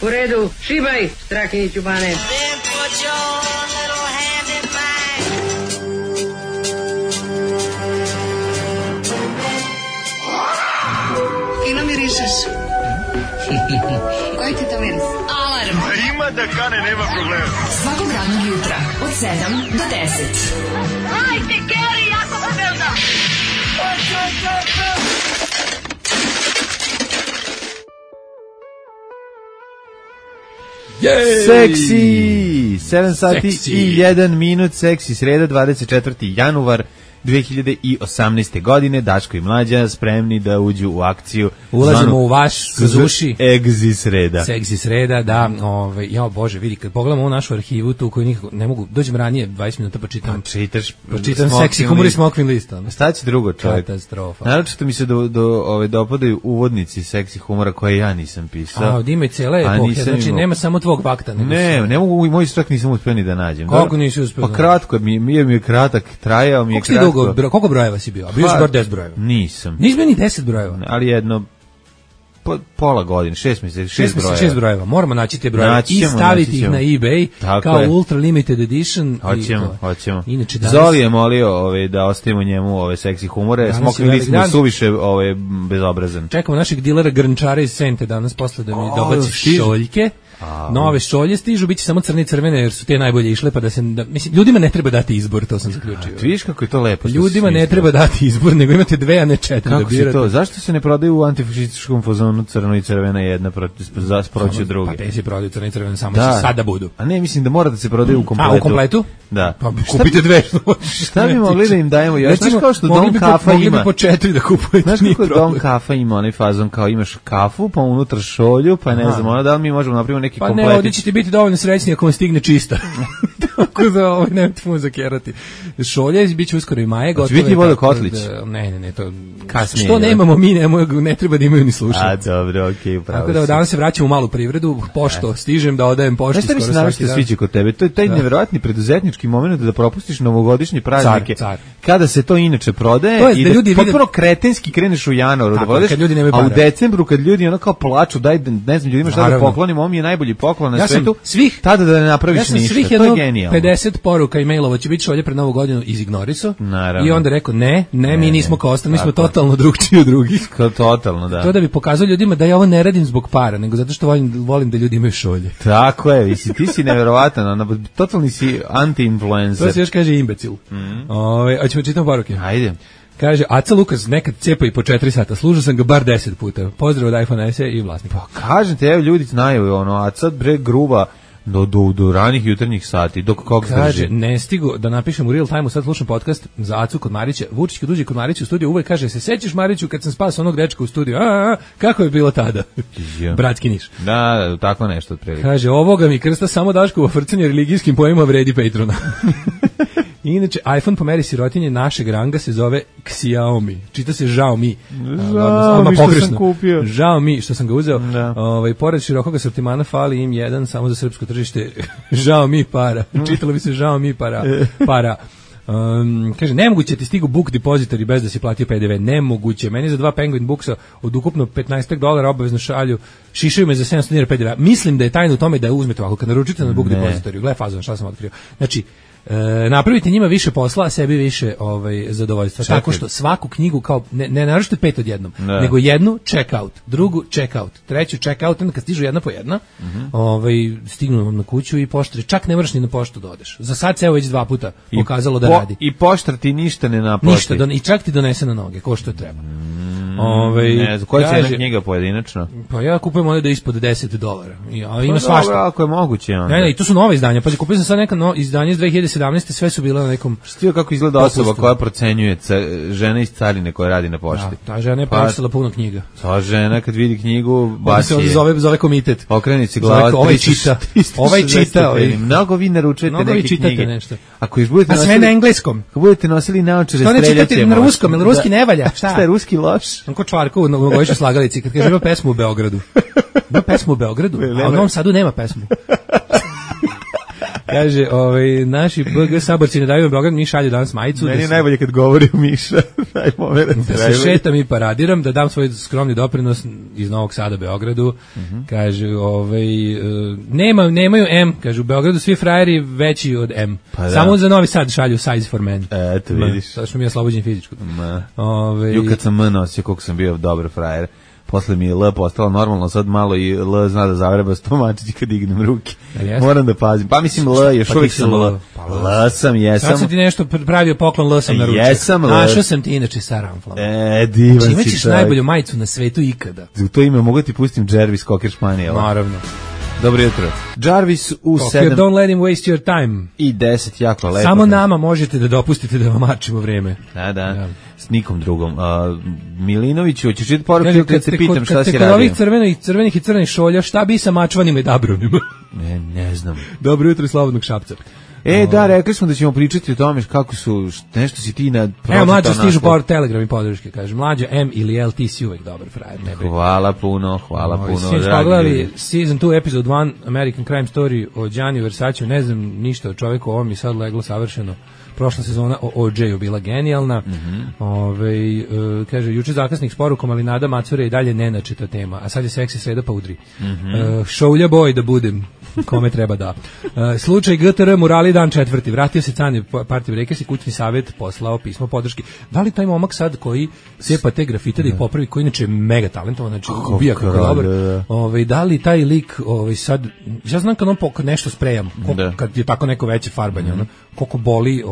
U redu, šibaj, Strakiniću Bane. Fino mirišeš. Koji ti to miris? Alarm. Ima da kane, nema problema. Svakog radnog jutra, od 7 do 10. Hajde, Geri, jako se velda. Seksi! 7 sati i 1 minut, seksi, sreda, 24. januar 2018. godine. Daško i Mlađa spremni da uđu u akciju. Ulazimo u vaš zuši. Egzi sreda. Seksi sreda, da. Ja, Bože, vidi, kad pogledamo ovu našu arhivu, tu koju nikako ne mogu, dođem ranije 20 minuta pa čitam. Čitam seksi humor i smoking list. Šta će drugo, čovjek? Katastrofa. Naročito mi se dopadaju uvodnici seksi humora koje ja nisam pisao. Ima i cijele epohe, znači nema samo tvog bakta. Ne mogu, moj strak nisam uspio ni da nađem. Kako nisi uspio? Pa kratko, mi je kratak, trajao mi je kratko. Koliko brojeva si bio? A bio si bar 10 brojeva? Nisam. Nisi bio ni 10 brojeva? Ali jedno, pola godine, 6 mjeseci, 6 brojeva. 6 brojeva. Moramo naći te brojeve i staviti ih na eBay kao ultra limited edition. Hoćemo. Zoli je molio da ostavimo njemu ove seksi humore, smokli smo suviše bezobrazan. Čekamo našeg dilera grnčara iz Sente danas posle da mi dobaci šoljke. Nove šolje stižu, bit će samo crne i crvene jer su te najbolje išle, pa mislim, ljudima ne treba dati izbor, to sam zaključio. Vidiš kako je to lepo. Ljudima ne treba dati izbor, nego imate 2, a ne 4 da birate. Kako se to? Zašto se ne prodaju u antifašističkom fazonu crno i crvena jedna proći druge? Pa te se prodaju crno i crvena, samo će sada budu. A ne, mislim da mora da se prodaju u kompletu. A, u kompletu? Da. Pa kupite 2. Šta bi mogli da im dajemo? Znaš kao što Dom Kafa ima? Mogli bi po 4 da kupujete. Znaš kako Dom Kafa ima onaj fazon kao imaš kafu, pa unutra šolju, pa ne znam, da li mi možemo napraviti neki komplet. Biti dovoljno srećni ako vam stigne čista. Tako da nemojte mu zakerati. Šolje, bit će uskoro i maje. Hoće biti vodokotlić? Ne, to kasnije. Što nemamo mi, ne treba da imaju ni slušati. A dobro, okej, upravo. Tako da danas se vraćamo u malu privredu, pošto stižem da odajem pošti skoro svaki dan. Znaš šta mi se sviđa kod tebe? To je taj nevjerojatni preduzetnički moment da propustiš novogodišnje praznike. Kada se to inače prodaje i da potpuno kretenski kreneš u januaru da vodeš, a u decembru kad ljudi ono kao plaču, daj, ne znam, ljudima šta da poklonimo, ovo mi je najbolji poklon na svetu. Tada da ne napraviš ništa, to je genijalno. 50 poruka i mailova će biti šolje pred Novu godinu izignorisao i onda rekao ne, mi nismo kao ostali, mi smo totalno drugčiji od drugih. Totalno, da. To da bi pokazao ljudima da ja ovo ne radim zbog para, nego zato što volim da ljudi imaju šolje. Tako je, ti si nevjerovatan, totalni si anti-influencer. To se još kaže imbecil. Hoćemo čitati poruke. Ajde. Kaže, Aca Lukas nekad cepa i po 4 sata, služio sam ga bar 10 puta. Pozdrav od iPhone SE i vlasnika. Pa kažem te, evo ljudi znaju, Aca bre gruba do ranih jutarnjih sati, dok kog drži. Kaže, ne stigu da napišem u real time-u, sad slušam podcast za Acu kod Marića. Vučić kad uđe kod Marića u studiju uvek kaže, se sećaš Mariću kad sam spasao onog dečka u studiju? Kako je bilo tada? Bratski Niš. Da, tako nešto otprilike. Kaže, ovoga mi krsta samo Daškovo frcanje religijskim pojmima vredi Patrona. Inače, iPhone po meri sirotinje našeg ranga se zove Xiaomi. Čita se Xiaomi. Xiaomi što sam kupio. Xiaomi što sam ga uzeo. Pored širokog asortimana fali im jedan samo za srpsko tržište. Xiaomi para. Čitalo bi se Xiaomi para. Kaže, nemoguće ti stigu book depozitori bez da si platio PDV. Nemoguće. Meni za 2 Penguin Booksa od ukupno $15 obavezno šišaju me za 700 dinara PDV. Mislim da je tajna u tome da uzmete ovako kad naručite na book depozitoriju. Gle fazon, šta sam otkrio. Znači, napravite njima više posla, a sebi više zadovoljstva. Tako što svaku knjigu kao ne naručite 5 odjednom, nego jednu check out, drugu check out, treću check out, onda kad stižu jedna po jedna, stignu vam na kuću i poštari, čak ne moraš ni na poštu da odeš. Za sad se evo već 2 puta pokazalo da radi. I poštar ti ništa ne naplati. Ništa, i čak ti donese na noge, ko što treba. Ne znam, koja je knjiga pojedinačno? Pa ja kupujem ovdje da je ispod $10. Ima svašta. Ako je moguće. Ne, i to su nove izdanja. Pa kupio sam sad neka izdanje iz 2017. Sve su bile na nekom... Stio kako izgleda osoba koja procenjuje žena iz carine koja radi na pošti. Da, ta žena je pročitala puno knjiga. Ta žena kad vidi knjigu, baci je. Zove komitet. Okreni se glava. Ovaj čita. Mnogo vi naručujete neke knjige. Nešto. A sve na engleskom. Ako budete nosili naočare, streljat ćemo. Što ne čitate na ruskom, ili ruski ne valja? Šta je ruski loš? Ko Čvarko u novogodišnjoj slagalici, kad kaže ima pesmu u Beogradu. Ima pesmu u Beogradu, a u Novom Sadu nema pesmu. Kaže, naši BG saborci ne daju Beograd, mi šalju danas majicu. Meni je najbolje kad govori u Miša. Da se šetam i paradiram, da dam svoj skromni doprinos iz Novog Sada Beogradu. Kaže, nemaju M, kaže, u Beogradu svi frajeri veći od M. Pa samo za Novi Sad šalju size for men. Eto, vidiš. Sada što mi je oslobođen fizičko. Ju kad sam M nosio, koliko sam bio dobar frajer. Posle mi je L postalo normalno, sad malo i L zna da zavreba stomačići kad dignem ruke. Moram da pazim. Pa mislim L, još uvijek sam L. L sam, jesam. Sad sam ti nešto pravio poklon, L sam na ručak. Jesam L. Našao sam ti inače sa ramflom. Divan si čovjek. Imaćeš najbolju majicu na svetu ikada. U to ime mogu ti pustim Jarvis Cocker Španijela. Naravno. Dobro jutro. Jarvis u 7. Don't let him waste your time. I 10 jako lepo. Samo nama možete da dopustite da vam mačimo vreme. Da. S nikom drugom. Milinoviću, hoćeš čitati poruku kad se pitam šta si radio? Kod ovih crvenih i crvenih šolja, šta bi sa mačvanima i dabronima? Ne znam. Dobro jutro i slobodnog Šapca. Da, rekli smo da ćemo pričati o tome kako su, nešto si ti na... Evo, mlađe stižu power telegram i podrške, kaže, mlađe M ili L, ti si uvek dobar frajer. Hvala puno. Sinoć pogledali season 2, episode 1, American Crime Story o Gianni Versace, ne znam ništa o čoveku, ovo mi sad leglo savršeno. Prošla sezona o OJ-u bila genijalna. Kaže, juče zakasnik s porukom, ali Nada Macure i dalje nenačita tema, a sad je seksi sreda pa udri. Šoulja boj da budem, kome treba da. Slučaj GTR Murali dan 4. Vratio se Canje Party Breakers i kućni savjet poslao pismo podrški. Da li taj momak sad koji cepa te grafite da ih popravi, koji inače je mega talentovan, znači ubija kako je dobar. Da li taj lik sad, ja znam kad on nešto sprejam, kad je tako neko veće farbanje, koliko boli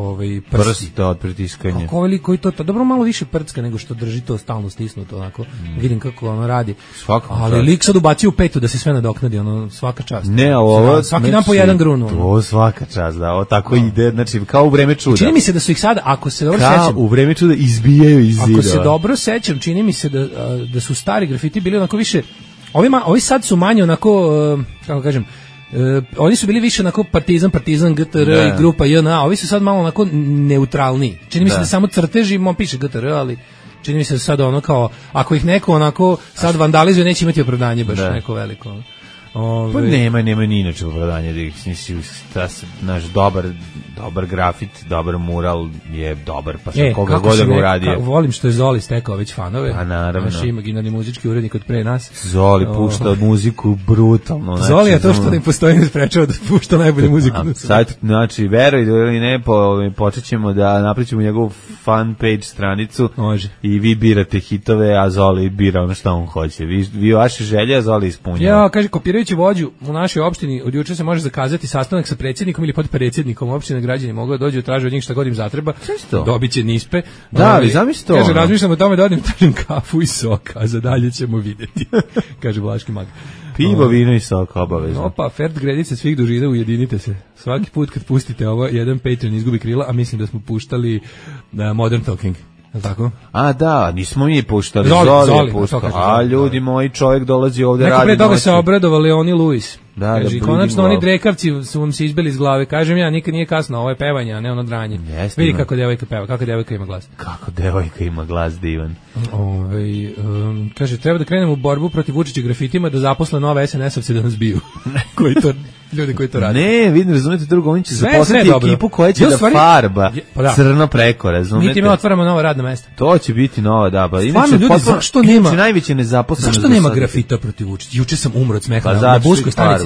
prsti od pritiskanja. Kako ovaj lik koji to, dobro malo više prcka nego što drži to stalno stisnuto, onako, vidim kako ono radi. Ali lik sad ubacio u petu da se sve nadoknadi, ono, svaka čast. Ne, ovo... Svaki dan po jedan grun. To svaka čast, da, ovo tako ide, znači, kao u vreme čuda. Čini mi se da su ih sad, ako se dobro sećam... Kao u vreme čuda izbijaju iz zida. Ako se dobro sećam, čini mi se da su stari grafiti bili onako više... Ovi sad su manje onako, kako kažem, oni su bili više onako partizan, GTR i grupa JNA, ovi su sad malo onako neutralni. Čini mi se da samo crteži, piše GTR, ali čini mi se da sad ono kao, ako ih neko onako sad vandalizuje, neće imati opravdanje baš neko veliko. Pa nema ni inače opravdanje da ih nisi naš dobar grafit, dobar mural je dobar, pa sa koga god ga uradio. Volim što je Zoli stekao već fanove. Pa naravno. Naš imaginarni muzički urednik od pre nas. Zoli pušta muziku brutalno. Zoli je to što ne postoji ne sprečava da pušta najbolju muziku. Sad, znači, verujte ili ne, počet ćemo da napričamo njegovu fan page stranicu. Može. I vi birate hitove, a Zoli bira ono što on hoće. Vi vaše želje, a Zoli ispunjava. Ja, kaže, kopirajući vođu u našoj opštini, od juče se može zakazati sastanak sa predsjednikom ili podpredsjednikom opštine, građani mogu da dođu, traže od njih šta god im zatreba, dobiće nispe. Da, ali zamisli to. Kaže, razmišljam o tome da odim tražim kafu i sok, a za dalje ćemo vidjeti, kaže Vlaški mag. Pivo, vino i sok, obavezno. Opa, Ferd gredice svih dužina, ujedinite se. Svaki put kad pustite ovo, jedan Patreon izgubi krila, a mislim da smo puštali Modern Talking. Tako? A da, nismo mi puštali, Zoli je puštali. A ljudi moji, čovjek dolazi ovdje radi. Neko pre toga se obradovali oni Luis. Da, kaže, konačno oni drekavci su vam se izbili iz glave. Kažem ja, nikad nije kasno, ovo je pevanje, a ne ono dranje. Vidi kako devojka peva, kako devojka ima glas. Kako devojka ima glas divan. Kaže, treba da krenemo u borbu protiv Vučića grafitima, da zaposle nove SNS-ovce da nas biju. Ljudi koji to rade. Ne, vidim, razumete drugo, oni će zaposliti ekipu koja će da farba crno preko, razumete. Mi time otvaramo nova radna mesta. To će biti nova, da. Stvarno, ljudi, zašto nema? Najveće nezaposlenost. Zašto nema grafita protiv Vučića? Juče sam umro od smeha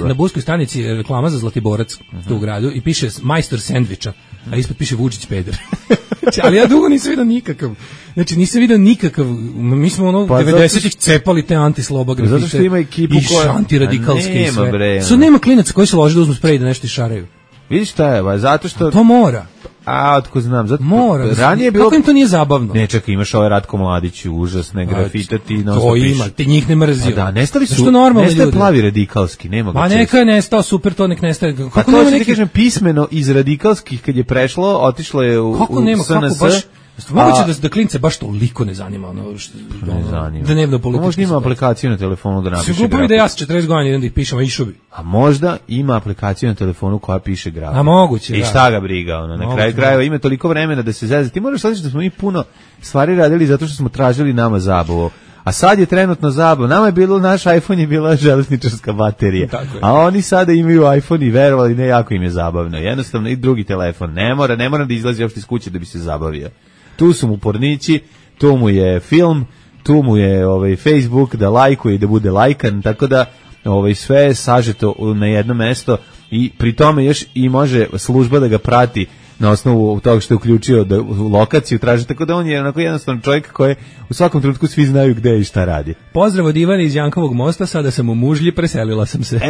na Buskoj stanici reklama za Zlatiborac tu u gradu i piše majstor sendviča, a ispod piše Vučić peder. Ali ja dugo nisam vidio nikakav. Znači nisam vidio nikakav. Mi smo ono 90-ih cepali te antisloba grafite. Zato što ima ekipu koja antiradikalske i sve. Sad nema klinaca koji se lože da uzmu sprej da nešto išaraju. Vidiš šta je, zato što... To mora. A, otko znam, zato mora. Ranije je bilo... Kako im to nije zabavno? Ne, čekaj, imaš ovaj Ratko Mladić, užasne grafite, ti to ima, ti njih ne mrzio. Da, nestali su, nestaje plavi radikalski, nema ga. Pa neka je nestao, super, to nek nestaje. Kako to će ti kažem, pismeno iz radikalskih, kad je prešlo, otišlo je u SNS. Moguće da klince baš toliko ne zanima ono što ne zanima. Da dnevno politički. Možda ima aplikaciju na telefonu da napiše. Sigurno bi da ja sa 40 godina idem da ih pišem, a išao bi. A možda ima aplikaciju na telefonu koja piše grafit. A moguće, i šta ga briga, ono, na kraju krajeva ima toliko vremena da se zeza. Ti moraš shvatiti da smo mi puno stvari radili zato što smo tražili nama zabavu. A sad je trenutno zabavno. Nama je bilo, naš iPhone je bila železničarska baterija. A oni sada imaju iPhone i verovali, ne, jako im je zabavno. Jednostavno i drugi telefon. Ne mora da izlazi uopšte iz kuće da bi se zabavio. Tu su mu pornići, tu mu je film, tu mu je Facebook da lajkuje i da bude lajkan, tako da sve je sažeto na jedno mesto i pri tome još i može služba da ga prati na osnovu toga što je uključio lokaciju, traži, tako da on je onako jednostavno čovjek koji u svakom trenutku svi znaju gde i šta radi. Pozdrav od Ivana iz Jankovog mosta, sada sam u Mužlji, preselila sam se.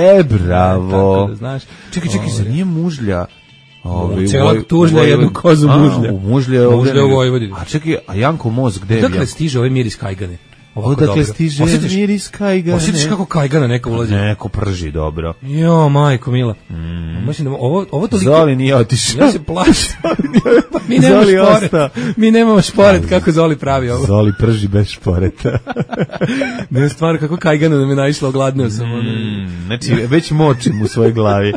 Bravo. Tako da znaš. Čekaj, zar nije Mužlja? Celog Tužlja jednu kozu Mužlja. Mužlja u Vojvodini. A čekaj, a Janko most gde je? Dakle stiže ovaj miris kajgane. Odakle stiže miris kajgane? Osjetiš kako kajgana neka ulazi? Neko prži dobro. Jo, majko mila. Mislim da ovo toliko... Zoli nije otišao. Ja se plašim. Mi nemamo šporet kako Zoli pravi ovo. Zoli prži bez šporeta. Ne, stvarno kako kajgana da me naišla, ogladneo sam. Znači, već močim u svojoj glavi.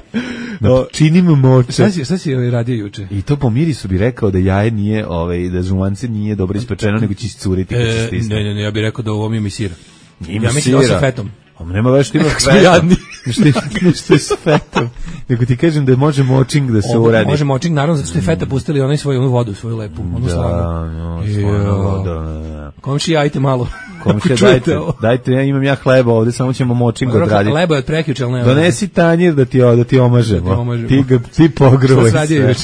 Činim moče. Šta si radio juče? I to po mirisu bi rekao da jaje nije, da žumance nije dobro ispečeno, nego će iscuriti kad se stisne. Ne, ja bih rekao da ovo mi sira. Ja mislim da sa fetom. Nema već što ima fetom. Što je s fetom. Nego ti kažem da može močing da se uradi. Može močing, naravno, zato što je feta pustili onaj svoju vodu, svoju lepu. Komšija, ajte malo. Komšija, dajte, imam hleba ovde, samo ćemo močing odraditi. Lebo je od prekjuče, ali ne. Donesi tanjir da ti omažemo. Ti pogruvaj sve.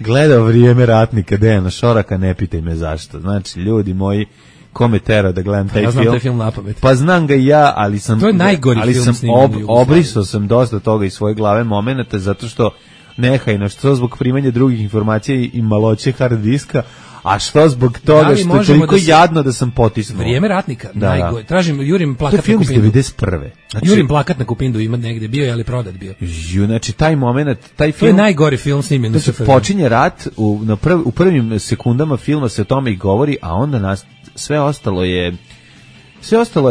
Gledao Vrijeme ratnika, Dejana Šoraka, ne pitaj me zašto. Znači, ljudi moji, kome tera da gledam taj film. Ja znam taj film napamet. Pa znam ga i ja, ali sam... To je najgori film sniman. Obrisao sam dosta toga iz svoje glave momenata, zato što nehajno, što zbog primanja drugih informacija i maloće hard diska, a što zbog toga što je toliko jadno da sam potisnuo. Vrijeme ratnika, najgore. Jurim plakat na Kupindu. To je film iz 91. Jurim plakat na Kupindu, ima negde bio, ali prodat bio. Znači, taj moment, taj film... To je najgori film snimljen. To se počinje rat, u prvim sekundama filma se o tome i govori, a onda sve ostalo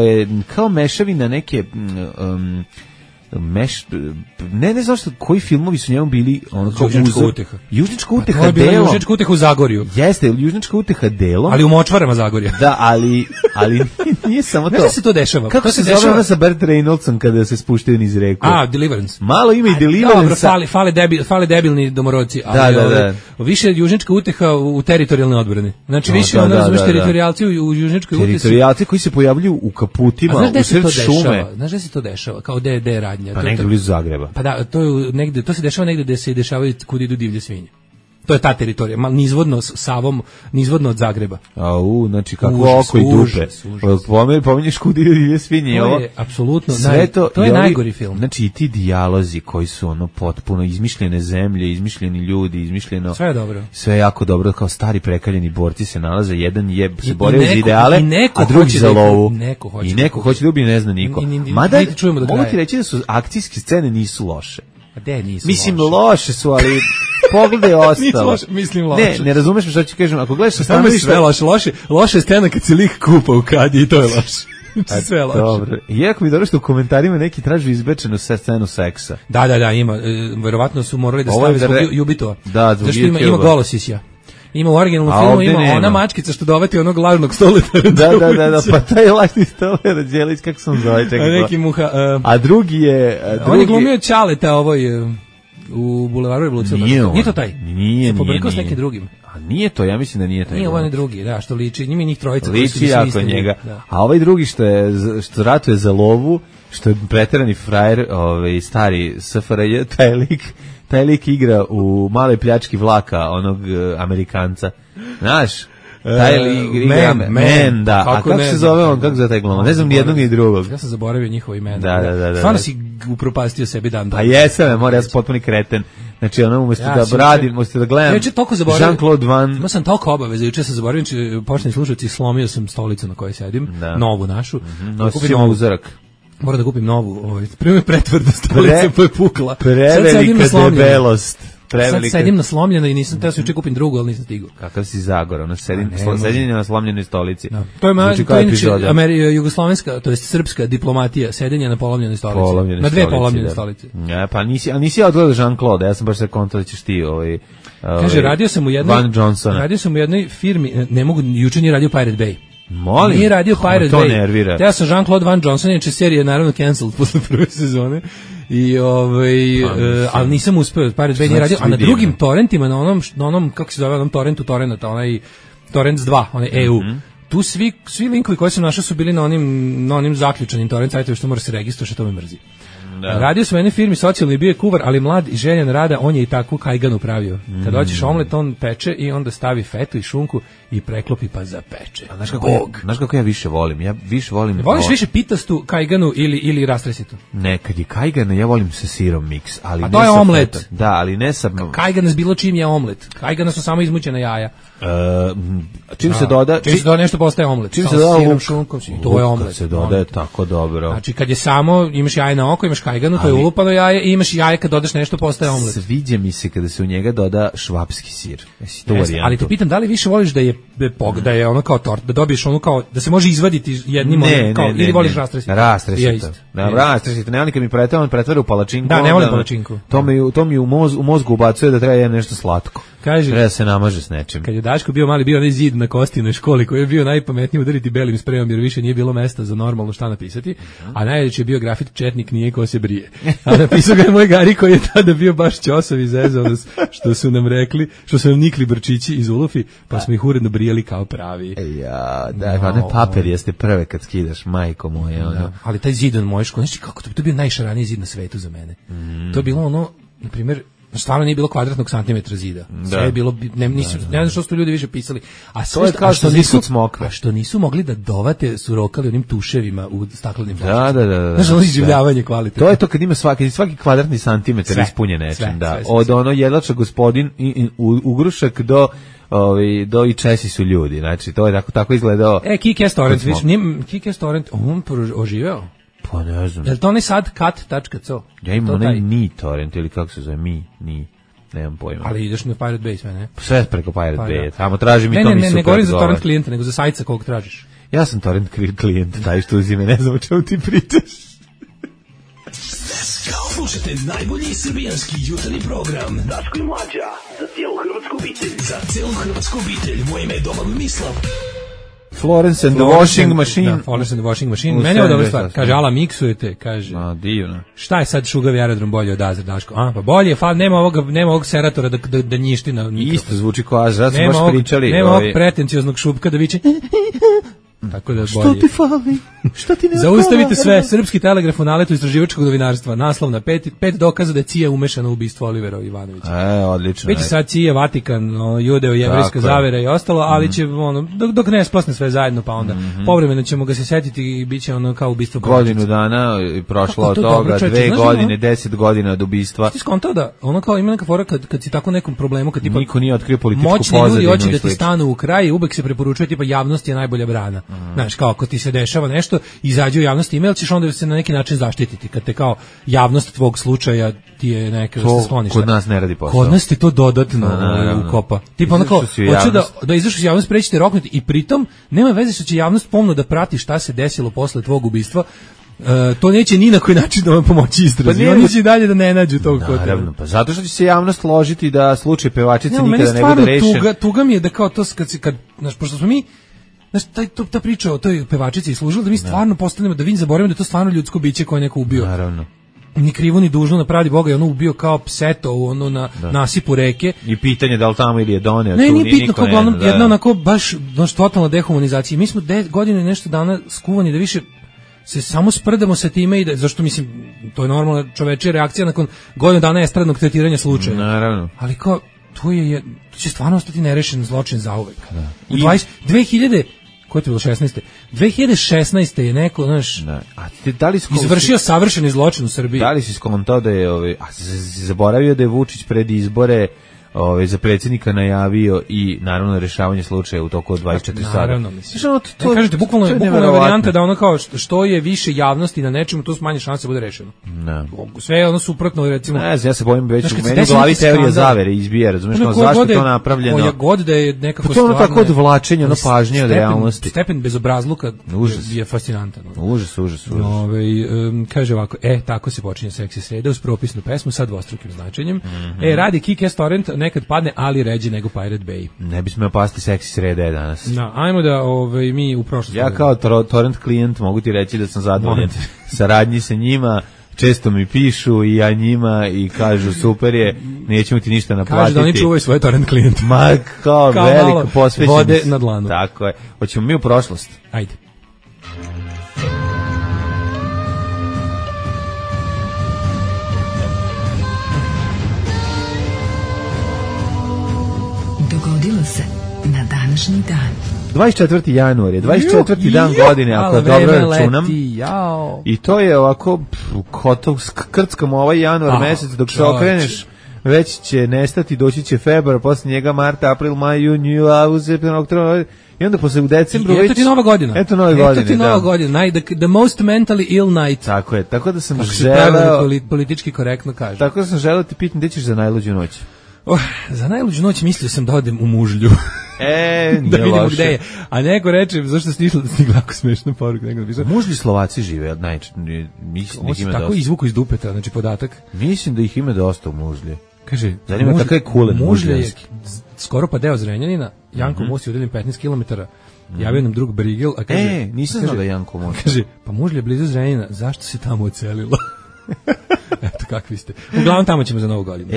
je kao mešavina neke... ne znam što koji filmovi su njemu bili Južnička uteha. Južnička uteha delom. Južnička uteha u Zagorju. Jeste, Južnička uteha delom. Ali u močvarama Zagorja. Da, ali nije samo to. Znaš se to dešava? Kako se zove ona sa Burt Reynoldsom kada se spuštaju niz reku? Deliverance. Malo ima i Deliverance. Dobro, fale debilni domorodci. Da. Više Južnička uteha u teritorijalne odbrane. Znači više ono razumeš teritorijalci u Južničkoj utehi. Teritorijalci koji se pojavljuju u kaputima, u sred šume. Znaš da se to dešava? Kao DD radnja. Pa negdje blizu Zagreba. Pa da, to se dešava negdje gde se dešavaju kud idu divlje svinje. To je ta teritorija, malo nizvodno Savom, nizvodno od Zagreba. Znači kako oko i dupe. Pominješ kud idu divlje svinje. To je apsolutno, to je najgori film. Znači i ti dijalozi koji su potpuno izmišljene zemlje, izmišljeni ljudi, izmišljeno... Sve je dobro. Sve je jako dobro, kao stari prekaljeni borci se nalaze, jedan se bore za ideale, a drugi za lovu. I neko hoće da ubije, ne zna niko. Mada, mogu ti reći da su akcijske scene nisu loše. Mislim, loše su, ali pogledaj ostalo. Mislim loše. Ne razumeš što ću kažem, ako gledaš sa stanovišta... Loše scena kad se lik kupa u kadi i to je loše. Sve loše. Dobro. Iako mi dobro što u komentarima neki tražu izbečenu scenu seksa. Da, ima. Verovatno su morali da stavi zbog Jubitova. Da, zbog Jubitova. Ima golosisja. Ima u originalnom filmu, ima ona mačkica što dovati onog lažnog Stoletara. Da, pa taj lažni Stoletar, Đelić, kako sam zove, čekaj. A drugi je... On je glumio Ćaleta u Bulevaru Revolucije. Nije to taj? Nije. Pobrkao s nekim drugim. A nije to, ja mislim da nije taj. Nije ovaj drugi, da, što liči, njih trojica. Liči jako njega. A ovaj drugi što ratuje za lovu, što je preterani frajer, stari SFRJ, taj lik igra u Maloj pljački vlaka, onog Amerikanca. Znaš? Taj lik igra Man, da. A kako se zove on, kako zove taj gluma? Ne znam ni jednog ni drugog. Ja sam zaboravio njihovo imena. Da. Stvarno si upropastio sebi dan. Pa jesam, ja sam potpuni kreten. Znači, umjesto da radim, umjesto da gledam Jean-Claude Van... Imao sam toliko obaveza, juče sam zaboravio, počne slušati, slomio sam stolicu na kojoj sedim, novu našu. Nosi ćemo uzorak. Moram da kupim novu, primjer pretvrda stolica pa je pukla. Prevelika debelost. Sad sedim na slomljeno i nisam, treba se juče kupim drugu, ali nisam stigao. Kakav si Zagora, sedim na slomljenoj stolici. To je inače jugoslovenska, to je srpska diplomatija, sedenje na polomljenoj stolici. Na dve polomljene stolice. Pa nisi ja odgledao Jean-Claude, ja sam baš se konto da ćeš ti Kaže, radio sam u jednoj firmi, ne mogu, juče nije radio Pirate Bay. Molim. Nije radio Pirate to Bay. Nervira. Ja sam Jean-Claude Van Johnson, inače serija je naravno cancelled posle prve sezone. I ali nisam uspeo, Pirate Bay nije radio, a na drugim torrentima, na onom kako se zove, onom torrentu torrenta, onaj Torrents 2, onaj EU. Tu svi linkovi koji sam našao su bili na onim zaključanim torrent sajtovima što mora se registrovati, što to me mrzi. Da. Radio sam u jednoj firmi socijalni, bio je kuvar, ali mlad i željan rada, on je i takvu kajganu pravio. Kad hoćeš omlet, on peče i onda stavi fetu i šunku i preklopi pa zapeče. Znaš kako ja više volim? Ja više volim... Voliš više pitastu kajganu ili rastresitu? Ne, kad je kajgana, ja volim sa sirom miks. Ali a to je omlet. Feta. Da, ali ne sa... Kajgana s bilo čim je omlet. Kajgana su samo izmućena jaja. Čim se doda nešto postaje omlet. Čim se doda sirom, šunkom, to je omlet. Kad se doda je tako dobro. Znači kad je samo, imaš jaje na oko, imaš kajganu, to je ulupano jaje, i imaš jaje kad dodaš nešto postaje omlet. Sviđa mi se kada se u njega doda švapski sir. Ali te pitam, da li više voliš da je ono kao tort, da dobiješ ono kao, da se može izvaditi jednim ili voliš rastresito? Rastresito. Da, rastresito. Ne, oni kad mi pretvara u palačinku. Da, ne volim palačinku. To mi u mozgu ubacuje da treba jedan nešto slatko. Kaže, treba se namaže s nečim. Kad je Daško bio mali, bio onaj zid na Kostinoj školi koji je bio najpametniji udariti belim sprejom jer više nije bilo mesta za normalno šta napisati, a najveći je bio grafit četnik nije ko se brije. A napisao ga je moj Gari koji je tada bio baš ćosov i zezao što su nam rekli, što su nam nikli brčići iz ulufi, pa smo ih uredno brijeli kao pravi. Ja, da, one paper jeste prve kad skidaš, majko moje. Da, ali taj zid on moje škole, znači kako to je bio najšaraniji zid na svetu za mene. To je bilo ono, na primjer, stvarno nije bilo kvadratnog santimetra zida. Sve je bilo, ne znam što su ljudi više pisali. A sve kao što nisu smokve. A što nisu mogli da dovate su rokali onim tuševima u staklenim flašicama. Da. Znaš, ono iživljavanje kvalitetno. To je to kad ima svaki kvadratni santimetar ispunjen nečim. Da. Od ono jedlača gospodin i ugrušak do i Česi su ljudi. Znači, to je tako izgledao. Kick-Ass Torrent, viš, Kick-Ass Torrent, on oživeo. Pa ne znam. Je li to onaj sad kat.co? Ja imam onaj Mi torrent ili kako se zove, nemam pojma. Ali ideš na Pirate Bay sve, ne? Sve preko Pirate Bay, tamo traži mi to mi super. Ne govorim za torrent klijenta, nego za sajt sa kog tražiš. Ja sam torrent klijent, taj što uzime, ne znam o čemu ti pričaš. Slušajte najbolji srbijanski jutarnji program Daško i Mlađa, za cijelu hrvatsku obitelj. Za cijelu hrvatsku obitelj, moje ime je Domagoj Mislav. Florence and the Washing Machine. Da, Florence and the Washing Machine. Mene je dobra stvar. Kaže, ala miksujete, kaže. Divno. Šta je sad šugavi aerodrom bolje od Azra, Daško? Pa bolje, nema ovog seratora da njišti na mikrofon. Isto zvuči kao Azra, smo baš pričali. Nema ovog pretencioznog šupka da viče... Tako da što ti fali? Što ti ne zaustavite sve, Srpski telegraf u naletu istraživačkog novinarstva. Naslov na 5 dokaza da je CIA umešana u ubistvo Olivera Ivanovića. Odlično. Biće sad CIA, Vatikan, judeo-jevrijska zavera i ostalo, ali će dok ne splasne sve zajedno, pa onda povremeno ćemo ga se setiti i biće ono kao ubistvo. Godinu dana i prošlo od toga, 2 godine, 10 godina od ubistva. Ti skontao da ono kao ima neka fora kad si tako nekom problemu, kad tipa niko nije otkrio političku pozadinu. Moćni ljudi hoće da ti stanu u kraj, uvek se preporučuje tipa javnost je najbolja brana. Znaš, kao ako ti se dešava nešto, izađe u javnosti email, ćeš onda se na neki način zaštititi. Kad te kao javnost tvog slučaja ti je neka da se skloniš. Kod nas ne radi posao. Kod nas ti to dodatno ukopa. Tipa onako, hoće da izašli iz javnosti, prećete roknuti i pritom nema veze što će javnost pomno da prati šta se desilo posle tvog ubistva. To neće ni na koji način da vam pomoći istrazi. Pa oni će dalje da ne nađu tog kod. Naravno, pa zato što će se javnost složiti da slučaj pevačice nikada ne bude rešen. Tuga mi je da kao to kad pošto smo mi ta priča o toj pevačici je služila da mi stvarno postanemo, da vi zaboravimo da je to stvarno ljudsko biće koje neko ubio. Naravno. Ni krivo ni dužno, na pravdi Boga je ono ubio kao pseto na nasipu reke. I pitanje da li tamo ili je doneo. Ne, nije pitno, kao uglavnom jedna onako baš totalna dehumanizacija. Mi smo 10 godina i nešto dana skuvani da više se samo sprdamo sa time i da, zašto mislim, to je normalna čovečija reakcija nakon godinu dana estradnog tretiranja slučaja. Naravno. Ali kao, to će stvarno ostati nerešen zločin zauvek. U 2000 koje to bilo 16. 2016. je neko, znaš, izvršio savršeni zločin u Srbiji. Da li si skontao da je, zaboravio da je Vučić pred izbore za predsjednika najavio i naravno rešavanje slučaja u toku od 24 sata. Naravno, mislim. Kažete, bukvalno je varijanta da ono kao što je više javnosti na nečemu, to su manje šanse da bude rešeno. Sve je ono suprotno, recimo. Ne znam, ja se bojim već u meni glavi teorija zavere izbija, razumiješ, zašto je to napravljeno. Koja god da je nekako stvarno. To je tako odvlačenje, ono pažnje od realnosti. Stepen bezobrazluka je fascinantan. Užas. Kaže ovako, tako se počinje Seksi sreda uz propisnu pesmu sa dvostrukim značenjem. Radi Kick-Ass Torrent, ponekad padne, ali ređe nego Pirate Bay. Ne bi smeo pasti seksi sreda danas. No, ajmo da mi u prošlosti. Ja kao torrent klijent mogu ti reći da sam zadovoljan saradnji sa njima. Često mi pišu i ja njima i kažu super je, nećemo ti ništa naplatiti. Kažu da oni čuvaju svoje torrent klijente. Ma kao veliko posvećenost. Vode na dlanu. Tako je. Hoćemo mi u prošlost. Ajde. Dogodilo se na današnji dan. 24. januar je, 24. dan godine, ako dobro računam. I to je ovako, krckamo ovaj januar mesec, dok se okreneš, već će nestati, doći će februar, posle njega marta, april, maj, jun, jul, avgust, septembar, oktobar, i onda posle u decembru već... Eto ti nova godina. Eto nove godine, Eto ti nova godina, the most mentally ill night. Tako je, tako da sam želeo... Politički korektno kažem. Tako da sam želeo ti pitam, gde ćeš za najluđu noć? Za najluđu noć mislio sam da odem u Mužlju. Da vidimo gde je. A neko reče, zašto ste išli da stigla jako smešna poruka. Mužlji Slovaci žive, mislim da ima tako izvuku iz dupeta, znači podatak. Mislim da ih ima dosta u Mužlji. Kaže, zanima kakav je kulen Mužlje je skoro pa deo Zrenjanina, Janko Mus je udaljen 15 km. Javio nam drug Brigel, a kaže... nisam znao da Janko Mus. Kaže, pa Mužlje je blizu Zrenjanina, zašto se tamo ocelilo? Eto kakvi ste. Uglavnom tamo ćemo za novu godinu.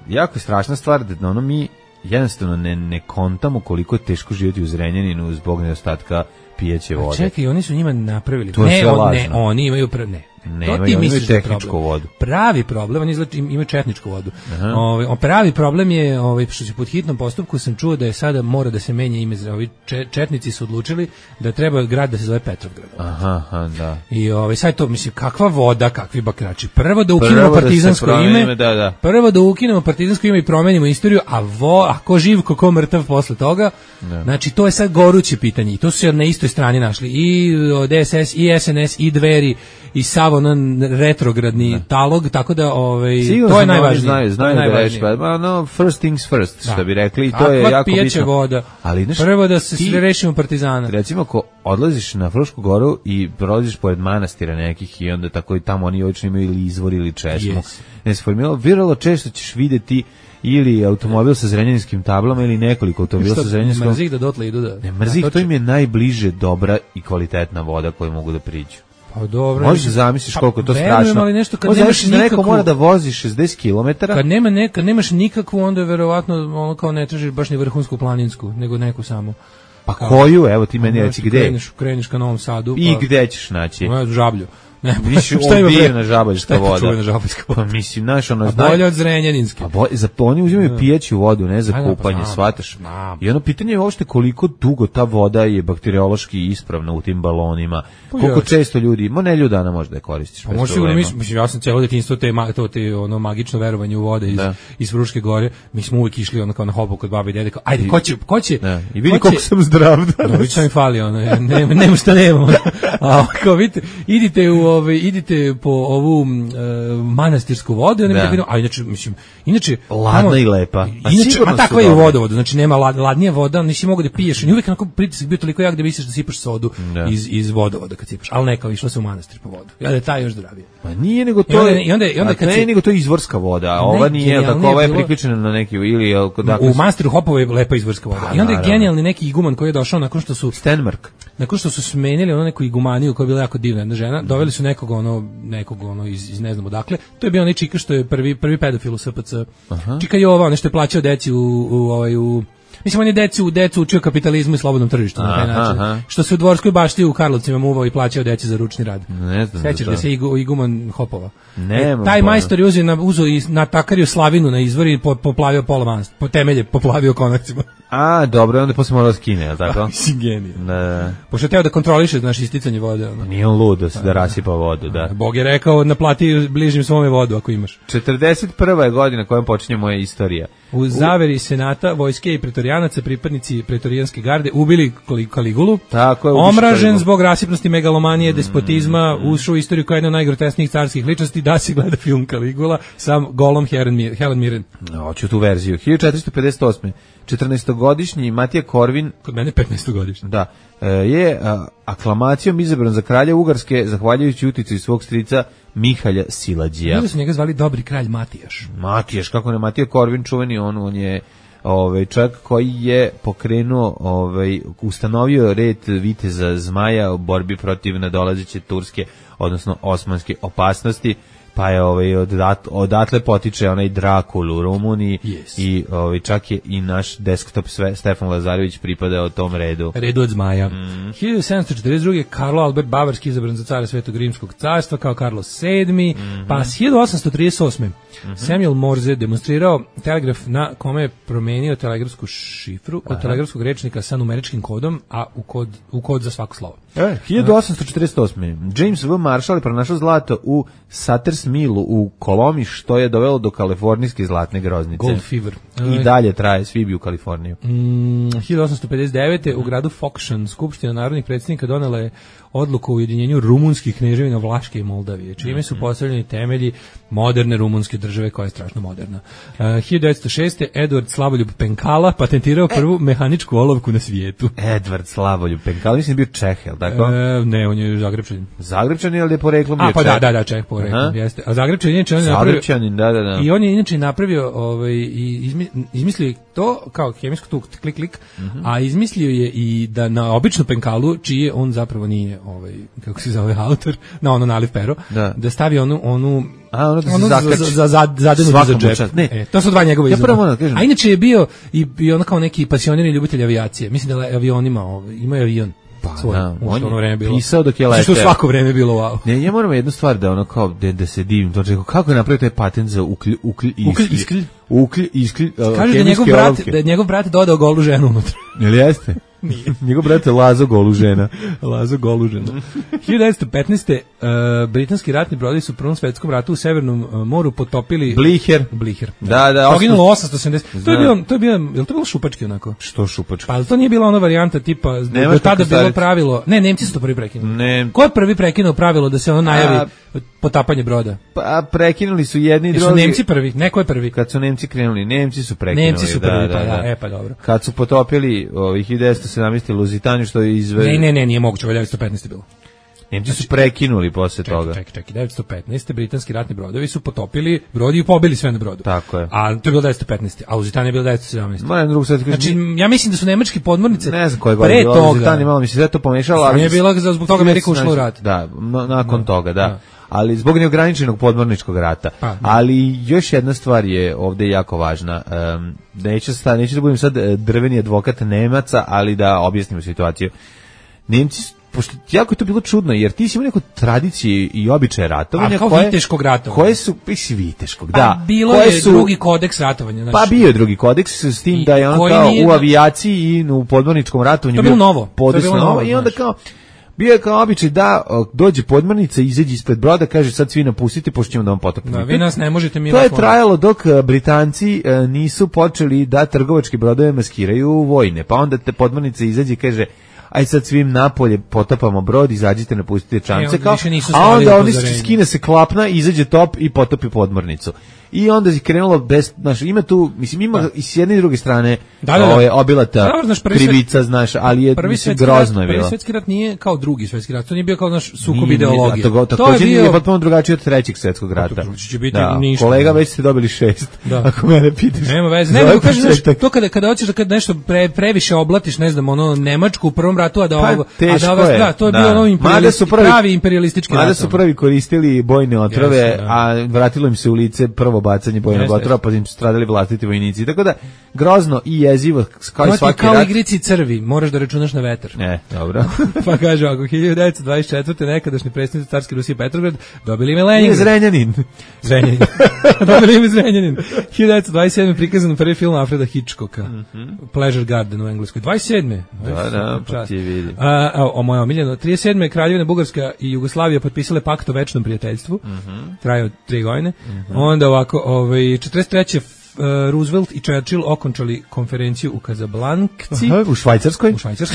Jako je strašna stvar da mi jednostavno ne kontamo koliko je teško živjeti u Zrenjaninu zbog nedostatka pijeće vode. Čekaj, oni su njima napravili. To je sve lažno. Oni imaju to ti misliš da je tehničku vodu. Pravi problem, oni imaju četničku vodu. Pravi problem je, što će pod hitnom postupku sam čuo da je sada mora da se menja ime. Četnici su odlučili da treba grad da se zove Petrovgrad. Da. I sad to, mislim, kakva voda, kakvi bakrači. Prvo da ukinemo partizansko ime. Prvo da ukinemo partizansko ime i promenimo istoriju, a ko živ, ko mrtav posle toga. Znači, to je sad goruće pitanje. I to su se na istoj strani našli. I DSS, i SNS, i Dveri, i sav onan retrogradni talog, tako da to je najvažnije. Znaju da reći, first things first, što bi rekli, i to je jako bitno. Pijeće voda. Prvo da se sve rešimo partizana. Recimo, ako odlaziš na Frušku goru i prolaziš pored manastira nekih i onda tako i tamo oni obično imaju ili izvor ili česmu, ne se formiralo, vrlo često ćeš videti ili automobil sa zrenjaninskim tablama ili nekoliko automobila sa zrenjaninskom... Mrzih da dotle idu da... Ne, mrzih, to im je najbliže dobra i kvalitetna voda koju mogu da priđu. Pa dobro. Možeš zamisliš koliko je to strašno. Ali nešto kad nemaš nikakvu... Neko mora da vozi 60 km. Kad nemaš nikakvu, onda je verovatno ono kao ne tražiš baš ni vrhunsku planinsku, nego neku samo. Pa koju? Evo ti meni reci gde. Kreneš ka Novom Sadu. I gde ćeš naći? Žablju. Šta ima na žabaljska voda? Šta je žabaljska voda? Pa mislim, znaš, ono... bolje od zrenjaninske. Oni uzimaju pijeću vodu, ne za kupanje, shvataš? I ono pitanje je uopšte koliko dugo ta voda je bakteriološki ispravna u tim balonima. Koliko često ljudi, ne ljudana možda je koristiš. Pa možda sigurno, mislim, ja sam cijelo detinjstvo te magično verovanje u vode iz Fruške gore. Mi smo uvijek išli ono kao na hobu kod babi i dede, kao, ajde, ko će? I vidi koliko sam zdrav danas. Već sam mi fali, nema šta nemamo. A kao vidite, idite po ovu manastirsku vodu, a inače ladna i lepa. A takva je u vodovodu, znači nema ladnija voda, nisi mogu da piješ. I uvijek onako pritisak bio toliko jak da misliš da sipaš sodu iz vodovoda kad sipaš, ali neka, išlo se u manastir po vodu. Ja da je taj još zdravije. Ma nije, nego to je, nego to je izvorska voda, a ova nije, tako ova je priključena na neki, ili... U manastiru Hopovo je lepa izvorska voda. I onda je genijalni neki iguman koji je došao nakon što su smenili ono neku igumaniju koja je bila jako divna jedna žena, doveli su nekog iz ne znam odakle. To je bio onaj čika što je prvi pedofil u SPC. Čika Jova, nešto je plaćao deci mislim, on je decu učio kapitalizmu i slobodnom tržištu na taj način. Što se u Dvorskoj bašti u Karlovcima muvao i plaćao deci za ručni rad. Sećaš da se iguman Hopova? Taj majstor je uzeo i natakario slavinu na izvor i poplavio pola manastir, po temelje poplavio konakcima. A, dobro, onda posle morao skine, je tako? Mislim, genije. Pošto je teo da kontroliše isticanje vode. Nije on lud da rasipa vodu, da. Bog je rekao, naplati bližnjim svome vodu ako imaš. 41. je godina kojom počinje moja istorija. U zaveri senata, vojske i pretorijanaca, pripadnici pretorijanske garde, ubili Kaligulu. Tako je. Omražen zbog rasipnosti, megalomanije, despotizma, ušao u istoriju kao jedna od najgrotesnijih carskih ličnosti, da se gleda film Kaligula, sam golom Helen Mirren. Hoću tu verziju. 1458. 14-godišnji Matija Korvin, kod mene 15-godišnji, je aklamacijom izabran za kralja Ugarske, zahvaljujući uticaju svog strica Mihalja Silađija. Ljudi su njega zvali Dobri kralj Matijaš. Matijaš, kako ne, Matija Korvin čuveni, on je čovjek koji je pokrenuo, ustanovio red viteza Zmaja u borbi protiv nadolazeće turske, odnosno osmanske opasnosti, pa je odatle potiče onaj Drakul u Rumuniji i čak je i naš desktop Stefan Lazarević pripadao tom redu. Redu od Zmaja. 1742. Karlo Albert Bavarski izabran za cara Svetog Rimskog carstva kao Carlos VII. Pa 1838. Samuel Morse demonstrirao telegraf na kome je promenio telegrafsku šifru od telegrafskog rečnika sa numeričkim kodom, a u kod za svako slovo. 1848. James V. Marshall je pronašao zlato u Sutter's Millu u Kolomi, što je dovelo do kalifornijske zlatne groznice. Gold fever. I dalje traje svi u Kaliforniju. 1859. u gradu Fokšan Skupština narodnih predsjednika donela je odluku o ujedinjenju rumunskih kneževina Vlaške i Moldavije, čime su postavljeni temelji moderne rumunske države koja je strašno moderna. 1906. Edward Slavoljub Penkala patentirao prvu mehaničku olovku na svijetu. Edward Slavoljub Penkala, mislim bio Čeh, je li tako? Ne, on je Zagrebčanin. Zagrebčanin, ali je poreklom bio Čeh? Pa da, Čeh poreklom, jeste. A Zagrebčanin inače Zagrebčanin, da. I on je inače napravio, izmislio to kao hemijsku tu klik, a izmislio je i da na običnu penkalu, čije on zapravo nije, kako se zove autor, na ono naliv pero, da stavi onu za zadenu za džep. To su dva njegove izuma. A inače je bio i ono kao neki pasionirani ljubitelj avijacije. Mislim da je avionima, ima avion. On je pisao dok je leteo. Što svako vreme je bilo wow. Ne, ja moram jednu stvar da ono kao da se divim, to kako je napravio taj patent za kaže da njegov brat dodao golu ženu unutra. Jel jeste? Nije. Njegov brat je Lazo Golužena. 1915. Britanski ratni brodovi su u Prvom svetskom ratu u Severnom moru potopili Bliher. Da. Poginulo 870. To je bilo šupački onako. Što šupački? Pa to nije bila ona varijanta tipa do tada bilo pravilo. Ne, Nemci su to prvi prekinuli. Ko je prvi prekinuo pravilo da se ono najavi potapanje broda? Pa prekinuli su jedni i drugi. Su Nemci prvi, neko je prvi. Kad su Nemci krenuli, Nemci su prekinuli. Nemci su prvi, pa dobro. Kad su potopili ovih 1917. Luzitaniju što je Ne, nije moguće, 1915. bilo. Nemci su prekinuli posle toga. Čekaj, 1915. britanski ratni brodovi su potopili brod i pobili sve na brodu. Tako je. A to je bilo 1915. A Luzitanija je bilo 1917. Moram drugu sad kažem. Znači, ja mislim da su nemačke podmornice ne znam koje godine bilo Luzitanija, malo mi se sve to pomešalo, ali je bilo zbog toga Amerika ušla u rat. Da, nakon toga, da. Ali zbog neograničenog podmorničkog rata. Ali još jedna stvar je ovdje jako važna. Neću da budem sad drveni advokat Nemaca, ali da objasnimo situaciju. Nemci, pošto jako je to bilo čudno, jer ti si imao neku tradiciju i običaje ratovanja. A kao viteškog ratovanja. Koje su, viteškog, da. Bilo je drugi kodeks ratovanja. Znači, pa bio je drugi kodeks s tim da je ono kao u avijaciji i u podmorničkom ratovanju. To je bilo novo. I onda kao bio je kao običaj da dođe podmornica, izađe ispred broda, kaže sad svi napustite, pošto ćemo da vam potopimo. Da, vi nas ne možete mi. To je trajalo dok Britanci nisu počeli da trgovački brodove maskiraju vojne. Pa onda te podmornica izađe i kaže aj sad svim napolje potapamo brod, izađite, napustite čamce, a onda oni skine se klapna, izađe top i potopi podmornicu. I onda je krenulo ima tu, mislim, ima i s jedne i druge strane obilata krivica, ali je grozno je bilo. Prvi svjetski rat nije kao drugi svjetski rat, to nije bio kao naš sukob ideologije. Također je potpuno drugačije od trećeg svjetskog rata. Kolega, već ste dobili 6, ako mene pitaš. Nema veze, ne, kažeš, to kada hoćeš da nešto previše oblatiš, ne znam, ono Nemačku u prvom ratu, a da to je bio ono pravi imperijalistički rat. Mada su prvi koristili bojne otrove, a vratilo im se u lice prvo bacanje bojnog otrova, pa im su stradali vlastiti vojnici. Tako da, grozno i jezivo, kao i svaki rat. Kao igrici crvi, moraš da računaš na vetar. Dobro. Pa kaže, ako 1924. nekadašnji predsjednik carske Rusije Petrograd dobili ime Leningrad. Zrenjanin. Dobili ime Zrenjanin. 1927. prikazan prvi film Alfreda Hitchcocka. Pleasure Garden u engleskoj. 27. Da, pa ti vidi. Moja omiljena. 37. Kraljevina Bugarska i Jugoslavija potpisale pakt o večnom prijateljstvu. Traje od 3 godine. Onda ovako, 43. Roosevelt i Churchill okončali konferenciju u Kazablankci. U Švajcarskoj,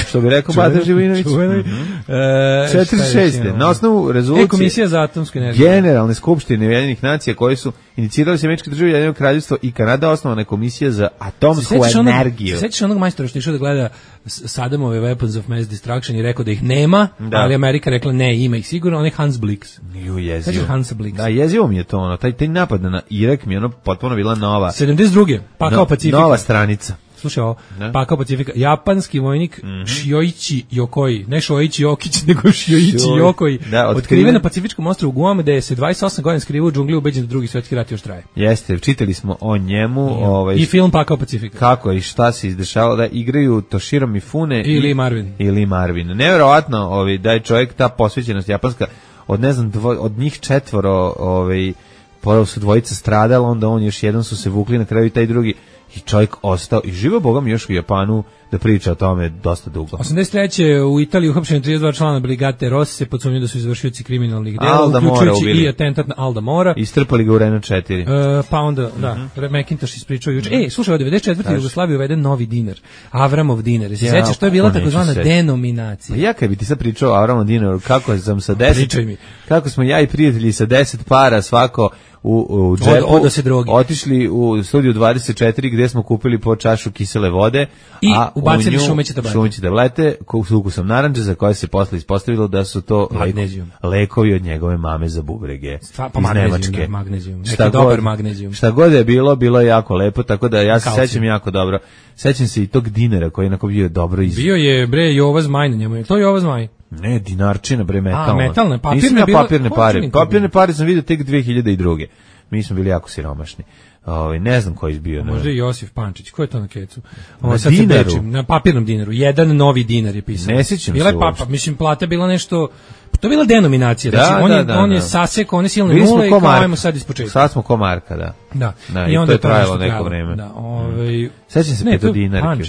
što bi rekao Bata Živinović. 46. Na osnovu rezolucije Komisija za atomsku energiju Generalne skupštine Ujedinjenih nacija koje su inicirali se Američke države, Ujedinjeno kraljevstvo i Kanada, osnovana je Komisija za atomsku energiju. Sećaš onog majstora što je išao da gleda Saddamove Weapons of Mass Destruction i rekao da ih nema, ali Amerika rekla ne, ima ih sigurno, on je Hans Blix. Jezivo. Hans Blix. Da, jezivo mi je to ono, taj napad na Irak mi je ono potpuno bila nova. 72. Pa kao Pacifika. Nova stranica. Slušaj ovo, pa kao Pacifika. Japanski vojnik Shioichi Yokoi, ne Shoichi Jokić, nego Shioichi Yokoi, otkriven na Pacifičkom ostrvu Guam, gde se 28 godina skrivao u džungli, ubeđen da drugi svjetski rat još traje. Jeste, čitali smo o njemu. I film Pa kao Pacifika. Kako i šta se izdešavalo, da igraju Toshiro Mifune i Lee Marvin. Neverovatno da je čovjek, ta posvećenost japanska, od ne znam, od njih 4, prvo su dvojica stradala, onda on još jedan su se vukli, na kraju i taj drugi, i čovjek ostao i živo bogom još u Japanu da priča o tome dosta dugo. 83. u Italiji uhapšeni 32 člana brigade Rossi se podsumnju da su izvršioci kriminalnih dela, uključujući i atentat na Alda Mora. Istrpali ga u Renault 4. Pa onda, McIntosh ispričao juče. Slušaj, od 94. Jugoslavije uveden novi dinar. Avramov dinar. Se sjećaš, to je bila takozvana denominacija. Pa ja kad bi ti sad pričao o Avramov dinaru, kako sam sa 10, kako smo ja i prijatelji sa 10 para svako u džepu otišli u studiju 24 gdje smo kupili po čašu kisele vode i ubacili šumeće tablete s ukusom narandže, za koje se posle ispostavilo da su to lekovi od njegove mame za bubrege iz Nemačke. Šta god je bilo je jako lepo, tako da ja se sećam jako dobro. Sećam se i tog dinara koji je onako bio dobro iz... Bio je Jova Zmaj na njemu, je to Jova Zmaj? Ne, dinarčina, metalna. Metalne, papirne pare sam vidio tek 2002. Mi smo bili jako siromašni. Ne znam koji je bio. Možda i Josif Pančić, ko je to na kecu? Na dinaru? Na papirnom dinaru, jedan novi dinar je pisao. Ne sjećam se mislim, plata bila nešto... To je bila denominacija, on je sasekao, one silne nule i kao ajmo sad ispočetka. Sad smo ko Marka, da. I onda je to trajalo neko vreme. Sećam se petodinarke.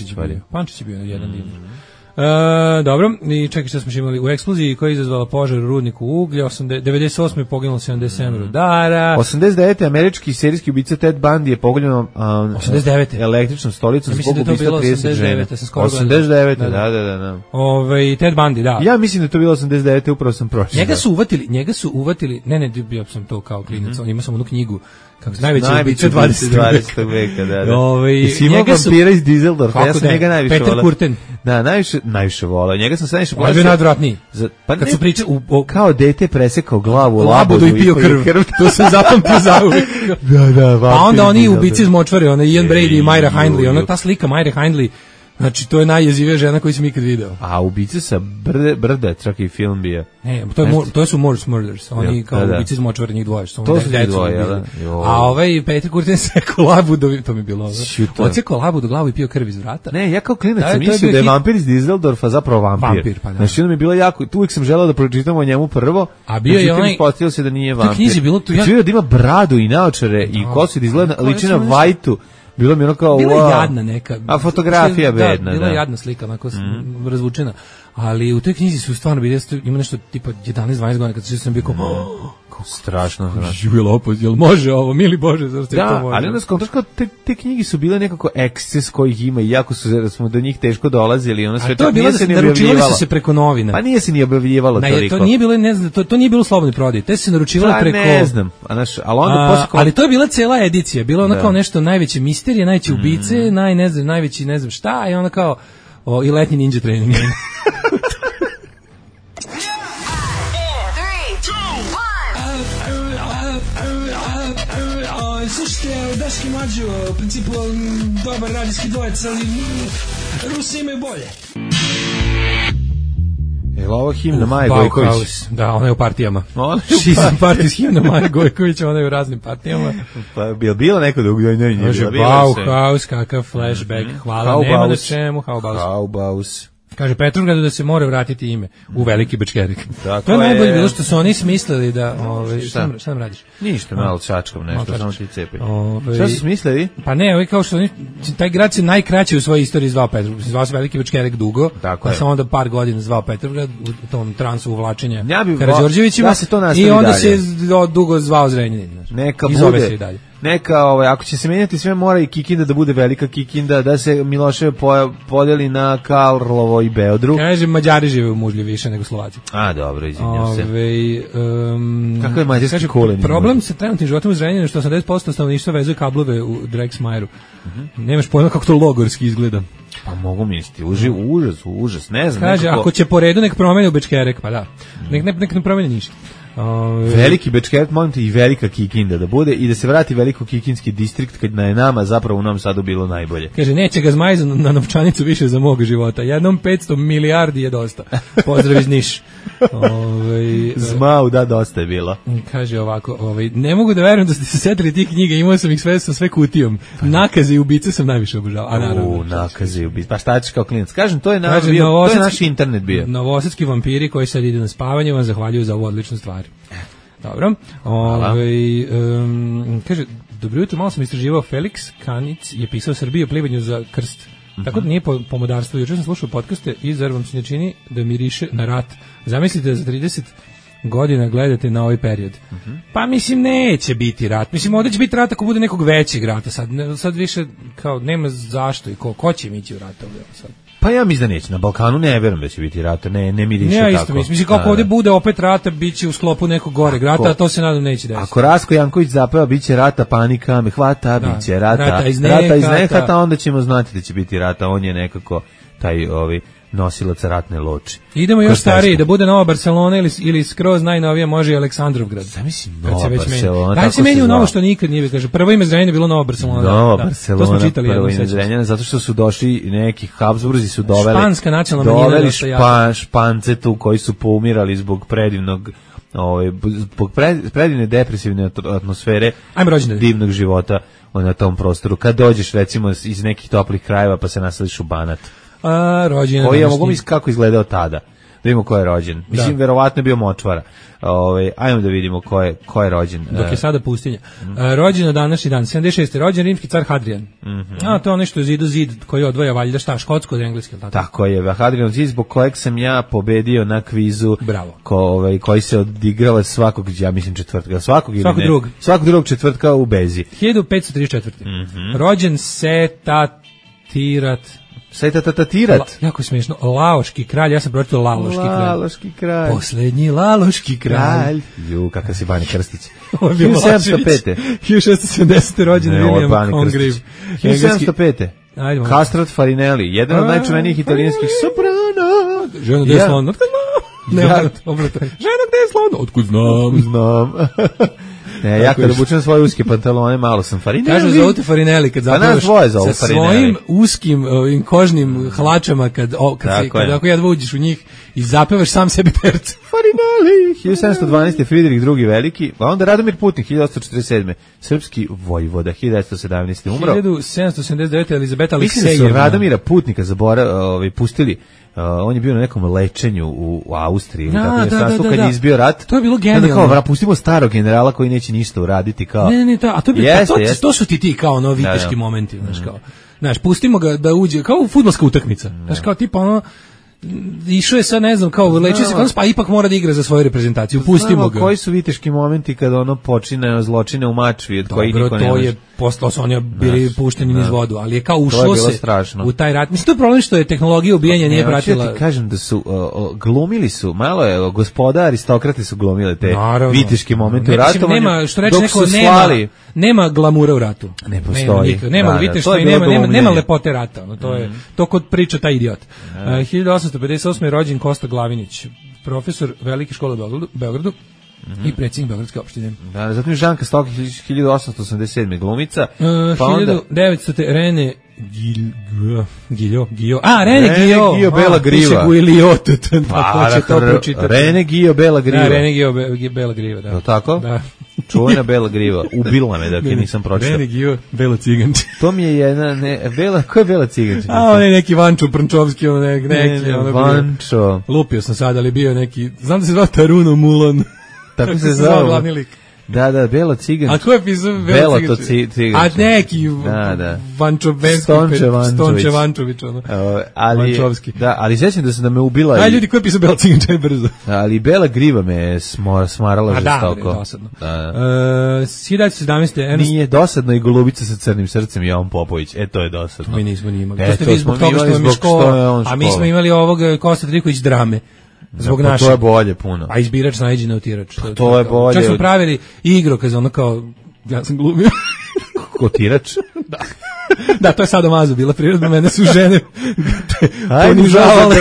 Pančić je bio jedan dinar. Dobro, i čekaj što smo imali u eksploziji koja je izazvala požar u rudniku uglja, 98. je poginulo 77 rudara. 89. američki serijski ubica Ted Bundy je poginuo 89. električnom stolicom zbog ubistva 30 žena. 89. Da. Ted Bundy, da. Ja mislim da je to bilo 89. upravo sam prošao. Njega su uvatili, ne, bio sam to kao klinac, imao sam onu knjigu kako najveći ubice 20. veka, da. I si imao vampira iz Dizeldorfa, ja sam njega najviše volao. Peter Kurten. Da, najviše volao. Njega sam sad najviše plašio. Bio najodvratniji. Kad su pričali, kao dete presekao glavu u labodu i pio krv. To se zapamtio zauvijek. Da, pa onda oni ubici iz močvare, Ian Brady i Myra Hindley, ta slika Myra Hindley, znači, to je najjezivija žena koju sam ikad video. A ubice sa brda, čak i film bio. Ne, to su Morse Murders. Oni kao ubice iz močvara, njih dvoje. To su njih dvoje, jel? A Peter Kurten sekao labudu, to mi je bilo ovo. On sekao labudu glavu i pio krv iz vrata. Ne, ja kao klinac sam mislio da je vampir iz Dizeldorfa zapravo vampir. Znači, onda mi je bilo jako, uvijek sam želeo da pročitam o njemu prvo. A bio je onaj... Ispostavilo se da nije vampir. U knjizi bilo tu... Znači, da ima bradu i naočare i kosu da izgleda liči na Vajtu. Bilo mi ono kao... Bila jadna neka. A fotografija bedna, da. Bila jadna slika, onako razvučena. Ali u toj knjizi su stvarno bili, ima nešto tipa 11-12 godina, kad sam bio kao strašno. Jel može ovo, mili Bože, zašto je to može? Da, ali onda skontraš kao te knjige su bile nekako eksces kojih ima i jako smo do njih teško dolazili. Ono sve to je bilo da se naručivali su se preko novina. Pa nije se ni objavljivalo toliko. To nije bilo, ne znam, to nije bilo slobodni prodaj. Te se naručivali preko... Ne znam, ali to je bila cela edicija. Bilo ono kao nešto najveće misterije, najveće ubice, najveći ne znam šta, i ono kao i letnji ninja trening. Slušajte, Daški Mlađo, u principu dobar radijski dvojec, ali Rusi imaju bolje. Je li ovo himna Maje Gojković? Da, ona je u partijama. Šizam partij s himna Maje Gojković, ona je u raznim partijama. Pa je bilo neko da ugljenje? Bauhaus, kakav flashback, hvala, nema na čemu, Haubaus. Kaže Petrovgradu da se mora vratiti ime u Veliki Bečkerik. To je najbolje bilo što su oni smislili da... Šta nam radiš? Ništa, malo čačkam nešto, samo ti cepi. Šta su smislili? Pa ne, kao što taj grad se najkraće u svojoj istoriji zvao Petrovgrad. Zvao se Veliki Bečkerik dugo, pa sam onda par godina zvao Petrovgrad u tom transu uvlačenja Karađorđevićima i onda se dugo zvao Zrenjanin. Neka bude. neka, ako će se menjati sve, mora i Kikinda da bude velika Kikinda, da se Miloševo podeli na Karlovo i Beodru. Kaže, Mađari žive u Mužlji više nego Slovaci. A, dobro, izvinjam se. Kako je mađarski kulen? Problem sa trenutnim životom u Zrenjaninu što 80% stanovništva vezuje kablove u Drexmajeru. Nemaš pojma kako to logorski izgleda. Pa mogu misliti, užas, ne znam. Kaže, ako će po redu nek promeni u Bečkerek, pa da. Nek ne promeni ništa. Veliki Bečkerek, molim te, i velika Kikinda da bude i da se vrati veliko Kikinski distrikt kad je nama zapravo u Novom Sadu bilo najbolje. Kaže, neće ga Zmaj na novčanicu više za mog života. Jednom 500 milijardi je dosta. Pozdrav iz Niš. Zmau, da, dosta je bilo. Kaže ovako, ne mogu da verujem da ste se setili tih knjiga, imao sam ih sve sa sve kutijom. Nakaze i ubice sam najviše obožavao. Nakaze i ubice. Pa šta ćeš kao klinac? Kažem, to je naš internet bio. Novosadski vampiri koji sad ide na spavanje vam zahvaljuju za ovu odličnu stvar. Dobro. Kaže, dobro jutro, malo sam istraživao, Felix Kanic je pisao Srbiji o plivanju za krst. Tako da nije pomodarstvo. Jučer sam slušao podcaste i zar vam se ne čini da miriše na rat. Zamislite da za 30 godina gledate na ovaj period. Pa mislim neće biti rat. Mislim ovdje će biti rat ako bude nekog većeg rata. Sad više kao nema zašto i ko će ići u rat ovdje sad. Pa ja mislim da neće. Na Balkanu ne verujem da će biti rata, ne miriše tako. Ja isto mislim, kako ovdje bude opet rata, bit će u sklopu nekog goreg rata, a to se nadam neće desiti. Ako Rasko Janković zapeva, bit će rata, panika me hvata, bit će rata iz nehata, onda ćemo znati da će biti rata. On je nekako taj nosilac ratne loče. Idemo još stariji, da bude Nova Barcelona ili skroz najnovija može i Aleksandrovgrad. Zamislim Nova Barcelona. Daj se meni u novo što nikad nije, kaže. Prvo ime Zrenjanina bilo Nova Barcelona. Nova Barcelona, to smo čitali prvo ime Zrenjanina, zato što su došli neki Habsburzi su Španska nacionalna manjina. Špance tu koji su poumirali zbog predivnog zbog predivne depresivne atmosfere divnog života na tom prostoru. Kad dođeš recimo iz nekih toplih krajeva pa se naseliš u Banat. Koji ja mogu misliti kako izgledao tada. Da vidimo ko je rođen. Mislim, verovatno je bio močvara. Ajmo da vidimo ko je rođen. Dok je sada pustinja. Rođen na današnji dan. 76. rođen rimski car Hadrian. To je nešto zid koji odvaja valjda škotsko od engleske. Tako je. Hadrian zid zbog kojeg sam ja pobedio na kvizu. Bravo. Koji se odigrava svakog, ja mislim četvrtka. Svakog drugog četvrtka u Bezi. 1534. Rođen Setatirat. Setatirat. Jako smiješno. Laoški kralj, ja sam pročitao Laloški kralj. Poslednji Laloški kralj. Kakav si Bani Krstić. 1705. 1670. rođen William Congreve. 1705. Castrat Farinelli, jedan od najčuvenijih italijanskih soprana. Žena gde je slon? Žena gde je slon? Otkud znam. Ja kada obučem svoje uske pantalone, malo sam Farinelli. Kažu zovu te Farinelli kad zapravaš sa svojim uskim kožnim hlačama kad ako jedva uđeš u njih i zapevaš sam sebi perce. Farinelli. 1712. Friedrich II. Veliki, a onda Radomir Putnik, 1847. Srpski vojvoda, 1917. umro. 1779. Elizabeta Aleksejevna. Mislim da su Radomira Putnika pustili. On je bio na nekom lečenju u Austriji, kad je izbio rat. To je bilo genijalno. Kao, pustimo starog generala koji neće ništa uraditi. Kao. Ne, a to su ti kao viteški momenti, znaš, pustimo ga da uđe, kao fudbalska utakmica, znaš, kao tipa išao je sad, ne znam, kao lečio se, pa ipak mora da igra za svoju reprezentaciju, pustimo ga. Koji su viteški momenti kada počine zločine u Mačvi, od kojih niko ne može. Posle su oni bili pušteni niz vodu, ali je kao ušlo se u taj rat. Mislim, to je problem što je tehnologija ubijanja nije pratila. Ja ti kažem da su glumili su, malo je gospoda aristokrati su glumile te viteški momente u ratovanju. Nema, što reče neko, nema glamura u ratu. Ne postoji. Nema viteštva i nema lepote rata. To je to kod priča taj idiot. 1858. je rođen Kosta Glavinić, profesor velike škole u Beogradu. I predsjednik Beogradske opštine. Da, zatim Žanka Stokić, 1887. glumica. 1900. Rene Giljo. Rene Gio Bela Griva. Tako će to pročitati. Rene Gio Bela Griva. Rene Gio Bela Griva, da. Je tako? Da. Čuvena Bela Griva. Ubila me da nisam pročitao. Rene Gio Bela Ciganči. To mi je jedna, ko je Bela Ciganči? On je neki Vančo Prnčovski, neki. Vančo. Lupio sam sad, ali bio neki, znam da se zvao Taruno Mulan. Tako se zvao glavni lik. Da, Belo Ciganč. A ko je pisao Belo Ciganč? A neki Stonče Vančović, ono. Vančovski. Da, ali sećam da se da me ubila. Aj, ljudi, ko je pisao Belo Ciganč, aj brzo. Ali Bela Griva me smarala žestoko. Da, dosadno. 1917. Nije dosadno i Golubica sa crnim srcem, Jovan Popović. To je dosadno. Mi nismo ni imali. To ste vi zbog toga što vam je škola, a mi smo imali ovog Kosta Triković drame. Zbog naše. To je bolje puno. A izbirač najđe na utirač. To je bolje. Čak smo pravili igro, kad ono kao, ja sam glumio. Kotirač? Da. Da, to je sadomazo bila prirodna, mene su žene ponižavale.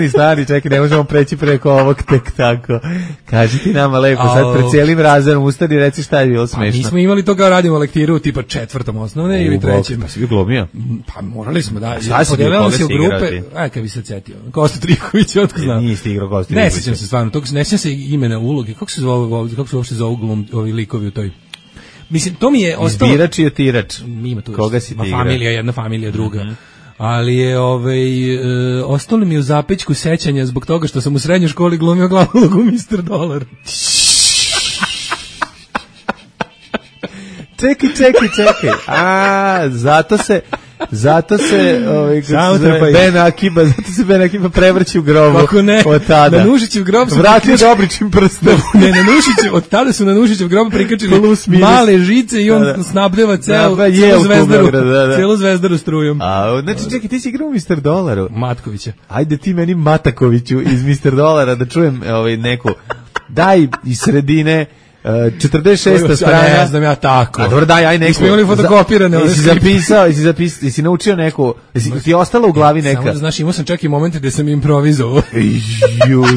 Stari, čekaj, ne možemo preći preko ovog tek tako. Kaži ti nama lepo, sad pred cijelim razredom ustani i reci šta je bilo smešno. Mi smo imali to kao radimo lektiru tipa 4. osnovne ili 3. Pa si bio glumio? Pa morali smo, da. Podelili se u grupe, kad bi se cetio. Kosta Triković, otko znam. Niste igrao Kosta Triković. Ne sjećam se stvarno, ne sjećam se imena uloge. Kako se uopšte zovu ovi likovi u toj... Mislim, to mi je ostalo... Izbirač i otirač. Ima tu koga si ti igra? Familija, jedna familija, druga. Ali je, ostalo mi u zapečku sećanja zbog toga što sam u srednjoj školi glumio glavnu ulogu Mr. Dolar. Čekaj. Zato se Ben Akiba prevrći u grobu. Kako ne? Od tada. Na Nušićev grob su vratio Dobrićim prstom. Ne, na Nušićev, od tada su na Nušićev grob prikačili male žice i on snabdeva celu Zvezdaru strujom. Znači, čekaj, ti si igrao u Mr. Dolaru. Matkovića. Ajde ti meni Matakoviću iz Mr. Dolara da čujem neku. Daj iz sredine 46. strana. Ne znam ja tako. A dobro, daj, aj neku. Smo imali fotokopirane. Jesi naučio neku, ti je ostala u glavi neka? Samo da znaš, imao sam čak i momente gde sam improvizovao.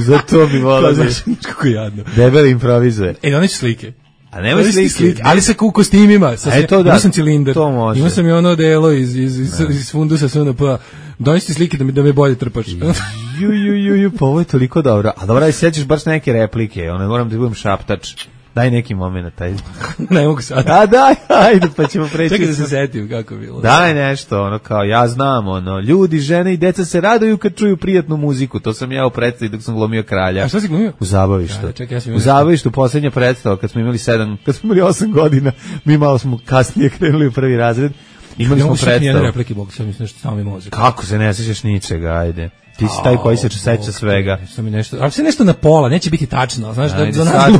Zato bi volao. Znaš, kako jadno. Debel improvizuje. One su slike. A nema slike. Ali sa kostimima. Imao sam cilindar. Imao sam i ono delo iz fundusa SNP-a. Donesite slike da me bolje trpaš. Pa ovo je toliko dobro. A dobro, sjećaš baš neke replike. Moram da budem šaptač. Daj neki moment, taj. Ne mogu sad. A daj, ajde, pa ćemo preći. Čekaj da se setim kako je bilo. Daj nešto, kao ja znam, ljudi, žene i deca se raduju kad čuju prijatnu muziku. To sam ja u predstavi dok sam glumio kralja. A šta si glumio? U Zabavištu. Čekaj, u Zabavištu, posljednja predstava, kad smo imali 8 godina, mi malo smo kasnije krenuli u prvi razred. Imali smo predstavu. Nijedne replike, Bog, sad mislim nešto samo mi mozak. Kako se ne sjećaš ničega, ajde. Ti si taj koji se seća svega. Ali se nešto na pola, neće biti tačno, znaš, za nas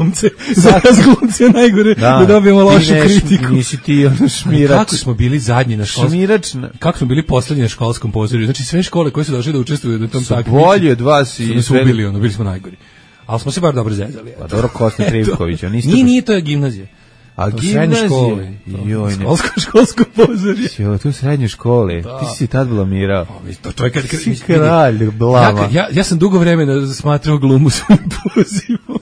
glumce je najgore da dobijemo lošu kritiku. Nisi ti šmirač. Kako smo bili zadnji na školskom? Kako smo bili poslednji na školskom pozorju? Znači sve škole koje su došle da učestvuju na tom takmičenju. Bolji od vas i su ubili, bili smo najgori. Ali smo se bar dobro zezali. Pa dobro, Kosta Trivković, Nije, to je gimnazija. A gimnazije? Školsko pozorje. Tu u srednjoj školi. Ti si tad blamirao. To je kad si kralj blama. Ja sam dugo vremena smatrao glumu svojim pozivom.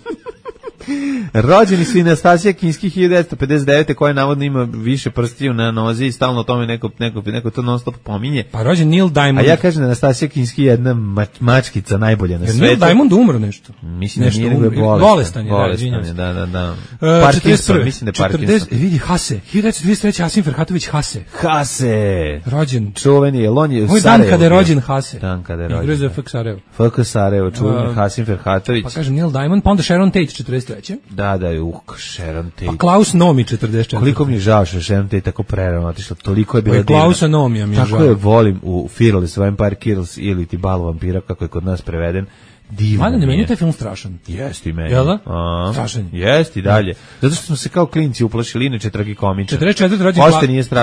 Rođeni su i Nastasija Kinski 1959. koja navodno ima više prstiju na nozi i stalno o tome neko to non stop pominje. Pa rođen Neil Diamond. A ja kažem da Nastasija Kinski je jedna mačkica najbolja na svetu. Neil Diamond umro nešto. Mislim da nije nego je bolestan. Da. Parkinson, mislim da je Parkinson. Vidi, Hase. 1923. Hasim Ferhatović Hase. Rođen. Čuveni je, on je u Sarajevu. Dan kada je rođen Hase. Dan kada je rođen. Igrao za FK Sarajevo. FK Sarajevo, čuveni Hasim Ferhatović. Pa kažem Neil Diamond, pa onda Sharon Tate 43. Da, Sharon Tate. Pa Klaus Nomi 44. Koliko mi je žao što Sharon Tate tako prerano otišla, toliko je bila divna. Klausa Nomija mi je žao. Tako je volim u Fearless Vampire Kills ili ti Bal vampira, kako je kod nas preveden. Divno mi je. Meni je taj film strašan. Jeste i meni. Jel da? Strašan. Jeste i dalje. Zato što smo se kao klinci uplašili, inače tragikomičan. 44. rođen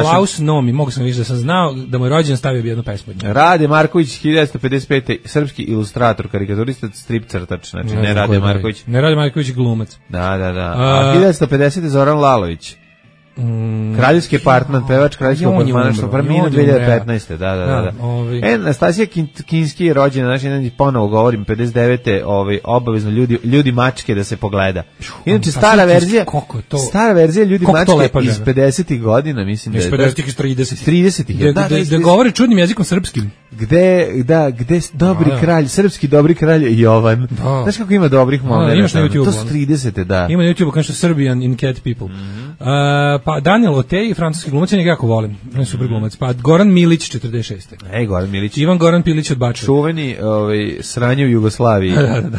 Klaus Nomi. Mogu sam više da sam znao da mu je rođen stavio bi jednu pesmu. Rade Marković 1955. Srpski ilustrator, karikaturista, strip crtač. Znači ne Rade Marković. Ne Rade Marković glumac. Da. A 1950. Zoran Lalović. Kraljevski apartman, pevač kraljevskog apartmana, što preminuo 2015. Da. Nastasija Kinski je rođena, znači ponovo govorim 59. Obavezno ljudi mačke da se pogleda. Inače stara verzija ljudi mačke iz 50. godina, mislim da je. Iz 50. iz 30. Da govori čudnim jezikom srpskim. Gde dobri kralj, srpski dobri kralj Jovan. Znaš kako ima dobrih momenta? Imaš na YouTube. To su 30. da. Ima na YouTube kao što Serbian in Cat People. Pa Daniel Otej, francuski glumac, njega jako volim. On je super glumac. Pa Goran Milić, 46. Goran Milić. Ivan Goran Pilić od Bača. Čuveni sranje u Jugoslaviji.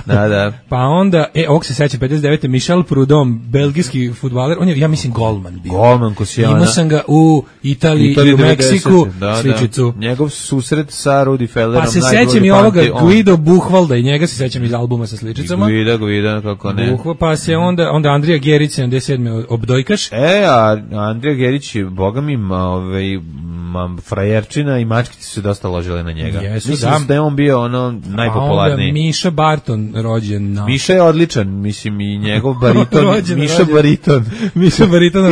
Da. Pa onda, ovog se seća, 59. Michel Prudhomme, belgijski fudbaler. On je, ja mislim, golman bio. Golman, Kosijana. Imao sam ga u Italiji i u Meksiku, sličicu. Njegov susret sa Rudi Fellerom. Pa se sećam i ovoga Guido Buchwalda i njega se sećam iz albuma sa sličicama. Guido, kako ne. Pa se onda Andrija Gerić, 77. obdojkaš. A Andrija Gerić je, boga mi, frajerčina i mačkice su dosta ložile na njega. Mislim da je on bio najpopularniji. Onda Miša Barton, rođen na... Miša je odličan, mislim, i njegov bariton. Miša Bariton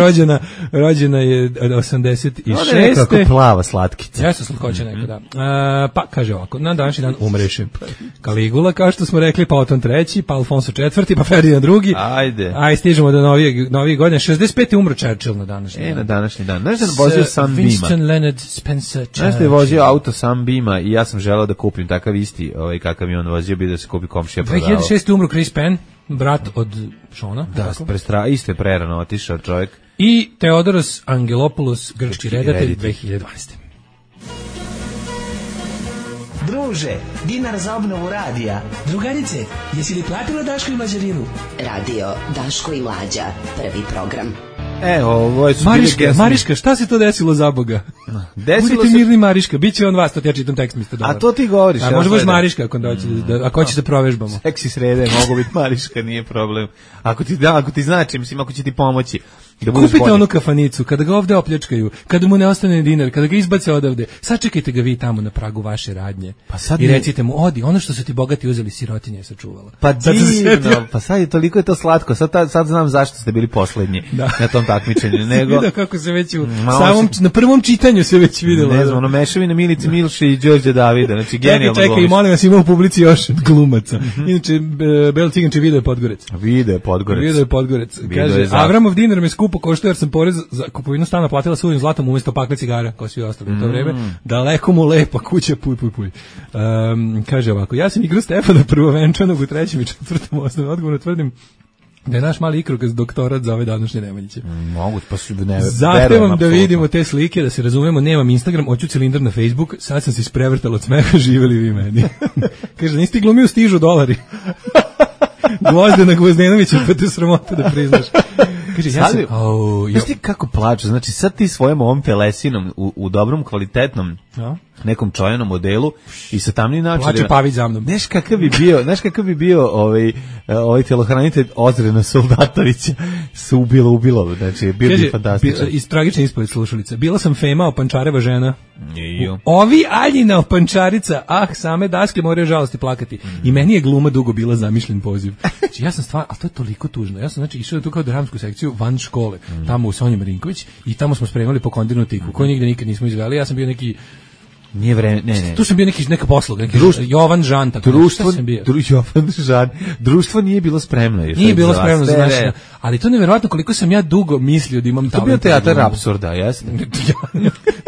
rođena je 86. Ona je nekako plava slatkica. Jeste slatkoća neka, da. Pa, kaže ovako, na današnji dan umreše Kaligula, kao što smo rekli, pa Oton III, pa Alfonso IV, pa Ferdinand II. Ajde, stižemo do novih godina. 65. umro Churchill na današnji dan. Na današnji dan. Znaš da je vozio Sunbeama? Winston Leonard Spencer Churchill. Znaš da je vozio auto Sunbeama i ja sam želeo da kupim takav isti, kakav je on vozio, bi da se kupi komšija prodavao. 2006. umro Chris Penn, brat od Šona. Da, isto je prerano otišao čovjek. I Theodoros Angelopoulos, grčki redatelj, 2012. Druže, dinar za obnovu radija. Drugarice, jesi li platila Daško i Mlađarinu? Radio Daško i Mlađa, prvi program. Ovo je Mariška, šta se to desilo za Boga? Budite mirni, Mariška, bit će on vas, to ti ja čitam tekst, mister dobar. A to ti govoriš. Može baš Mariška, ako hoćeš da provežbamo. Seksi srede, mogu biti Mariška, nije problem. Ako ti znači, mislim, ako će ti pomoći. Kupite onu kafanicu, kada ga ovde opljačkaju, kada mu ne ostane dinar, kada ga izbace odavde, sačekajte ga vi tamo na pragu vaše radnje i recite mu, odi, ono što su ti bogati uzeli, sirotinja je sačuvala. Pa divno, pa sad je toliko je to slatko, sad znam zašto ste bili poslednji na tom takmičenju. Vidio kako se već na prvom čitanju se već videlo. Ne znam, mešavina Milice Milše i Đorđe Davida, znači genijalno glumiš. Čekaj, molim vas, ima u publici još glumaca. Inače, Belo Ciganče video je Podgorec. Kaže, Avramov dinar me skupo koštao jer sam porez za kupovinu stana platila suvim zlatom umjesto pakle cigara, kao svi ostali u to vreme. Daleko mu lepa kuća, puj. Kaže ovako, ja sam igrao Stefana prvovenčanog u 3. i 4. osnovnom, odgovorno tvrdim da je naš mali ikrokaz doktorat za ove današnje Nemanjiće. Mogu, pa su zahtevam da vidimo te slike, da se razumemo, nemam Instagram, hoću cilindar na Facebook, sad sam se isprevrtala od smeha, živeli vi meni. Kaže, nisi ti glumio stižu $. Gvozdena Gvozdenovića, pa te sramota da priznaš. Kaže, znaš ti kako plaču, znači sad ti svojom ovom telesinom u dobrom, kvalitetnom nekom čojanom modelu i sa tamnim naočarima. Plače Pavić za mnom. Znaš kakav bi bio ovaj telohranitelj Ozrena Soldatovića se ubilo, znači bio bi fantastičan. Iz tragične ispovedi slušalice. Bila sam Fema, opančareva žena. Ovi Aljina opančarica, same daske moraju žalosti plakati. I meni je gluma dugo bila zamišljen poziv. Znači ja sam stvarno, ali to je toliko tužno. Ja sam znači išao tu kao dramsku sekciju van škole, tamo u Sonji Marinković i tamo smo spremali po kondirnu tiku, koju nigde nikad nismo izveli. Ja sam bio neki Nije vreme, ne. Tu sam bio neka posluga, Jovan Žan, tako Jovan Žan. Društvo nije bilo spremno. Nije bilo spremno za naš, ali to je neverovatno koliko sam ja dugo mislio da imam talent. To je bio teatar apsurda, jeste?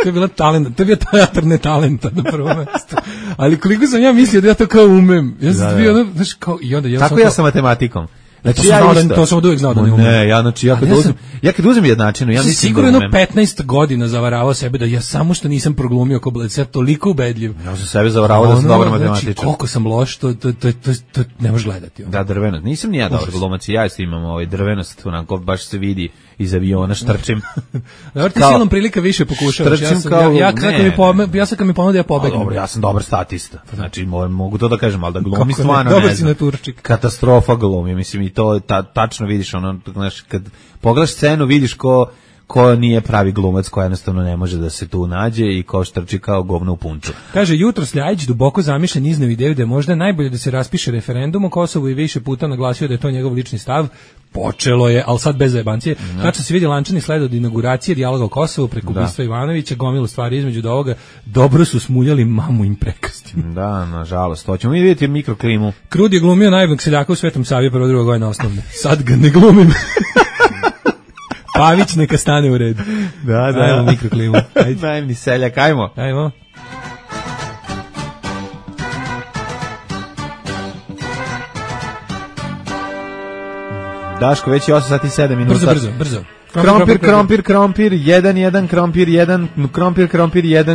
To je bila talent, to je bio teatar netalenta na prvom mestu. Ali koliko sam ja mislio da ja to kao umem. Ja sam bio ono, znaš, kao i onda tako ja sa matematikom. Znači to sam od uvijek znao da ne umem. Ne, ja kad uzem jednačinu, ja mislim da sigurno 15 godina zavaravao sebe da ja samo što nisam proglumio kao Bled, sad toliko ubedljiv. Ja sam sebe zavaravao da sam dobar matematičar. Znači, koliko sam loš, to ne možeš gledati. Da, drvenost. Nisam ni ja dobar glumac, ja isto imam drvenost, onako baš se vidi iz aviona, štrčim. Dobro, ti silom prilika više pokušavaš. Ja sam kad mi ponudio, ja pobegnem. Dobro, ja sam dobar statista. Znači, mogu to da kažem, ali da glumi stvarno ne znam. Katastrofa glumi, mislim, i to tačno vidiš, ono, znaš, kad pogledaš scenu, vidiš ko nije pravi glumac, ko jednostavno ne može da se tu nađe i ko štrči kao govno u punču. Kaže, jutros Ljajić duboko zamišljen izneo ideju da je možda najbolje da se raspiše referendum o Kosovu i više puta naglasio da je to njegov lični stav. Počelo je, ali sad bez zajebancije. Tačno se vidi lančani sled od inauguracije dijaloga o Kosovu preko ubistva Ivanovića, gomilu stvari između ovoga. Dobro su smuljali mamu im prekastim. Da, nažalost. Hoćemo mi vidjeti mikroklimu. Krud je glumio najboljeg seljaka u Svetom Savi prvo drugo godina osnovne. Sad ga ne glumim. Pavić neka stane u redu. Da. Ajmo mikroklimu. Najemni seljak, ajmo. Daško, već je 8 sati 7 minuta. Brzo. Krompir, 1, krompir 1,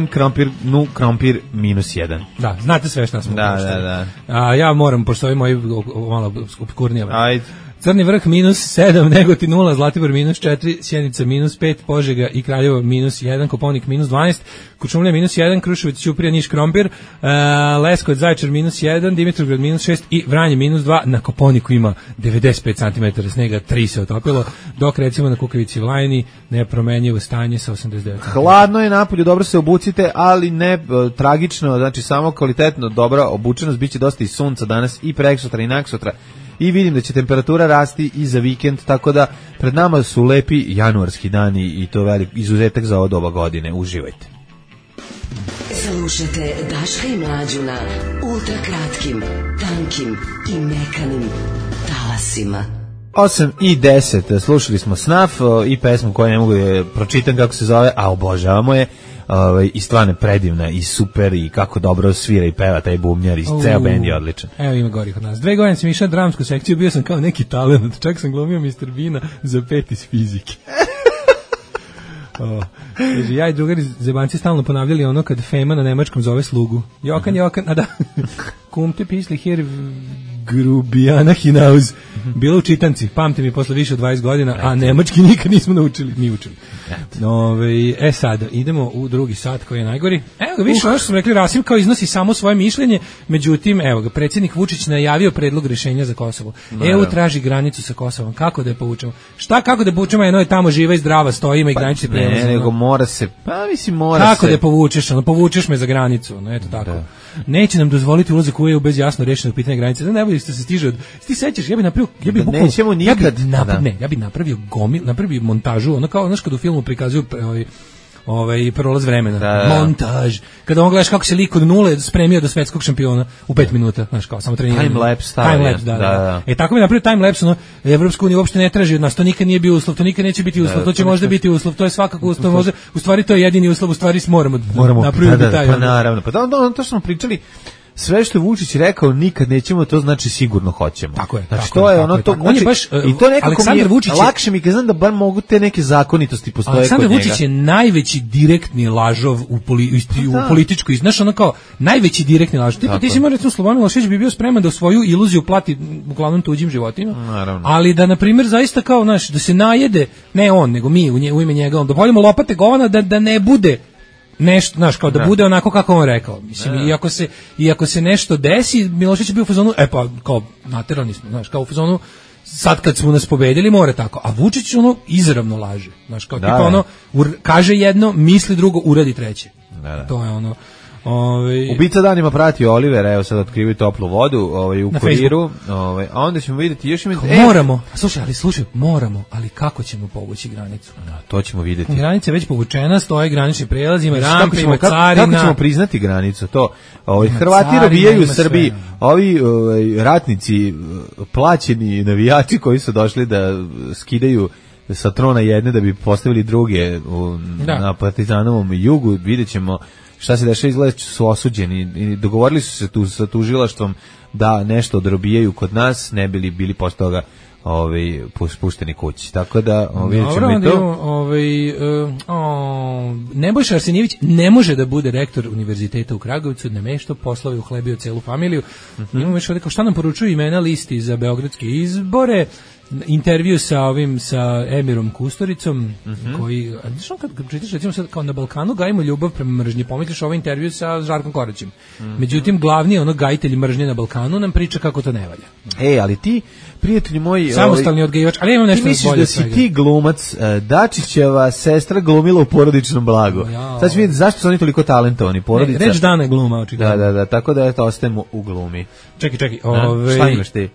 krompir, krompir -1. Da, znate sve šta smo. Da. A ja moram, pošto ovi moji malo obskurnije. Ajde. Crni vrh -7, Negotin 0, Zlatibor -4, Sjenica -5, Požega i Kraljevo -1, Kopaonik -12, Kuršumlija -1, Kruševac, Ćuprija, Niš, Krompir, Leskovac, Zaječar -1, Dimitrovgrad -6 i Vranje -2. Na Kopaoniku ima 95 cm snega, 3 se otopilo, dok recimo na Kukavici Vlajni nepromenjivo stanje sa 89 cm. Hladno je napolju, dobro se obucite, ali ne tragično, znači samo kvalitetno, dobra obučenost, biće dosta i sunca danas i preksutra i naksutra. I vidim da će temperatura rasti i za vikend, tako da pred nama su lepi januarski dani i to velik izuzetak za ovo doba godine. Uživajte. Slušajte Daška i Mlađu na ultrakratkim, tankim i mekanim talasima. 8:10, slušali smo Snaf i pesmu koju ne mogu da pročitam kako se zove, a obožavamo je. I stvarno je predivna i super i kako dobro svira i peva taj bubnjar i ceo bend je odličan. Evo ima gori kod nas. 2 godine sam išao dramsku sekciju, bio sam kao neki talent, čak sam glumio Mr. Beana za 5 iz fizike. Ja i drugari zebanci stalno ponavljali ono kad Fema na nemačkom zove slugu. Jokan, a da. Kumte pisli hier Grubijana hinauz. Bilo u čitanci, pamte mi posle više od 20 godina, a nemački nikad nismo naučili, mi učili. Sad, idemo u drugi sat koji je najgori. Evo ga, više ono što smo rekli, Rasim kao iznosi samo svoje mišljenje, međutim, evo ga, predsjednik Vučić najavio predlog rješenja za Kosovo. EU traži granicu sa Kosovom, kako da je povučemo? Kako da je povučemo, jedno je tamo živa i zdrava, stoji, ima i granični prijelaz. Ne, nego mora se, kako da je povučeš, povučeš me za granicu, eto tako. Da. Neće nam dozvoliti ulazak u EU bez jasno rešenog pitanja granice. Da ne bude što se stiže od... Ti sećaš, ja bih napravio montažu, ono kao, znaš, kad u filmu prikazuju prolaz vremena. Da. Montaž. Kada on gledaš kako se lik od nule spremio do svetskog šampiona u 5 minuta, znaš, kao samo treniranje. Time-lapse, da. Tako mi napravio time-lapse, Evropska unija uopšte ne traži od nas, to nikad nije bio uslov, to nikad neće biti uslov, to će možda biti uslov, to je svakako uslov, možda, u stvari to je jedini uslov, u stvari moramo napraviti taj. Pa naravno, pa to smo pričali. Sve što je Vučić rekao nikad nećemo, to znači sigurno hoćemo. Tako je. Znači to je ono to. On je baš i to nekako Aleksandar Vučić lakše mi znam da bar mogu te neke zakonitosti postoje kod njega. Aleksandar Vučić je najveći direktni lažov u političkoj, znaš, ono kao najveći direktni lažov. Ti si recimo Slobodan Milošević bi bio spreman da svoju iluziju plati uglavnom tuđim životima. Naravno. Ali da na primjer zaista kao, znaš, da se najede, ne on, nego mi u ime njega, da poljemo lopate govana da ne bude nešto, znaš, kao da bude onako kako on rekao. Mislim, iako se nešto desi, Milošević je bio u fazonu, pa kao naterani smo, znaš, kao u fazonu, sad kad smo nas pobedili mora tako, a Vučić ono izravno laže, znaš, kao tipa ono, kaže jedno, misli drugo, uradi treće. To je ono. Ubica danima prati Olivera, evo sad otkrivaju toplu vodu u kuriru, a onda ćemo vidjeti još moramo, moramo, ali kako ćemo povući granicu? To ćemo vidjeti. Granica je već povučena, stoje granični prijelaz, ima rampe, ima carina. Kako ćemo priznati granicu? To Hrvati robijaju u Srbiji, ovi ratnici, plaćeni navijači koji su došli da skidaju sa trona jedne da bi postavili druge na Partizanovom jugu, vidjet ćemo šta se dešava, izgleda su osuđeni i dogovorili su se tu sa tužilaštvom da nešto odrobijaju kod nas, ne bili posle toga spušteni kući. Tako da vidjet ćemo i to. Nebojša Arsenijević ne može da bude rektor univerziteta u Kragovicu, namešto poslove uhlebio celu familiju. Imamo još ovdje kao šta nam poručuju imena listi za beogradske izbore. Intervju sa Emirom Kustoricom, koji, znaš, kad čitaš, recimo sad, kao na Balkanu gajimo ljubav prema mržnji, pomisliš ovaj intervju sa Žarkom Koraćem. Međutim, glavni gajitelj mržnje na Balkanu nam priča kako to ne valja. Ali ti, prijatelji moji, samostalni odgajivač, ali imam nešto bolje. Ti misliš da si ti glumac, Dačićeva sestra glumila u Porodičnom blagu. Sad ću vidjeti zašto su oni toliko talentovani, porodica. Reč dana je gluma, očigledno. Da, tako da ostajemo u glumi. Čekaj. Šta imaš ti?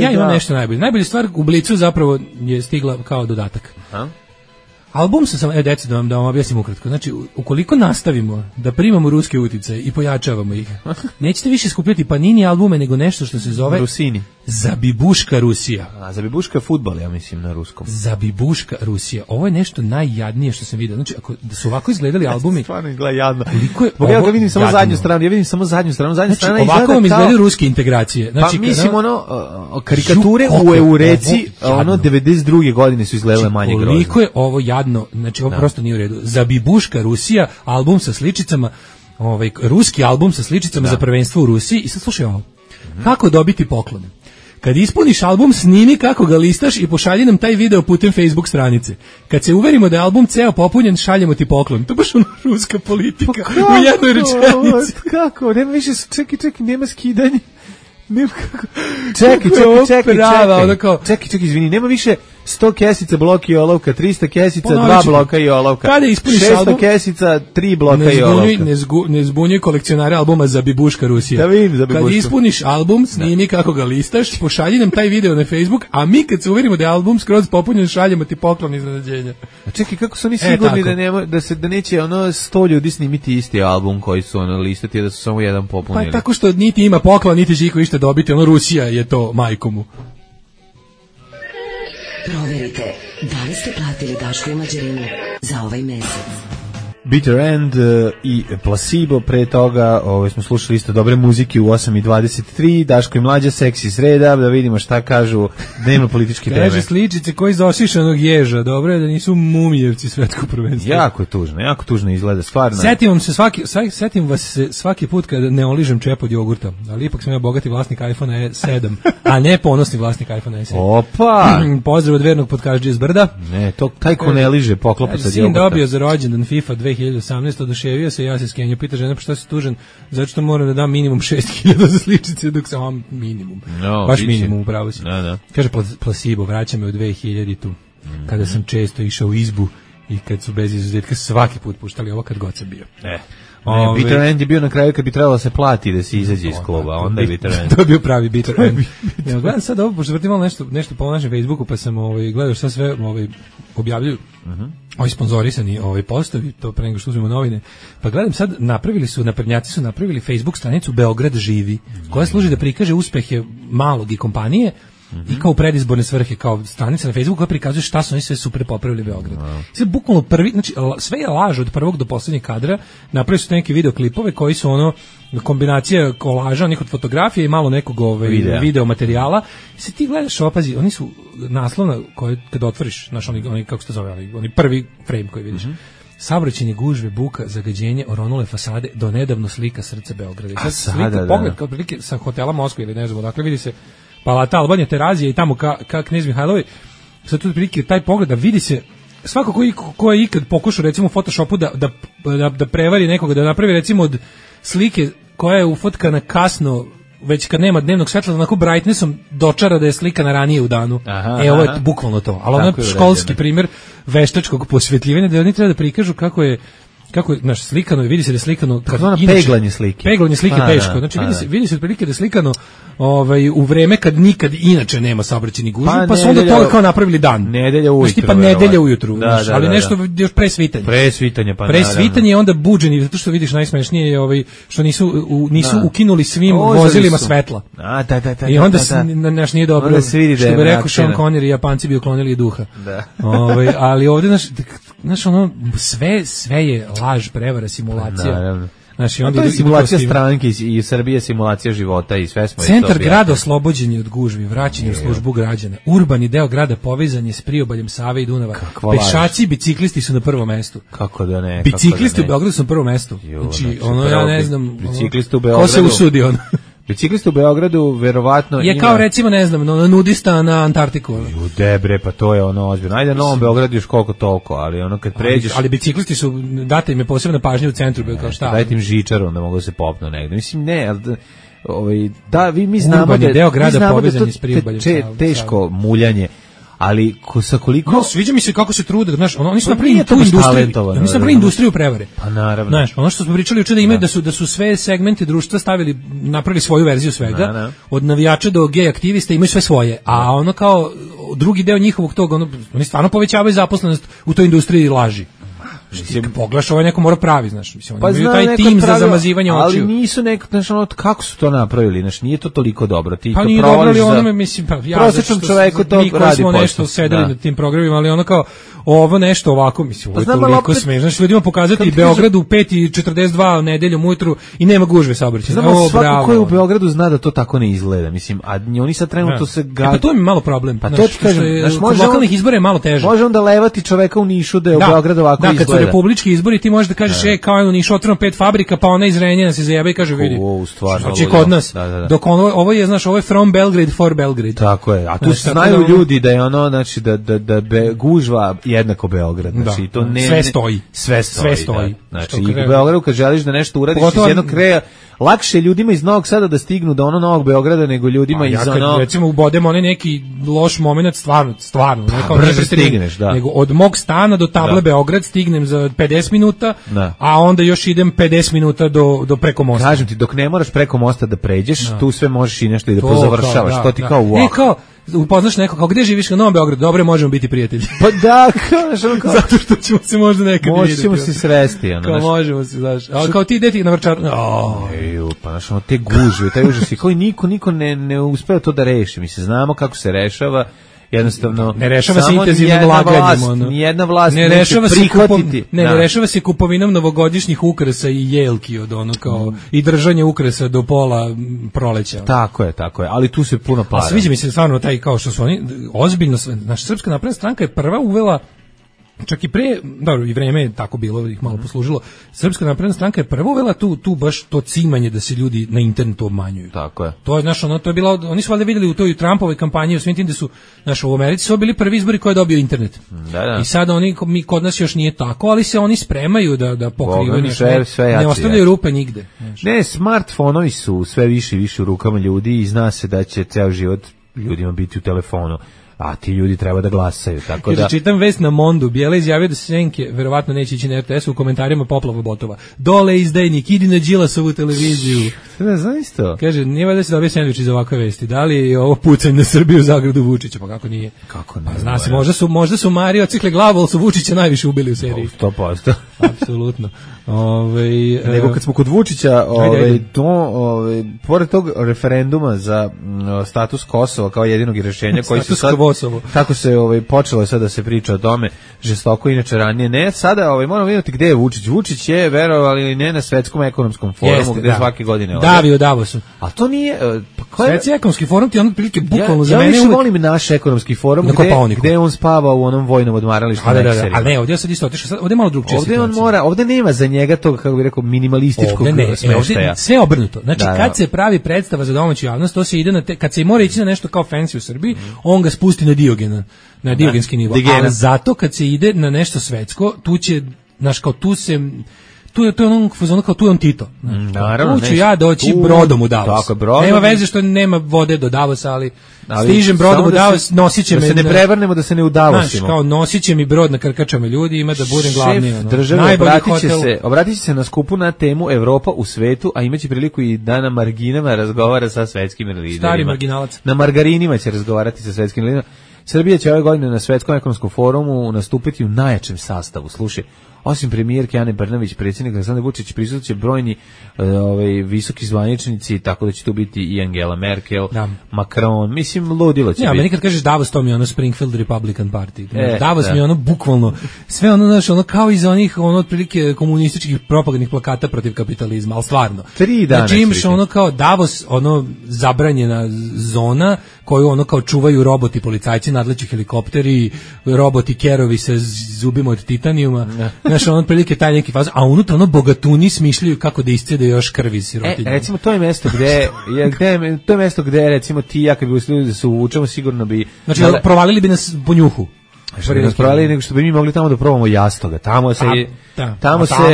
Ja imam nešto najbolje. Najbolja stvar u Blicu zapravo je stigla kao dodatak. Album sam, deci, da vam objasnim ukratko. Znači, ukoliko nastavimo da primamo ruske uticaje i pojačavamo ih, nećete više skupljati Panini albume, nego nešto što se zove Rusini. Zabibuška Rusija. A Zabibuška je fudbal, ja mislim, na ruskom. Zabibuška Rusija. Ovo je nešto najjadnije što sam vidio. Znači, ako da su ovako izgledali albumi... Stvarno izgleda jadno. Ja ga vidim samo zadnju stranu, Zadnja znači, strana ovako vam izgledaju ruske integracije. Znači, pa mislim, karikature u Eureci, 92. godine su izgledale manje grozne. Koliko je ovo jadno, znači ovo prosto nije u redu. Zabibuška Rusija, album sa sličicama, ruski album sa sličicama za prvenstvo u Rusiji. I sad slušaj ovo. Kako dobiti poklon? Kad ispuniš album, snimi kako ga listaš i pošalji nam taj video putem Facebook stranice. Kad se uverimo da je album ceo popunjen, šaljemo ti poklon. To je baš ono ruska politika u jednoj rečenici. Kako? Nema više, čekaj, nema skidanje. Čekaj, izvini, nema više 100 kesica bloka i olovka, 300 kesica, 2 bloka i olovka. Kada ispuniš 600 kesica, 3 bloka i olovka. Ne zbunjuj kolekcionare albuma Zabibuška Rusija. Da vidim Zabibuška. Kad ispuniš album, snimi kako ga listaš, pošalji nam taj video na Facebook, a mi kad se uverimo da je album skroz popunjen, šaljemo ti poklon iznenađenja. A čekaj, kako su oni sigurni da neće 100 ljudi snimiti isti album koji su listati, da su samo jedan popunili? Pa tako što niti ima poklon, niti će iko išta dobiti, Rusija je to majkomu. Proverite, da li ste platili Daško i Mlađarinu za ovaj mesec? Bitter End i Placebo, pre toga smo slušali isto dobre muzike u 8:23, Daško i Mlađa, seksi sreda, da vidimo šta kažu dnevno političke teme. Kaže sličice koji iz osišanog ježa, dobro je da nisu mumijevci svetskog prvenstva. Jako tužno izgleda, stvarno. Setim vas se svaki put kada ne oližem čep od jogurta, ali ipak sam ja bogati vlasnik iPhone 7, a ne ponosni vlasnik iPhone 7. Opa! Pozdrav od vernog podkažđe iz Brda. Ne, taj ko ne liže poklopa sa jogurta. Sin dobio za rođendan FIFA 2018. oduševio se, ja se skenio, pita žena, pa šta si tužan, zato što moram da dam minimum 6.000 za sličice, dok sam minimum. Baš minimum, upravo si. Da. Kaže, Placebo, vraća me u 2000-tu, kada sam često išao u izbu i kad su bez izuzetka svaki put puštali ovo kad god sam bio. Bitter End je bio na kraju kad bi trebalo se plati da se izađe iz kluba, onda je Bitter End. To je bio pravi Bitter End. Ja gledam sad ovo, pošto vrtim malo nešto po našem Facebooku, pa sam gledao šta sve objavljuju. Ovi sponzorisani postovi, to pre nego što uzmemo novine. Pa gledam sad, naprednjaci su napravili Facebook stranicu Beograd živi, koja služi da prikaže uspehe malog i kompanije, i kao predizborne svrhe, kao stranica na Facebooku koja prikazuje šta su oni sve super popravili Beograd. Sve bukvalno prvi, znači sve je laž od prvog do poslednjeg kadra, napravili su neke videoklipove koji su kombinacija kolaža, nekog fotografije i malo nekog video materijala. I se ti gledaš, opazi, oni su naslovna koje kad otvoriš, znaš, oni kako se to zove, oni prvi frame koji vidiš. Saobraćajne gužve, buka, zagađenje, oronule fasade, do nedavno slika srca Beograda. I slika, pogled kao prilike sa hotela Moskva ili ne znam, dakle vidi se Palata Albanija, Terazija i tamo ka Knez Mihajlovi. Sad tu prilike taj pogled da vidi se svako ko je ikad pokušao recimo u Photoshopu da prevari nekoga, da napravi recimo od slike koja je ufotkana kasno, već kad nema dnevnog svetla, onako brightnessom dočara da je slika na ranije u danu. Ovo je bukvalno to. Ali ono je školski primjer veštačkog posvetljivanja, da oni treba da prikažu kako je naš slikano, vidi se da je slikano peglanje slike. Peglanje slike teško. Znači vidi se otprilike da je slikano u vreme kad nikad inače nema saobraćajnih gužvi, pa su onda to kao napravili dan. Nedelja ujutru. Pa nedelja ujutru, ali nešto još pre svitanja. Pre svitanja je onda buđeni, zato što vidiš najsmešnije je što nisu ukinuli svim vozilima svetla. Da. I onda naš nije dobro. Što bi rekao Sean Connery, Japanci bi uklonili duha. Ali ovde naš ono sve je laž, prevara, simulacija. Naravno. To je simulacija stranke i Srbije, simulacija života i sve smo. Centar grada oslobođen je od gužvi, vraćen je u službu građana. Urbani deo grada povezan je s priobaljem Save i Dunava. Pešaci i biciklisti su na prvom mestu. Kako da ne? Biciklisti u Beogradu su na prvom mestu. Znači, ja ne znam, biciklisti u Beogradu. Ko se usudi on? Biciklista u Beogradu verovatno je kao recimo ne znam nudista na Antarktiku. Debre, pa to je ozbiljno. Ajde na Novom Beogradu još koliko toliko, ali kad pređeš. Ali biciklisti su, date im je posebna pažnja u centru, kao šta. Dajte im žičaru da mogu da se popnu negde. Mislim ne, mi znamo da deo grada povezan je s priobaljem. Teško muljanje. Ali sa koliko sviđa mi se kako se trude, znaš, oni su napravili tu industriju, oni su napravili industriju prevare. Pa naravno. Znaš, ono što smo pričali juče da imaju da su sve segmente društva napravili svoju verziju svega, od navijača do gej aktivista imaju sve svoje, a ono kao drugi deo njihovog tog, oni stvarno povećavaju zaposlenost u toj industriji laži. Mislim, pogledaš, ovo neko mora pravi, znaš, mislim, oni imaju taj tim za zamazivanje očiju. Ali nisu neko, znaš, kako su to napravili, znaš, nije to toliko dobro. Ti pa to nije dobro, ali onome, mislim, pa ja, prosječnom čoveku to radi posao. Mi koji smo nešto sedeli na tim programima, ali ono kao, ovo nešto ovako, mislim, ovo je toliko smešno. Znači, ljudima pokazati Beogradu u 5:42 nedeljom ujutru i nema gužve saobraćaja. Znamo, svako ko je u Beogradu zna da to tako ne izgleda, mislim, a oni sad trenutno se pa to mi je malo problem. Pa to ti kažem, kod lokalnih izbora je malo teže. Može onda levati čoveka u Nišu da je u Beogradu ovako izgleda. Da, kad su republički izbori, ti možeš da kažeš, kao je u Nišu otvoreno 5 fabrika, pa ona iz Renjanina se zajeba i kaže, vidi, znači kod nas, dok ovo je, znaš, ovo je from Belgrade for Belgrade. Tako je, a tu znaju ljudi da je ono, znači, da gužva jednako Beograd. Znači, to ne, sve stoji. Znači, i u Beogradu kad želiš da nešto uradiš iz jednog kraja, lakše ljudima iz Novog Sada da stignu do Novog Beograda nego ljudima iz ono... Ja kad recimo ubodem onaj neki loš moment, stvarno, brže stigneš, da. Nego od mog stana do table Beograd stignem za 50 minuta, a onda još idem 50 minuta do preko mosta. Kažem ti, dok ne moraš preko mosta da pređeš, tu sve možeš i nešto i da pozavršavaš, to ti kao wow. Kao upoznaš neko, kao gde živiš, u Novom Beogradu, dobro, možemo biti prijatelji. Pa da, kao zato što ćemo se možda nekad vidjeti. Možemo se sresti, kao možemo se, znaš. A kao ti ideti na Vrčar. Pa znaš, te gužve, taj užas i kao niko ne uspeva to da reši. Mi se znamo kako se rešava. Jednostavno ne rešava se intenzivnim laganjem, nijedna vlast ne rešava se prihvatiti. Ne rešava se kupovinom novogodišnjih ukrasa i jelki od ono kao i držanje ukrasa do pola proleća. Tako je, ali tu se puno para. A sviđa mi se stvarno taj kao što su oni ozbiljno, naša Srpska napredna stranka je prva uvela, čak i pre, dobro, i vreme je tako bilo, ih malo poslužilo. Srpska napredna stranka je prvo uvela tu baš to cimanje da se ljudi na internetu obmanjuju. Tako je. To je, znaš, to je bilo, oni su valjda vidjeli u toj Trumpovoj kampanji, u svim tim da su, znaš, u Americi su bili prvi izbori koji je dobio internet. Da. I sada mi kod nas još nije tako, ali se oni spremaju da pokrivaju sve ne ostavljaju rupe nigde. Znaš. Ne, smartfonovi su sve više i više u rukama ljudi i zna se da će ceo život ljudima biti u telefonu. A ti ljudi treba da glasaju, tako da... Čitam vest na Mondu, Bijela izjavio da Senke verovatno neće ići na RTS, u komentarima poplava botova. Dole izdajnik, idi na Đilasovu televiziju. Ne znam isto. Kaže, nije valjda se dobije sendvič iz ovakve vesti. Da li je ovo pucanje na Srbiju u Zagradu Vučića? Pa kako nije? Kako ne? Pa zna se, možda su Mario cikle glavu, ali su Vučića najviše ubili u seriji. 100%. Apsolutno. Nego kad smo kod Vučića, pored tog referenduma za status Kosova kao jedinog rješenja koji se sad kako se počelo sad da se priča o tome žestoko, inače ranije ne, sada moramo vidjeti gde je Vučić. Vučić je, verovali ili ne, na Svetskom ekonomskom forumu gde svake godine davi u Davosu. A to nije Svetski ekonomski forum ti on prilike bukvalno za mene. Ja više volim naš ekonomski forum gde on spava u onom vojnom odmaralištu. Ali ne, ovdje sad isto otišao, ovdje malo drugčije situacija. Ovdje nema za njega tog, kako bih rekao, minimalističkog smeštaja. Sve obrnuto. Znači, kad se pravi predstava za domaću javnost, to se ide kad se mora ići na nešto kao fancy u Srbiji, on ga spusti na Diogena, na diogenski nivo. Ali zato kad se ide na nešto svetsko, tu će, znaš, kao tu se... Tu je ono kao tu je on Tito. Naravno, tu ću ja doći brodom u Davos. Nema veze što nema vode do Davosa, ali stižem brodom u Davos, nosit će me... Da se ne prevrnemo, da se ne udavosimo. Znaš, kao nosit će mi brod na krkačama ljudi, ima da budem glavni. Šef države obratit će se na skupu na temu Evropa u svetu, a imaće priliku i da na marginama razgovara sa svetskim liderima. Stari marginalac. Na margarinima će razgovarati sa svetskim liderima. Srbija će ove godine na Svetskom ekonomskom forumu nastupiti u najjačem sastavu. Slušaj, osim premijerke Ane Brnabić, predsjednik Aleksandar Vučić, prisutće brojni visoki zvaničnici, tako da će tu biti i Angela Merkel, Macron, mislim, ludilo će biti. Ja, meni kad kažeš Davos, to mi je ono Springfield Republican Party. Davos mi je ono bukvalno, sve ono, znaš, ono kao iz onih, ono, otprilike komunističkih propagandnih plakata protiv kapitalizma, ali stvarno. 3 dana. Znači imaš ono kao Davos, ono, zabranjena zona, koju ono kao čuvaju roboti policajci, nadleći helikopteri, roboti kerovi sa zubima od titanijuma. Znaš, ono otprilike taj neki faz, a unutra ono bogatuni smišljaju kako da iscede još krvi sirotinje. Recimo to je mesto gde recimo ti ja kad bi uslili da se uvučemo sigurno bi provalili bi nas po njuhu. Što bi nas provali, nego što bi mi mogli tamo da probamo jastoga. Tamo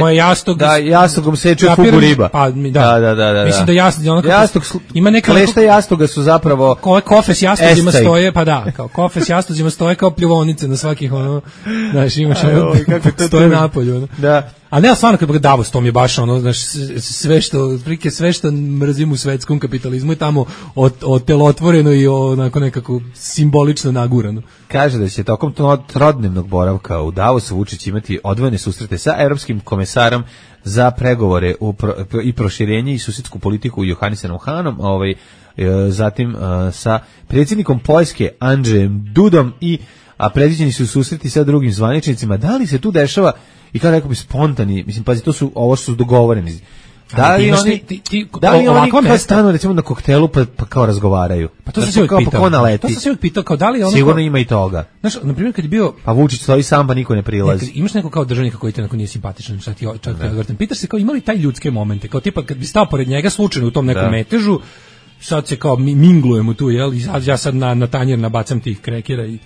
je jastog. Da, jastogom seče fugu riba. Pa, da. Mislim da jastog ima neka klešta jastoga su zapravo kofe s jastozima stoje, pa da, kao kofe s jastozima stoje kao pljuvonice na svakih ono, znaš, imaš kako to stoje napolju, ono. Da. A ne, stvarno, kad Davos, to mi je baš ono, znaš, sve što mrzim u svetskom kapitalizmu je tamo otelotvoreno i onako nekako simbolično nagurano. Kaže da će tokom trodnevnog boravka u Davosu Vučić imati odvojene susrete sa evropskim komesarom za pregovore i proširenje i susjedsku politiku Johannesom Hanom, zatim sa predsjednikom Poljske Andrzejem Dudom a predviđeni su susreti sa drugim zvaničnicima. Da li se tu dešava i kao rekao bi spontani, mislim, pazi, ovo su dogovoreni. Da li oni kao stanu recimo na koktelu pa kao razgovaraju? Pa to sam se uvijek pitao. Kao da li ono sigurno ima i toga. Znaš, na primjer kad je bio... Pa Vučić stoji sam pa niko ne prilazi. Imaš neko kao državnika koji te nije simpatičan, čak odvrtan. Pitaš se kao imali taj ljudske momente, kao tipa kad bi stao pored njega slučajno u tom nekom metežu, sad se kao minglujemo tu, jel? I ja sad na tanjer nabacam tih krekera i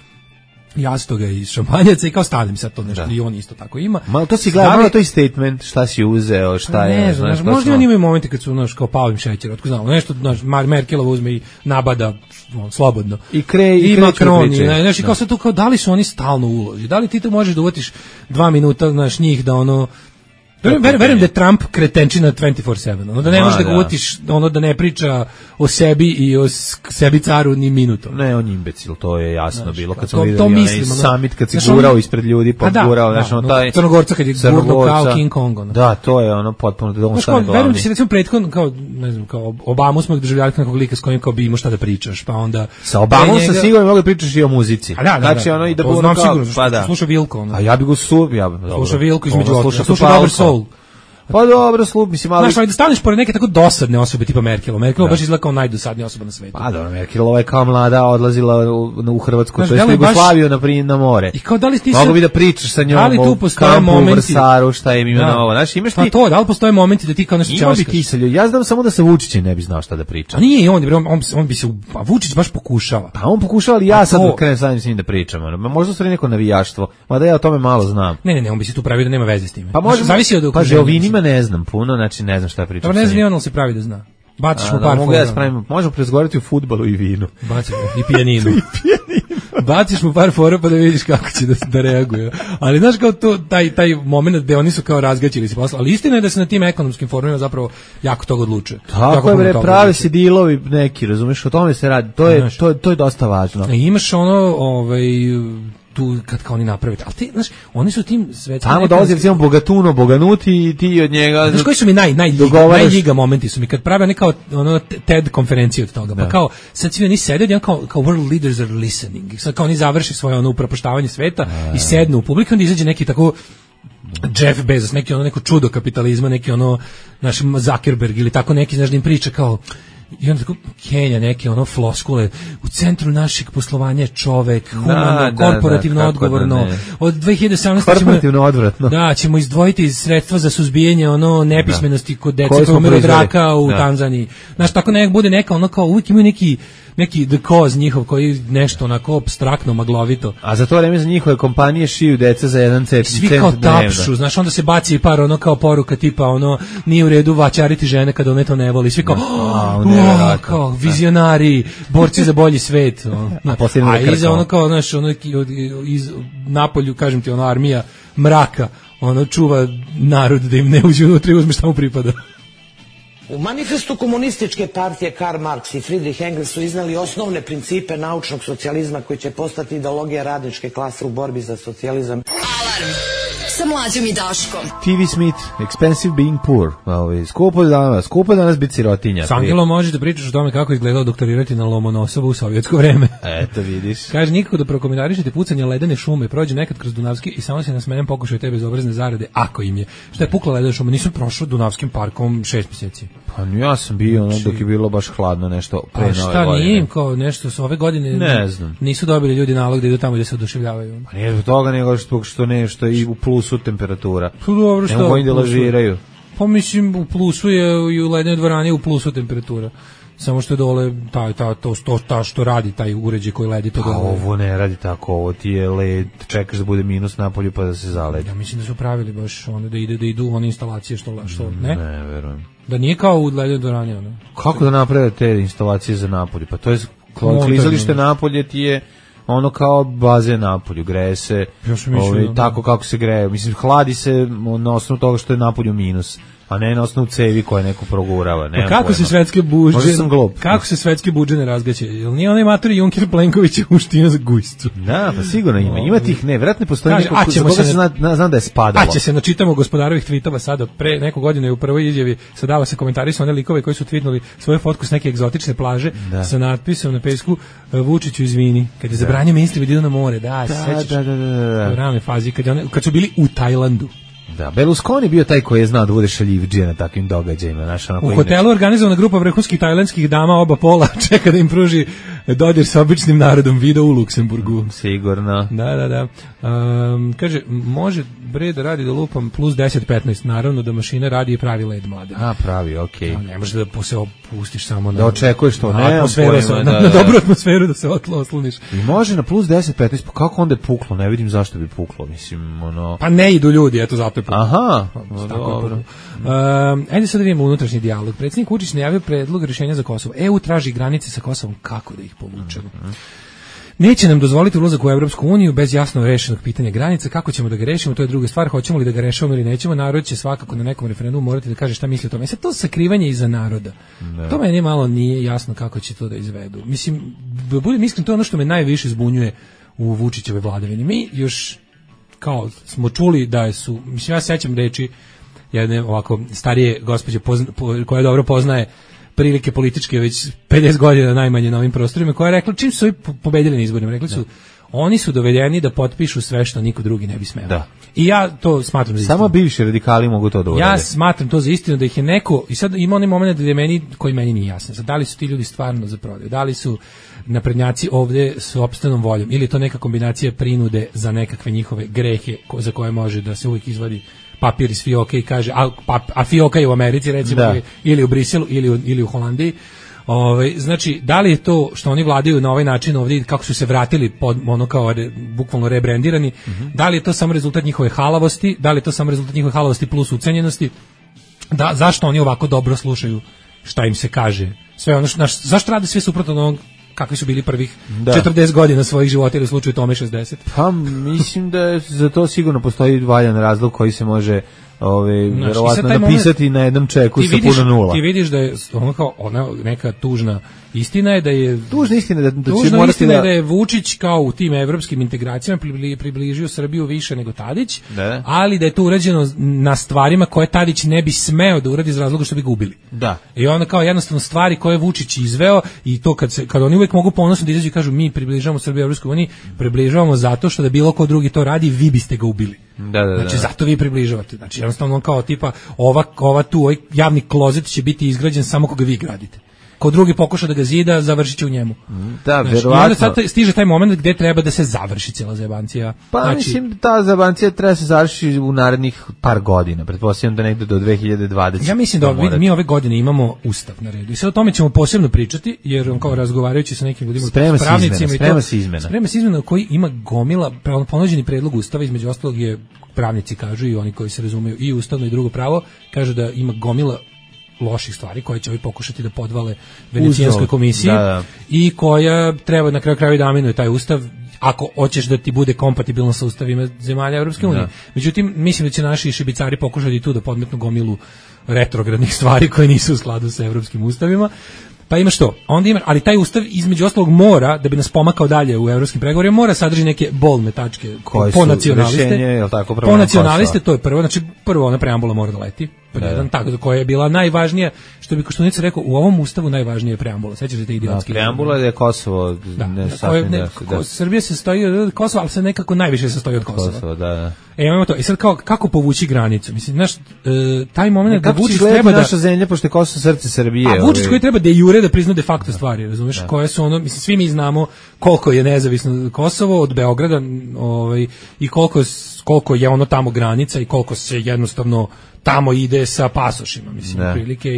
jastoga i šampanjaca i kao stavim sad to nešto i on isto tako ima. Malo to si gledao, malo to je statement, šta si uzeo, šta je. Ne znam, možda oni imaju momente kad su kao Pavlim šećer, otko znamo, nešto, Merkelova uzme i nabada slobodno. I Macron, znaš, i kao sad tu kao da li su oni stalno u ulozi, da li ti to možeš da uvatiš 2 minuta, znaš, njih da ono... Verujem da je Trump kretenčina 24/7, ono da ne možeš da ga uvatiš, ono da ne priča o sebi i o sebi caru ni minutom. Ne, on je imbecil, to je jasno bilo kad smo videli onaj summit kad se gurao ispred ljudi, pa gurao, znaš, ono taj... Crnogorca kad je gurno kao King Kong. Da, to je ono potpuno da on stane glavni. Verujem da se recimo prethodno, kao, ne znam, kao Obamu smo doživljali nekog lika s kojim kao bi imao šta da pričaš, pa onda... Sa Obamom sam sigurno mogu da pričaš i o muzici. Znači, ono i da znam sigurno, sluša Vilko. A ja bi go sluša Vilko između ostalog, sluša Dobar Soul. Pa dobro, mislim, ali... Znaš, da staneš pored neke tako dosadne osobe tipa Merkelova. Merkelova baš izgleda kao najdosadnija osoba na svetu. Pa dobro, Merkelova je kao mlada odlazila u Hrvatsku, to je Jugoslaviju na more. I kao da li ti mogu bi da pričaš sa njom o kampu u Vrsaru, šta je imeno ovo. Znaš, imaš ti... Pa to, da li postoje momenti da ti kao nešto časkaš? Ima bi ti sa ljudima. Ja znam samo da sa Vučićem ne bi znao šta da priča. A nije, on bi se... A Vučić baš pokušava. Pa on pokušava, ali ja sad krenem sa njim da pričam. Možda su neko navijaštvo, mada ja o tome malo znam. Ne, on bi se tu pravio da nema veze s tim. Pa može, zavisi od okruženja. Pa Žeovinima ne znam puno, znači ne znam šta pričam. Pa ne znam ni on, ali se pravi da zna. Baciš mu par fora. Možemo prezgovarati o fudbalu i vinu. I pijaninu. Baciš mu par fora pa da vidiš kako će da reaguje. Ali znaš kao to, taj moment gde oni su kao razgaćili se posla. Ali istina je da se na tim ekonomskim forumima zapravo jako toga odlučuje. Tako je, bre, prave se dilovi neki, razumeš, o tome se radi. To je dosta važno. Imaš ono, tu kad kao oni naprave. Ali ti, znaš, oni su tim svetskim... Tamo dolazi recimo Bogatuno, Boganuti i ti od njega... Znaš koji su mi najljiga momenti su mi kad prave neka ono TED konferenciju od toga. Pa kao, sad svi oni sede, jedan kao world leaders are listening. Sad kao oni završi svoje ono upropaštavanje sveta i sednu u publiku, onda izađe neki tako Jeff Bezos, neko čudo kapitalizma, neki ono naš Zuckerberg ili tako neki, znaš, da im priča kao... I onda tako Kenja neke floskule u centru našeg poslovanja je čovek, humano, korporativno odgovorno. Od 2017 korporativno odvratno. Da, ćemo izdvojiti sredstva za suzbijanje nepismenosti kod dece koji umiru od raka u Tanzaniji. Znaš, tako bude neka kao uvijek imaju neki the cause njihov koji nešto onako apstraktno, maglovito. A za to vreme za njihove kompanije šiju deca za 1 cent. Svi kao tapšu, znaš, onda se baci par kao poruka tipa nije u redu vaćariti žene kada one to ne voli. Svi kao vizionari, borci za bolji svet. A iza kao, znaš, iz napolju, kažem ti, armija mraka, čuva narod da im ne uđe unutra i uzme šta mu pripada. U manifestu komunističke partije Karl Marx i Friedrich Engels su iznali osnovne principe naučnog socijalizma koji će postati ideologija radničke klase u borbi za socijalizam. Alarm sa Mlađom i Daškom. TV Smith, Expensive Being Poor. Skupo danas biti sirotinja. S Angelom možeš da pričaš o tome kako izgledao doktorirati na Lomonosovu u sovjetsko vreme. Eto vidiš. Kaže, nikako da prokomentarišete pucanje ledene šume, prođe nekad kroz Dunavski i samo se nasmejem pokušaju te bezobrazne zarade, ako im je. Šta je pukla ledena šuma? Nisam prošao Dunavskim parkom 6 mjeseci. Pa ja sam bio dok je bilo baš hladno nešto pre nove godine. A šta nije im kao nešto s ove godine? Ne znam. Nisu dobili ljudi nalog da idu tamo gdje se oduševljavaju. Pa nije zbog toga nego što nešto i u plusu temperatura. Pa dobro, što? Ne mogu da lažiraju. Pa mislim u plusu je i u lednoj dvorani u plusu temperatura. samo što je dole to što radi taj uređaj koji ledi to dole. A ovo ne radi tako, ovo ti je led, čekaš da bude minus napolju pa da se zaledi. Ja mislim da su pravili baš ono da idu one instalacije što ne? Ne, verujem. Da nije kao u ledenoj dvorani ono. Kako da naprave te instalacije za napolje? Pa to je klizalište napolje ti je ono kao bazen napolju, greje se tako kako se greje. Mislim, hladi se na osnovu toga što je napolju minus, a ne na osnovu cevi koje neko progurava. Pa kako se svetske budže ne razgaće? Jel nije onaj matori Junker Plenković uštio za gujscu? Da, pa sigurno ima tih, ne, vjerojatno postoji neko za koga se znam da je spadalo. A će se načitamo gospodarovih tvitova sada, pre neko godine u prvoj izjavi sadava se komentari su one likove koji su tvitnuli svoju fotku s neke egzotične plaže sa natpisom na pesku Vučiću izvini, kad je zabranio ministri da idu na more, sećaš? U ranoj fazi, kad su bili u Tajlandu. Da, Berlusconi bio taj koji je znao da bude šaljivdžija na takvim događajima. U hotelu organizovana grupa vrhunskih tajlandskih dama oba pola čeka da im pruži dodir sa običnim narodom, video u Luksemburgu. Sigurno. Da. Kaže, može bre da radi da lupam plus 10-15, naravno da mašina radi i pravi led mlade. A, pravi, okej. Ne može da se opustiš samo na... Da očekuješ to, ne? Na dobru atmosferu da se osloniš. I može na plus 10-15, pa kako onda je puklo? Ne vidim zašto bi puklo, mislim, ono... Pa ne idu ljudi, eto zato je puklo. Aha. Ajde sad da vidimo unutrašnji dijalog. Predsjednik Vučić najavio predlog rješenja za Kosovo. EU traži granice sa Kosovom, kako da ih povučemo? Neće nam dozvoliti ulazak u Evropsku uniju bez jasno rešenog pitanja granica. Kako ćemo da ga rešimo, to je druga stvar. Hoćemo li da ga rešavamo ili nećemo? Narod će svakako na nekom referendumu morati da kaže šta misli o tome. Sad to sakrivanje iza naroda. To meni malo nije jasno kako će to da izvedu. Mislim, da budem iskren, to je ono što me najviše zbunjuje u Vučićevoj vladavini. Mi još kao smo čuli da su, mislim, ja sećam reči jedne ovako starije gospođe koja dobro poznaje prilike političke već 50 godina najmanje na ovim prostorima, koja je rekla čim su ovi pobedili na izborima, rekli su oni su dovedeni da potpišu sve što niko drugi ne bi smeo. Da. I ja to smatram za istinu. Samo bivši radikali mogu to da urade. Ja smatram to za istinu da ih je neko, i sad ima onaj moment da je meni, koji meni nije jasan, sad, da li su ti ljudi stvarno za prodaju, da li su naprednjaci ovde s opstanom voljom ili je to neka kombinacija prinude za nekakve njihove grehe za koje može da se uvijek izvadi papir iz fioke i kaže, a fioka je u Americi recimo, ili u Briselu ili u Holandiji. Znači, da li je to što oni vladaju na ovaj način ovdje, kako su se vratili pod ono kao bukvalno rebrendirani, da li je to samo rezultat njihove halavosti, da li je to samo rezultat njihove halavosti plus ucenjenosti, zašto oni ovako dobro slušaju šta im se kaže, sve ono, zašto rade sve suprotno od onog kakvi su bili prvih 40 godina svojih života ili u slučaju tome 60? Pa mislim da za to sigurno postoji valjan razlog koji se može verovatno napisati na jednom čeku sa puno nula. Ti vidiš da je ona neka tužna istina je da je tužna istina da je Vučić kao u tim evropskim integracijama približio Srbiju više nego Tadić, ali da je to urađeno na stvarima koje Tadić ne bi smeo da uradi iz razloga što bi ga ubili. Da. I onda kao jednostavno stvari koje je Vučić izveo i to kad oni uvek mogu ponosno da izađu i kažu mi približavamo Srbiju Evropskoj uniji, približavamo zato što da bilo ko drugi to radi, vi biste ga ubili. Znači zato vi približavate. Znači jednostavno kao tipa ova tu ovaj javni klozet će biti izgrađen samo koga vi gradite. Ko drugi pokuša da ga zida, završit će u njemu. Da, znači, verovatno. I onda sad stiže taj moment gde treba da se završi cijela zajebancija. Pa znači, mislim, ta zajebancija treba se završiti u narednih par godina. Pretpostavljam da negde do 2020. Ja mislim da mi ove godine imamo ustav na redu. I sad o tome ćemo posebno pričati, jer kao razgovarajući sa nekim ljudima, sprema se izmena koji ima gomila, ponuđeni predlog ustava, između ostalog je, pravnici kažu i oni koji se razumeju i ustavno i drugo pravo, kažu da ima gomila loših stvari koje će ovi pokušati da podvale Venecijanskoj komisiji i koja treba na kraju krajeva da aminuje taj ustav ako hoćeš da ti bude kompatibilno sa ustavima zemalja Evropske unije. Međutim, mislim da će naši šibicari pokušati tu da podmetnu gomilu retrogradnih stvari koje nisu u skladu sa evropskim ustavima. Pa imaš to, onda ima, ali taj ustav između ostalog mora, da bi nas pomakao dalje u evropskim pregovorima, mora sadrži neke bolne tačke po nacionaliste. Po nacionaliste, to je prvo, znači prvo ona preambula mora da leti, jedan tako koja je bila najvažnija, što bi Koštunica rekao, u ovom ustavu najvažnija je preambula. Sećaš se te idiotske? Preambula je Kosovo, Srbija se sastoji od Kosova, ali se nekako najviše sastoji od Kosova. Da. Imamo to. I sad kako povući granicu? Mislim, znaš, taj moment da Vučić treba da naša zemlja, pošto je Kosovo srce Srbije. A Vučić koji treba da jure da prizna de facto stvari, razumeš? Koje su ono, mislim, svi mi znamo koliko je nezavisno Kosovo od Beograda, i koliko je ono tamo granica i koliko se jednostavno tamo ide sa pasošima, mislim, prilike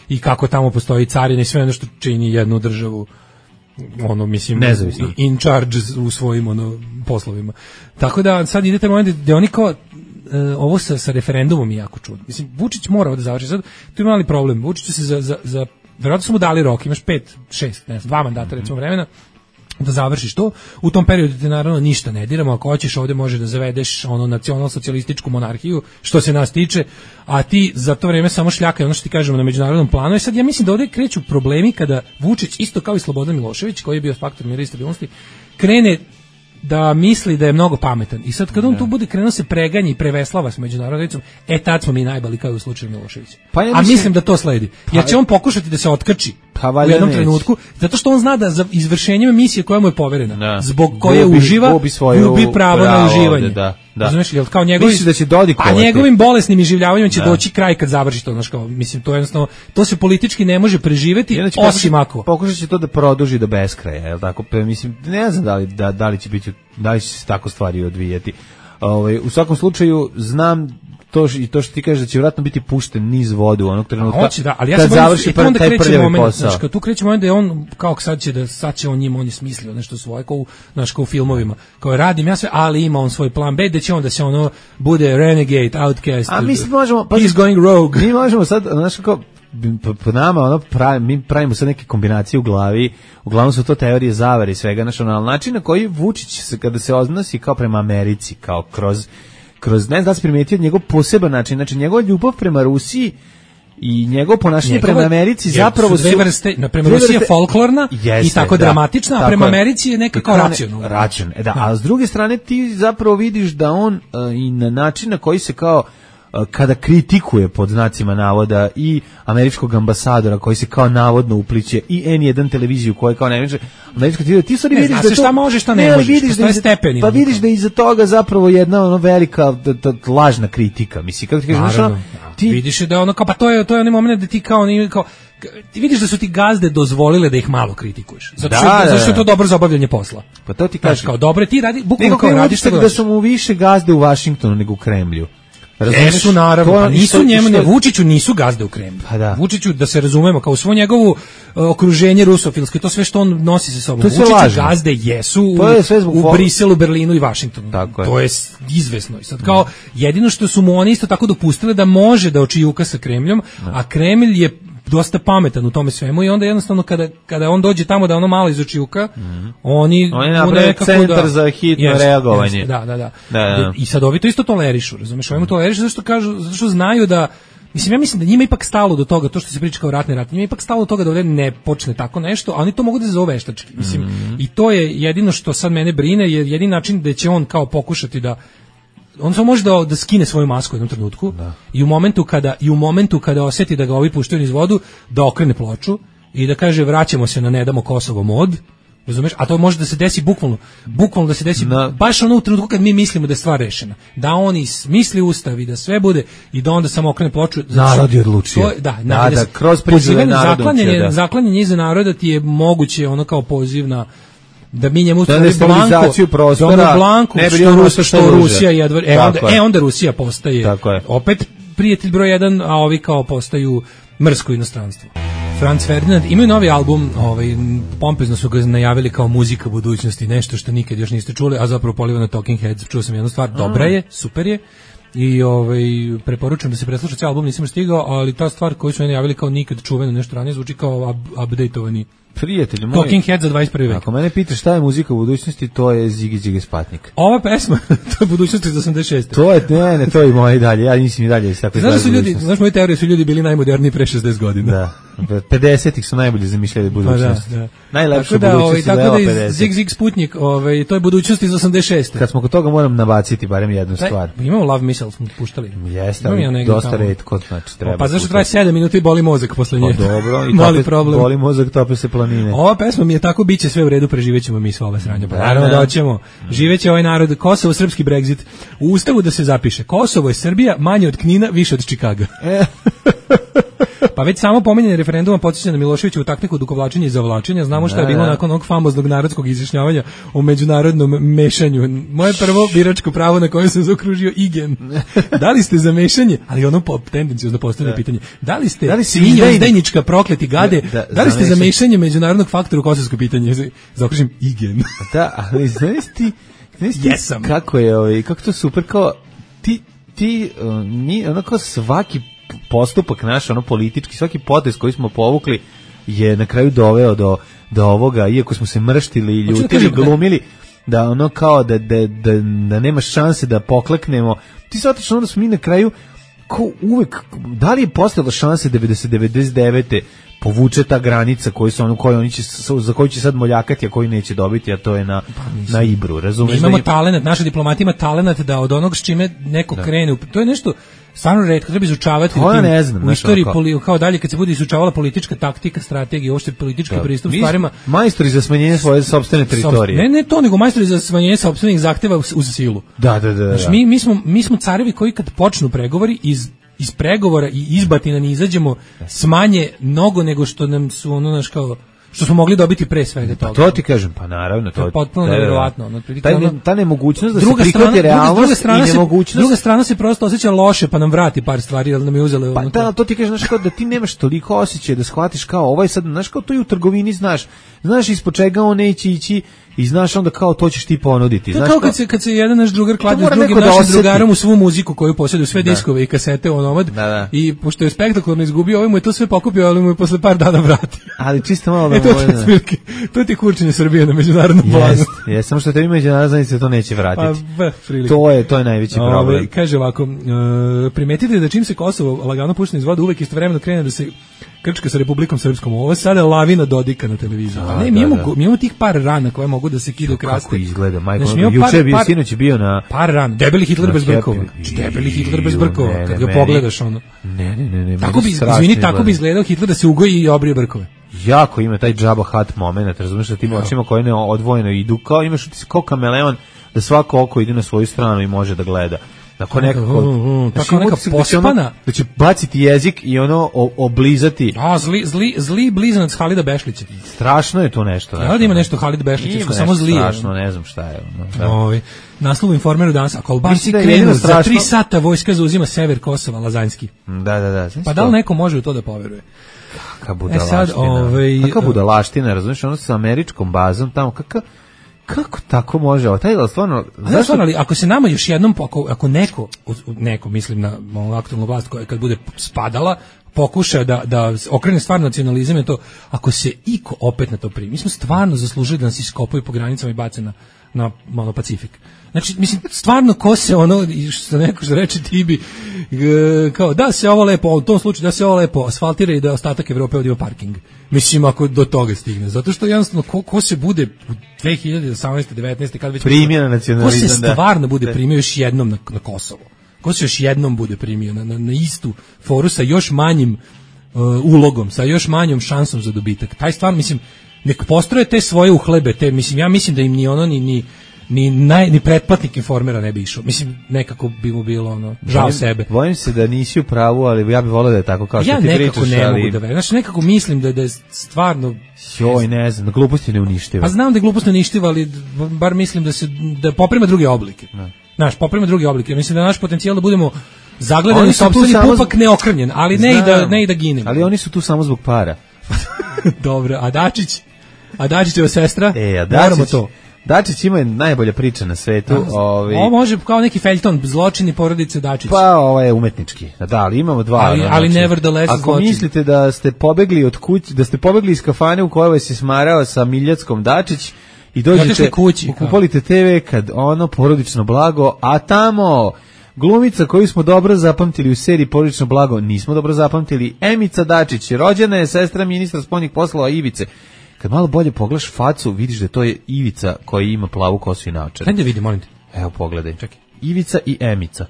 i kako tamo postoji carina i sve ono što čini jednu državu ono, mislim, nezavisno, in charge u svojim ono poslovima. Tako da sad idete moment gde oni kao ovo sa referendumom je jako čudno. Mislim, Vučić mora da završi. Sad tu ima mali problem. Vučić se za verovatno su mu dali rok, imaš 5, 6, ne znam, 2 mandata recimo vremena da završiš to. U tom periodu te naravno ništa ne diramo. Ako hoćeš ovde može da zavedeš ono nacionalsocijalističku monarhiju, što se nas tiče, a ti za to vreme samo šljakaj ono što ti kažemo na međunarodnom planu. I sad ja mislim da ovde kreću problemi kada Vučić, isto kao i Slobodan Milošević, koji je bio faktor mira i stabilnosti, krene da misli da je mnogo pametan. I sad kad on tu bude krenuo se preganji i preveslava s međunarodnicom, tad smo mi najbali kao u slučaju Miloševića. Pa ja mislim da to sledi. Jer će on pokušati da se otkrči u jednom trenutku, zato što on zna da za izvršenjem misije koja mu je poverena, zbog koje uživa, gubi pravo na uživanje. Razumeš, jel kao njegovim, da će dodikovati. A njegovim bolesnim iživljavanjem će doći kraj kad završi to, znaš, kao, mislim, to je jednostavno, to se politički ne može preživeti, osim ako. Pokušat će to da produži do beskraja, jel tako? Mislim, ne znam da li će se tako stvari odvijati. U svakom slučaju, znam to što ti kažeš da će vjerojatno biti pušten niz vodu onog trenutka. Hoće, da, ali ja kad završi taj prljavi posao. Znaš, tu kreće moment da je on, kao sad će on njima, on je smislio nešto svoje, kao u filmovima. Kao radim ja sve, ali ima on svoj plan B, da će on da se ono bude renegade, outcast. A mi možemo, he's going rogue. Mi možemo sad, znaš, kao, po nama, mi pravimo sad neke kombinacije u glavi, uglavnom su to teorije zavere i svega, znaš, ali način na koji Vučić, kada se odnosi kao prema Americi, kao kroz ne znam da se primetio njegov poseban način, znači njegova ljubav prema Rusiji i njegovo ponašanje prema Americi zapravo su dve vrste, prema Rusiji je folklorna i tako dramatična, a prema Americi je nekako racionalna. A s druge strane ti zapravo vidiš da on i na način na koji se kao kada kritikuje pod znacima navoda i američkog ambasadora koji se kao navodno upliće i N1 televiziju koja je kao najveća američka televizija, ti stvari vidiš da šta možeš, šta ne možeš, postoje stepeni. Pa vidiš da iza toga zapravo jedna ono velika lažna kritika, mislim, kako ti kažeš, ti vidiš da ono kao, pa to je onaj moment da ti kao ti vidiš da su ti gazde dozvolile da ih malo kritikuješ. Zato što je to dobro za obavljanje posla. Pa to ti kažeš kao dobro, ti radi, bukvalno kao radiš što da su mu više gazde u Vašingtonu nego u Kremlju. Jesu, naravno, pa nisu njemu, Vučiću nisu gazde u Kremlju. Vučiću, da se razumemo, kao svo njegovo okruženje rusofilsko i to sve što on nosi sa sobom. Vučiću gazde jesu u Briselu, Berlinu i Vašingtonu. To je izvesno. I sad kao, jedino što su mu oni isto tako dopustili da može da očijuka sa Kremljom, a Kremlj je dosta pametan u tome svemu i onda jednostavno kada on dođe tamo da ono malo izočijuka, oni naprave centar za hitno reagovanje. Da. I sad ovi to isto tolerišu, razumeš? Ovi mu tolerišu zato što znaju da, mislim, ja mislim da njima ipak stalo do toga, to što se priča kao ratni rat, njima ipak stalo do toga da ovdje ne počne tako nešto, a oni to mogu da zove veštački. Mislim, i to je jedino što sad mene brine, je jedini način da će on kao pokušati da on samo može da skine svoju masku u jednom trenutku i u momentu kada osjeti da ga ovi puštaju niz vodu, da okrene ploču i da kaže vraćamo se na ne damo Kosovo mod, razumeš? A to može da se desi bukvalno da se desi baš ono u trenutku kad mi mislimo da je stvar rešena. Da oni smisli ustav i da sve bude i da onda samo okrene ploču. Narod je odlučio. Da, kroz prizivanje narodom. Zaklanjanje iza naroda ti je moguće ono kao poziv na da mi njemu destabilizaciju prostora, što Rusija jedva, onda Rusija postaje opet prijatelj broj 1, a ovi kao postaju mrsko inostranstvo. Franz Ferdinand imaju novi album, pompezno su ga najavili kao muzika budućnosti, nešto što nikad još niste čuli, a zapravo poliva na Talking Heads. Čuo sam jednu stvar, dobra je, super je. I preporučujem da se presluša cijel album, nisam stigao, ali ta stvar koju su najavili kao nikad čuveno nešto ranije zvuči kao updateovani prijatelji moji. Talking Heads za 21. vek. Ako mene pitaš šta je muzika u budućnosti, to je Ziggy Ziggy Spatnik. Ova pesma, to je budućnost iz 86. To je, to je i moje dalje. Ja nisam i dalje tako izgledao. Znaš, moje teorije su ljudi bili najmoderniji pre 60 godina. Da. 50-ih su najbolje zamišljali budućnost. Da. Najlepša budućnost tako da Zig Zig Sputnik, to je budućnost iz 86. Kad smo kod toga moram nabaciti barem jednu stvar. Imamo Love Missile, smo puštali. Jeste, ali dosta retko, znači treba. Pa zašto traje 7 minuta i boli mozak posle nje? Pa dobro, i boli mozak, tope se planine. Ova pesma mi je tako, biće sve u redu, preživećemo mi sva ova sranja. Pa naravno da ćemo. Živeće ovaj narod, Kosovo, srpski Brexit. U ustavu da se zapiše, Kosovo je Srbija, manje od Knina, više od Čikaga. Pa već samo pominjanje referenduma podsjeća na Miloševićevu taktiku duvlačenja i zavlačenja. Znamo šta je bilo nakon onog famoznog narodskog izjašnjavanja o međunarodnom mešanju. Moje prvo biračko pravo na kojem sam zaokružio igen. Da li ste za mešanje? Ali ono tendencijozno postavljeno pitanje. Da li ste svinjo izdajnička prokleti gade? Da li ste za mešanje međunarodnog faktora u kosovsko pitanje? Zaokružim igen. Da, ali znaš ti kako je kako to super, kao ti onako svaki postupak naš, ono politički, svaki potez koji smo povukli je na kraju doveo do ovoga, iako smo se mrštili i ljutili, glumili, da ono kao da nema šanse da pokleknemo. Ti shvataš ono da smo mi na kraju ko uvek, da li je postojala šanse 99. povuče ta granica za koju će sad moljakati, a koju neće dobiti, a to je na Ibru, razumiješ? Imamo talenat, naša diplomatija ima talenat da od onog s čime neko krene, to je nešto stvarno retko, treba izučavati u istoriji, kao dalje kad se bude izučavala politička taktika, strategija, uopšte politički pristup stvarima. Majstori za smanjenje svoje sopstvene teritorije. Ne to, nego majstori za smanjenje sopstvenih zahteva uz silu. Da. Znači, mi smo carevi koji kad počnu pregovori iz pregovora i izbatina ne izađemo smanje mnogo nego što nam su ono naš kao što smo mogli dobiti pre svega toga. To ti kažem, pa naravno, to je potpuno nevjerovatno. Ta nemogućnost da se prihvati realnost i nemogućnost. Druga strana se prosto osjeća loše, pa nam vrati par stvari, ali nam je uzela. Pa da, to ti kažeš, znaš, kao da ti nemaš toliko osjećaja da shvatiš kao ovaj sad, znaš, kao to i u trgovini znaš ispod čega on neće ići i znaš onda kao to ćeš ti ponuditi. To je kao kad se jedan naš drugar kladi s drugim našim drugarom u svu muziku koju posjeduje, sve diskove i kasete u onomad, i pošto je spektakularno izgubio, ovaj mu je to sve pokupio, ali mu je posle par dana vrati. Ali čisto malo da to ti kurčenje Srbije na međunarodnom planu. Jest, samo što tebi međunarodna zajednica to neće vratiti. To je najveći problem. Kaže ovako, primetite da čim se Kosovo lagano pušta iz vode, uvek istovremeno krene da se krčka sa Republikom Srpskom. Ovo sada je lavina Dodika na televiziji. Mi imamo tih par rana koje mogu da se kidaju kraste. Kako izgleda, majko? Juče je bio, sinoć je bio na... Par rana. Debeli Hitler bez brkova. Debeli Hitler bez brkova. Kad ga pogledaš, ono. Ne. Tako bi izgledao Hitler da se ugoji i obrije brkove. Jako ima taj džaba hat moment, razumiješ, da tim očima koje ne odvojeno idu, kao imaš kao kameleon, da svako oko ide na svoju stranu i može da gleda. Tako neka pospana, da će baciti jezik i ono oblizati. Zli blizanac Halida Bešlića. Strašno je to nešto. Ja da ima nešto Halid Bešlića, samo zli. Strašno, ne znam šta je. Naslov Informeru danas, ako Albanci krenu, za 3 sata vojska zauzima sever Kosova, Lazanjski. Da. Pa da li neko može u to da poveruje? Kakva budalaština. Kakva budalaština, razumiješ, ono sa američkom bazom tamo, kako tako može? Stvarno, ali ako se nama još jednom, ako neko, mislim na aktualnu vlast koja kad bude spadala, pokuša da okrene stvar nacionalizam, je to, ako se iko opet na to primi, mi smo stvarno zaslužili da nas iskopaju po granicama i bace na Pacifik. Znači, mislim, stvarno ko se ono, što neko što reče Tibi, kao da se ovo lepo, u tom slučaju da se ovo lepo asfaltira i da ostatak Evrope odima parking. Mislim, ako do toga stigne. Zato što jednostavno, ko se bude u 2018. 19. kad već... primio na nacionalizam, ko se stvarno bude primio još jednom na Kosovo? Ko se još jednom bude primio na istu foru sa još manjim ulogom, sa još manjom šansom za dobitak? Taj stvar, mislim, nek postroje te svoje uhlebe, mislim, ja mislim da im ni ono, ni pretplatnik Informera ne bi išao. Mislim, nekako bi mu bilo ono, žao sebe. Bojim se da nisi u pravu, ali ja bih volio da je tako kao što ti pričaš. Ja nekako ne mogu da verujem. Znači, nekako mislim da je stvarno... Ne znam, da glupost je neuništiva. Pa znam da je glupost neuništiva, ali bar mislim da poprima druge oblike. Znaš, poprima druge oblike. Mislim da je naš potencijal da budemo zagledani, sopstveni pupak neokrnjen, ali ne i da ginemo. Ali oni su tu samo zbog para. Dobro, a Dačićeva sestra, moramo to. Dačić ima najbolja priča na svetu. Ovo može kao neki feljton, zločini porodice Dačić. Pa ovo je umetnički. Da, ali imamo dva. Ali nevertheless ako zločin. Mislite da ste pobegli od kuće, da ste pobegli iz kafane u kojoj se smarao sa Miljackom Dačić i dođete kupolite TV kad ono porodično blago, a tamo glumica koju smo dobro zapamtili u seriji Porodično blago, nismo dobro zapamtili, Emica Dačić, rođena je sestra ministra spoljnih poslova Ivice. Kad malo bolje pogledaš facu, vidiš da to je Ivica koja ima plavu kosu i naočare. Hajde vidim, molim te. Evo, pogledaj. Čekaj. Ivica i Emica.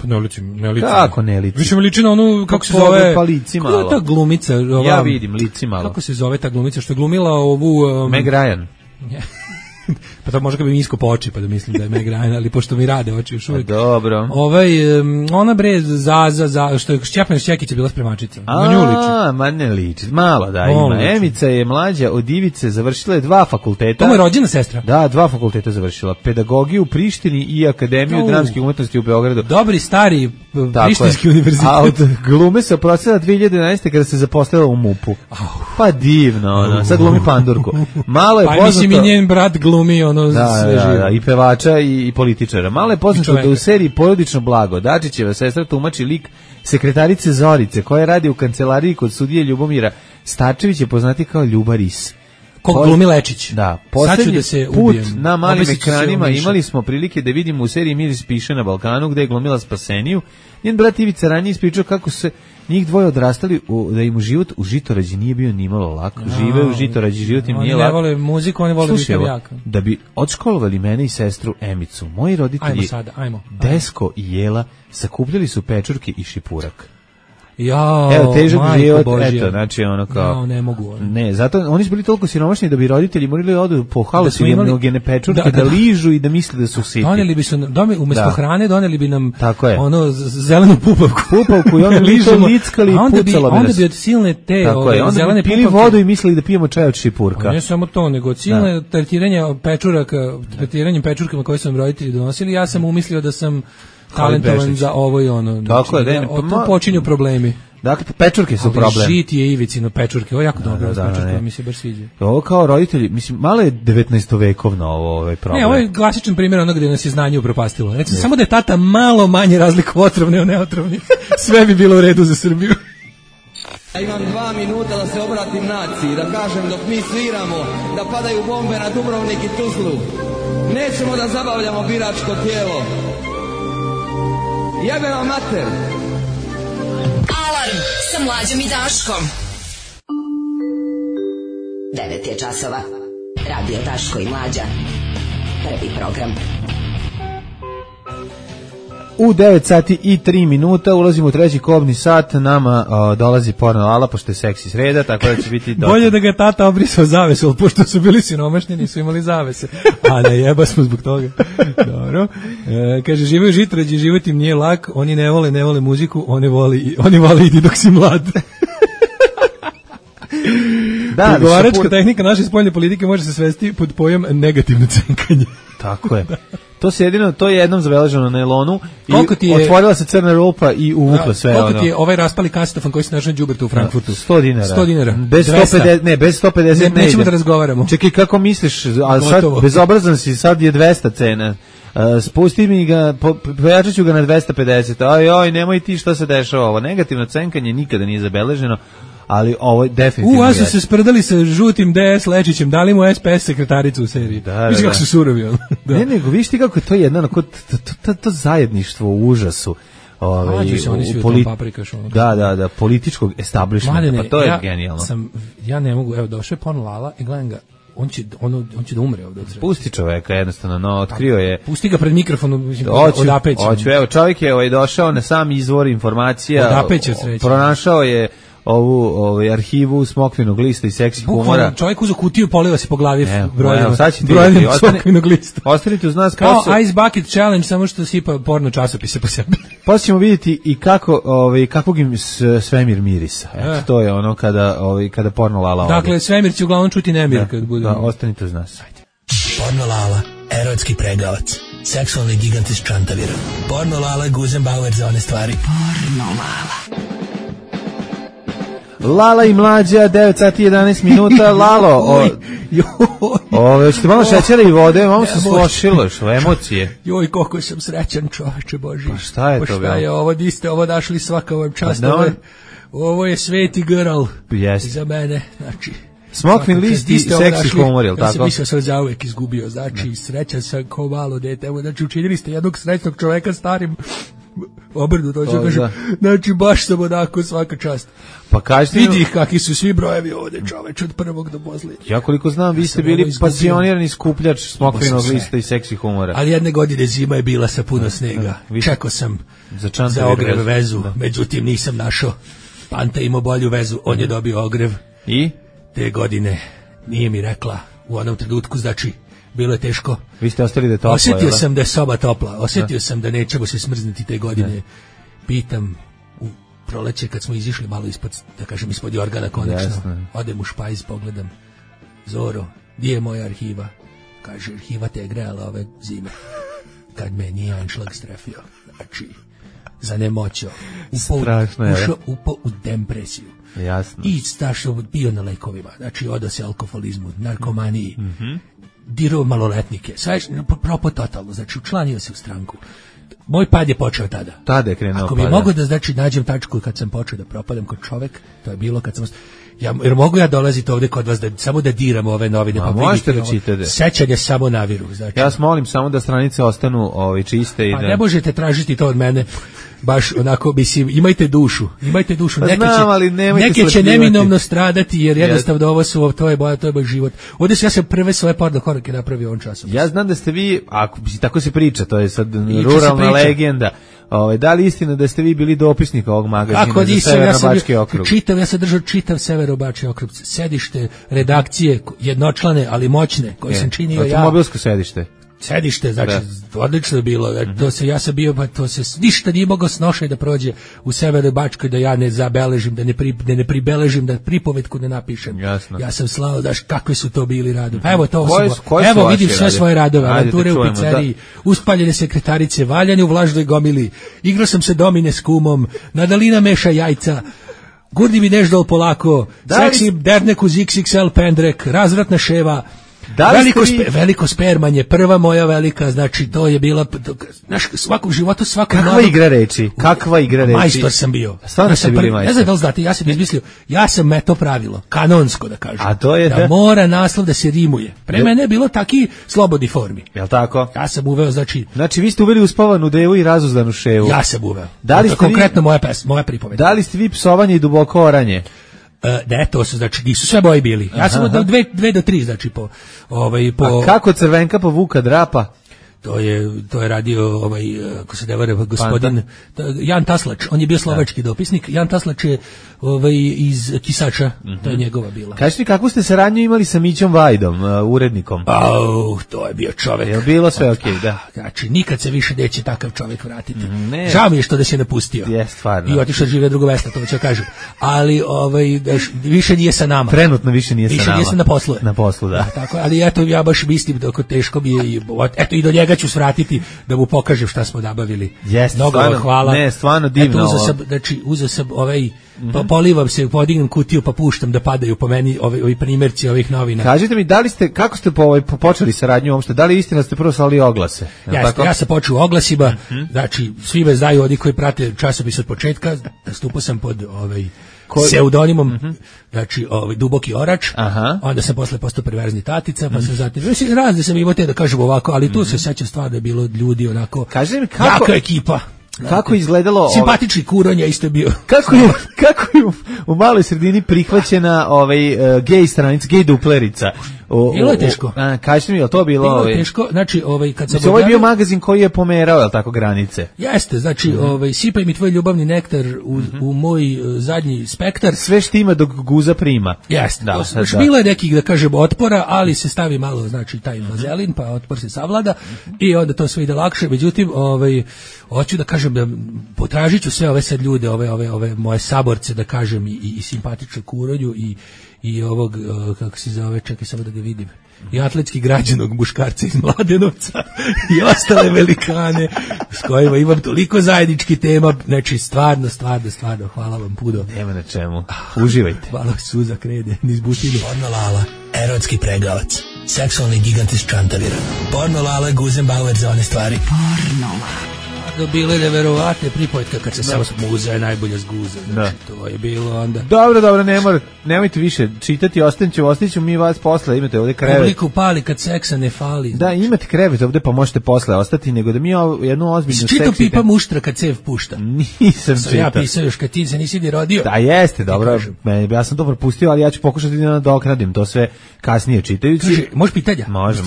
Pa ne liči. Kako ne liči? Više mi liči na onu, kako se zove... Pa lici malo. Kako je ta glumica? Ja vidim, lici malo. Kako se zove ta glumica što je glumila ovu... Meg Ryan. Pa to možda ga bi mi isko po oči, pa da mislim da je Meg Ryan, ali pošto mi rade oči još uvijek. Dobro. Ona bre, što je Šćepana Šćekić je bila spremačica. Na nju liči. Ma ne liči, malo da ima. Liči. Emica je mlađa od Ivice, završila je 2 fakulteta. To mu je rođena sestra? Da, 2 fakulteta završila. Pedagogiju u Prištini i Akademiju dramskih umetnosti u Beogradu. Dobri, stari prištinski univerzitet. A od glume se oprostila 2011. kada se zaposlila u MUP-u. Pa divno, sad glumi pandurku. Malo je poznato... Pa mislim i njen brat glumi sve živo. Da, i pevača i političara. Malo je poznato da u seriji Porodično blago Dačićeva sestra tumači lik sekretarice Zorice, koja radi u kancelariji kod sudije Ljubomira Starčević, je poznati kao Ljubaris. Koga glumi Lečić. Da, poslednji put na malim ekranima imali smo prilike da vidimo u seriji Miris piše na Balkanu, gde je glumila Spaseniju. Njen brat Ivica ranije ispričao kako se njih dvoje odrastali, da im život u Žitorađi nije bio nimalo lako. Žive u Žitorađi, život im nije lako. Oni ne vole muziku, oni vole biti jaka. Da bi odškolovali mene i sestru Emicu, moji roditelji Desko i Jela sakupljali su pečurke i šipurak. Evo, težak život, eto, znači ono kao... ne mogu. Ne, zato oni su bili toliko siromašni da bi roditelji morali odu po halucinogene pečurke, da ližu i da misle da su siti. Doneli bi su, umjesto hrane, doneli bi nam ono zelenu pupavku. Pupavku i onda bi to lickali i pucalo bi nas. Onda bi od silne te zelene pupavke... Onda bi pili vodu i mislili da pijemo čaj od šipurka. Ne samo to, nego od silne tretiranjem pečurkama koje su nam roditelji donosili, ja sam umislio da sam talentovan za ovo i ono. Tako je, tu počinju problemi. Dakle, pečurke su problem. Žit je Ivicino pečurke, ovo je jako dobro, pečurke, mi se baš sviđa. Ovo kao roditelji, mislim, malo je 19. ovaj problem. Ne, ovo je klasičan primjer onoga gdje nas je znanje upropastilo. Recimo, samo da je tata malo manje razliku otrovne od neotrovnih, sve bi bilo u redu za Srbiju. Ja imam 2 minuta da se obratim naciji, da kažem dok mi sviramo, da padaju bombe na Dubrovnik i Tuzlu. Nećemo da zabavljamo biračko tijelo. Jebe vam mater! Alarm sa Mlađom i Daškom. 9 je časova. Radio Daško i Mlađa. Prvi program. U 9 sati i 3 minuta ulazimo u treći kobni sat, nama dolazi porno Lala, pošto je seksi sreda, tako da će biti... Bolje da ga tata obrisao zavesu, ali pošto su bili siromašni, nisu imali zavese. A ne jeba smo zbog toga. Dobro. Kaže, žive u Žitorađi, život im nije lak, oni ne vole muziku, oni vole idi dok si mlad. Pregovaračka tehnika naše spoljne politike može se svesti pod pojam negativno cenkanje. Tako je. To je jednom zabeleženo na Elonu i otvorila se crna rupa i uvukla sve ono. Koliko ti je ovaj raspali kasetofon koji se našao na đubertu u Frankfurtu? 100 dinara. 100 dinara. Bez 150, bez 150 ne nećemo da razgovaramo. Čekaj, kako misliš, a sad bezobrazan si, sad je 200 cena. Spusti mi ga, pojačat ću ga na 250. Aj, nemoj ti šta se dešava ovo. Negativno cenkanje nikada nije zabeleženo. Ali ovo je definitivno. A su se sprdali sa žutim DS Lečićem, dali mu SPS sekretaricu u seriji. Viš kako su surovi ono. Ne, nego viš ti kako je to jedno, to zajedništvo u užasu. Da, političkog establishmenta, pa to je genijalno. Ja ne mogu, evo došao je porno Lala i gledam ga, on će da umre ovdje. Pusti čoveka jednostavno, no otkrio je. Pusti ga pred mikrofonom, odapeće. Čovjek je došao na sam izvor informacija. Odapeće sreće. Pronašao je ovu arhivu Smokvinog lista i seksi humora. Čovjek uzo kutiju, poliva se po glavi brojem Smokvinog lista. Ostanite uz nas. Kao Ice Bucket Challenge, samo što sipa porno časopise po sebi. Poslije ćemo vidjeti i kakvog im svemir mirisa. Eto, to je ono kada porno Lala ovdje. Dakle, svemir će uglavnom čuti nemir kad bude. Da, ostanite uz nas. Porno Lala, erotski pregavac, seksualni gigant iz Čantavira. Porno Lala, Guzenbauer za one stvari. Porno Lala. Lala i Mlađa, 9 sati 11 minuta. Lalo, hoćete malo šećera i vode, malo se slošilo, emocije. Joj, koliko sam srećan, čoveče Boži. Pa šta je to bilo? Šta je ovo, di ste ovo našli, svaka vam čast, ovo je sveti grl za mene, znači... Smokvin list i seksi humor, jel tako? Ja sam mislio sam zauvek izgubio, znači srećan sam kao malo dete, evo, znači učinili ste jednog srećnog čoveka starim obrnu, to ću kažem, znači baš sam onako svaka čast. Pa kažete... Vidi kakvi su svi brojevi ovdje, čoveč, od prvog do posljednjeg. Ja koliko znam, vi ste bili pasionirani skupljač Smokvinog lista i seksi humora. Ali jedne godine zima je bila sa puno snega. Čekao sam za ogrev vezu, međutim nisam našao. Panta imao bolju vezu, on je dobio ogrev. I? Te godine nije mi rekla u onom trenutku, znači bilo je teško. Vi ste ostali da je toplo. Osetio sam da je soba topla, osetio sam da nećemo se smrzniti te godine. Pitam u proleće kad smo izišli malo ispod, da kažem, ispod jorgana konačno. Odem u špajz, pogledam. Zoro, gdje je moja arhiva? Kaže, arhiva te je grejala ove zime. Kad me nije anšlag strefio. Znači, zanemoćao. Upao u depresiju. Jasno. I stašao bio na lekovima. Znači, odao se alkoholizmu, narkomaniji. Dirao maloletnike. Sve propao totalno. Znači, učlanio se u stranku. Moj pad je počeo tada. Tada je krenuo. Ako bi mogo da, znači, nađem tačku kad sam počeo da propadam kod čovek, to je bilo kad sam... jer mogu ja dolaziti ovde kod vas samo da diram ove novine, pa možete da čitate. Sećanje samo naviru. Znači. Ja vas molim samo da stranice ostanu čiste. Pa ne možete tražiti to od mene. Baš onako, imajte dušu. Neke će neminovno stradati, jer jednostavno ovo su, to je moj život. Ovdje ja sam prve svoje porno korake napravio ovom časom. Ja znam da ste vi, tako se priča, to je sad ruralna legenda. Da li istina da ste vi bili dopisnik ovog magazina za Severno-Bački okrug? Ja sam držao čitav Severno-Bački okrug. Sedište redakcije, jednočlane, ali moćne, koje sam činio ja. Automobilsko sedište, znači, odlično je bilo. Ja sam bio, to se ništa nije mogao snošaj da prođe u Severnoj Bačkoj, da ja ne zabeležim, da ne pribeležim, da pripovetku ne napišem. Jasno. Ja sam slao, daš, kakvi su to bili radovi. Pa evo vidim sve svoje radove, avanture u pizzeriji, uspaljene sekretarice, valjane u vlažnoj gomili, igrao sam se domine s kumom, Nadalina meša jajca, gurdi mi neždol polako, seksi dernek uz XXL pendrek, razvratna ševa, veliko spermanje, prva moja velika, znači to je bila, svakog života, Kakva igra reči? Majstor sam bio. Stvarno ste bili majstor. Ne znam da li znate, ja sam izmislio, ja sam meto pravilo, kanonsko da kažem. A to je da mora naslov da se rimuje. Pre mene je bilo taki slobodni formi. Jel' tako? Ja sam uveo, znači vi ste uveli uspavanu devu i razuzdanu ševu. Ja sam uveo. Da li ste konkretno moja pripoved. Da li ste vi psovanje i duboko oranje? Ne, to su, znači, nisu sve boji bili. Ja sam od 2 do 3, znači, po... A kako Crvenka po Vuka drapa? To je radio ako se ne varam, gospodin Jan Taslač, on je bio slovački dopisnik. Jan Taslač je iz Kisača, to je njegova bila. Kažete mi, kakvu ste saradnju imali sa Mićom Vajdom, urednikom? To je bio čovek. Je bilo sve okej, da. Znači, nikad se više neće takav čovek vratiti. Žao mi je što da se napustio. Je, stvarno. I otišao žive drugo mesto, to ću kažem. Ali više nije sa nama. Trenutno više nije sa nama. Više nije sa na poslu. Na poslu, da. Tako, ali eto, ja baš mislim da teško mi je, eto, i do njega ću svratiti da mu pokažem šta smo nabavili. Mnogo vam hvala. Ne, stvarno divno. Eto, uzeo sam pa polivam se, podignem kutiju pa puštam da padaju po meni ovi primjerci ovih novina. Kažite mi, kako ste počeli saradnju uopšte? Da li istina ste prvo slali oglase? Ja sam počeo u oglasima, znači svi me znaju, oni koji prate časopis od početka, nastupao sam pod pseudonimom, znači Duboki Orač, onda sam posle postao perverzni tatica, pa sam zatim, razne sam imao te da kažem ovako, ali tu se sećam stvarno da je bilo ljudi onako, jaka ekipa. Kako izgledalo... Simpatični Kuronja isto je bio. Kako je u maloj sredini prihvaćena gej stranica, gej duplerica? Bilo je teško. Kažete mi, je li to bilo... Bilo je teško, znači, kad sam... Ovo je bio magazin koji je pomerao, je li tako, granice? Jeste, znači, sipaj mi tvoj ljubavni nektar u moj zadnji spektar. Sve štima dok guza prima. Jeste, znači, bilo je nekih, da kažem, otpora, ali se stavi malo, znači, taj vazelin, pa otpor se savlada i onda to sve ide lakše. Međutim, hoću da kažem da potražit ću sve ove sad ljude, ove moje saborce, da kažem, i simpatičnu Kuronju i ovog, kako se zove, čekaj samo da ga vidim, i atletski građanog muškarca iz Mladenovca i ostale velikane s kojima imam toliko zajedničkih tema, znači stvarno, hvala vam puno. Nema na čemu, uživajte. Hvala, suza krede, niz butinu. Porno Lala, erotski pregavac, seksualni gigant iz Čantavira. Porno Lala, Guzenbauer za one stvari. Porno Lala. Bile neverovatne pripovetka kad se samo muza je najbolja zguza, znači to je bilo onda. Dobro, nemojte više čitati, ostavit ćemo mi vas posle, imate ovde krevet. Publiku pali kad seksa ne fali. Da, imate krevet ovde pa možete posle ostati, nego da mi jednu ozbiljnu seksi. Čito pipa muštra kad cev pušta. Nisam čitao. Ja pisao još kad ti se nisi ni rodio. Da, jeste, dobro, ja sam to propustio, ali ja ću pokušati da nadoknadim to sve kasnije čitajući. Kaže, može pitanja? Može.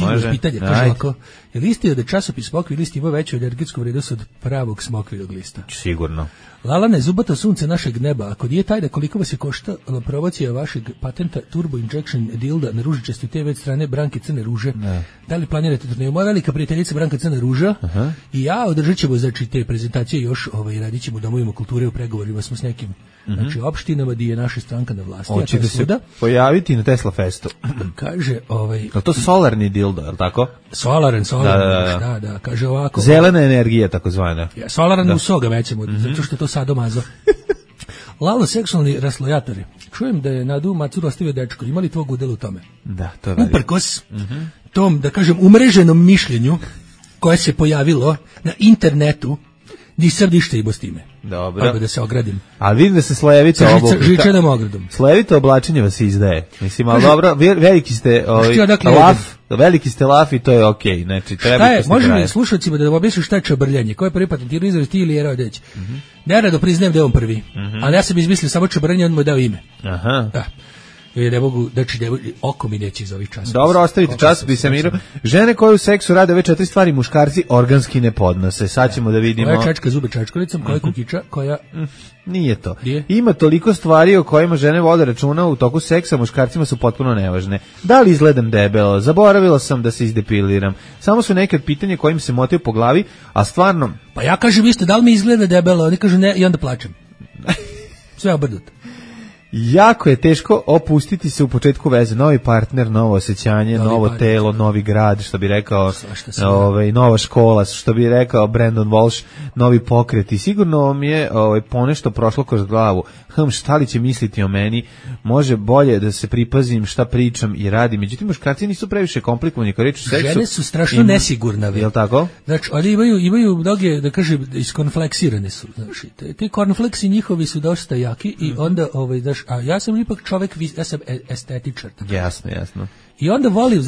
Kaže ovako, Jer istio da časopis Smokvi list ima veću energetsku vrednost od pravog smokvinog lista. Sigurno. Lalane, zubato sunce našeg neba, ako nije taj da koliko vas je koštala promocija vašeg patenta Turbo Injection Dilda na ružičastoj TV od strane Branke Crne Ruže, da li planirate turneju? Moja velika prijateljica Branka Crna Ruža i ja održat ćemo znači, te prezentacije još, radit ćemo u domovima kulture, u pregovorima smo s nekim znači, opštinama gdje je naša stranka na vlasti. Hoćete se pojaviti na Tesla Festu. Kaže, je to solarni dildo, je li tako? Solaran, da, kaže ovako. Zelena energija, takozvana. Ja, solaran u soga mećemo, zato što je to sadomazo. Lalo, seksualni raslojatori. Čujem da je Nadu Macuru ostavio dečko. Ima li tvog udjela u tome? Da, to je uprkos tom, da kažem, umreženom mišljenju koje se pojavilo na internetu, nisam ništa imao s time. Dobro. Pa da se ogradim. Ali vidim da se slojevito žičanom ogradom. Slojevito oblačenje vas izdaje. Mislim, ali dobro, veliki ste veliki ste laf i to je okej. Znači, treba je, možemo li slušalcima da objasniš šta je čabrljanje? Ko je prvi patentirao izraz, ti ili Jera Odeć? Nerado priznajem da je on prvi. Ali ja sam izmislio samo čabrljanje, on mu je dao ime. Aha. Da. Ne mogu, znači oko mi neće iz ovih časopisa. Dobro, ostavite časopise miru. Žene koje u seksu rade ove 4 stvari, muškarci organski ne podnose. Sad ćemo da vidimo. Koja čačka zube čačkolicom, koja kukiča, koja... Nije to. Ima toliko stvari o kojima žene vode računa u toku seksa, muškarcima su potpuno nevažne. Da li izgledam debelo? Zaboravila sam da se izdepiliram. Samo su neke pitanje kojim se motaju po glavi, a stvarno... Pa ja kažem isto, da li mi izgleda debelo? Oni kažu ne i onda plačem. Sve obrnuto. Jako je teško opustiti se u početku veze. Novi partner, novo osjećanje, novo telo, novi grad, što bi rekao nova škola, što bi rekao Brandon Walsh, novi pokret. I sigurno mi je ponešto prošlo kroz glavu. Šta li će misliti o meni? Može bolje da se pripazim šta pričam i radim. Međutim, muškarci nisu previše komplikovani kao reč u seksu. Žene su strašno nesigurne. Je li tako? Znači, oni imaju mnoge, da kažem, iskonfleksirane su. Znači, ti konfleksi njihovi su dosta jaki i onda, a ja sam ipak čovjek, ja sam estetičar. Jasno. I onda volim,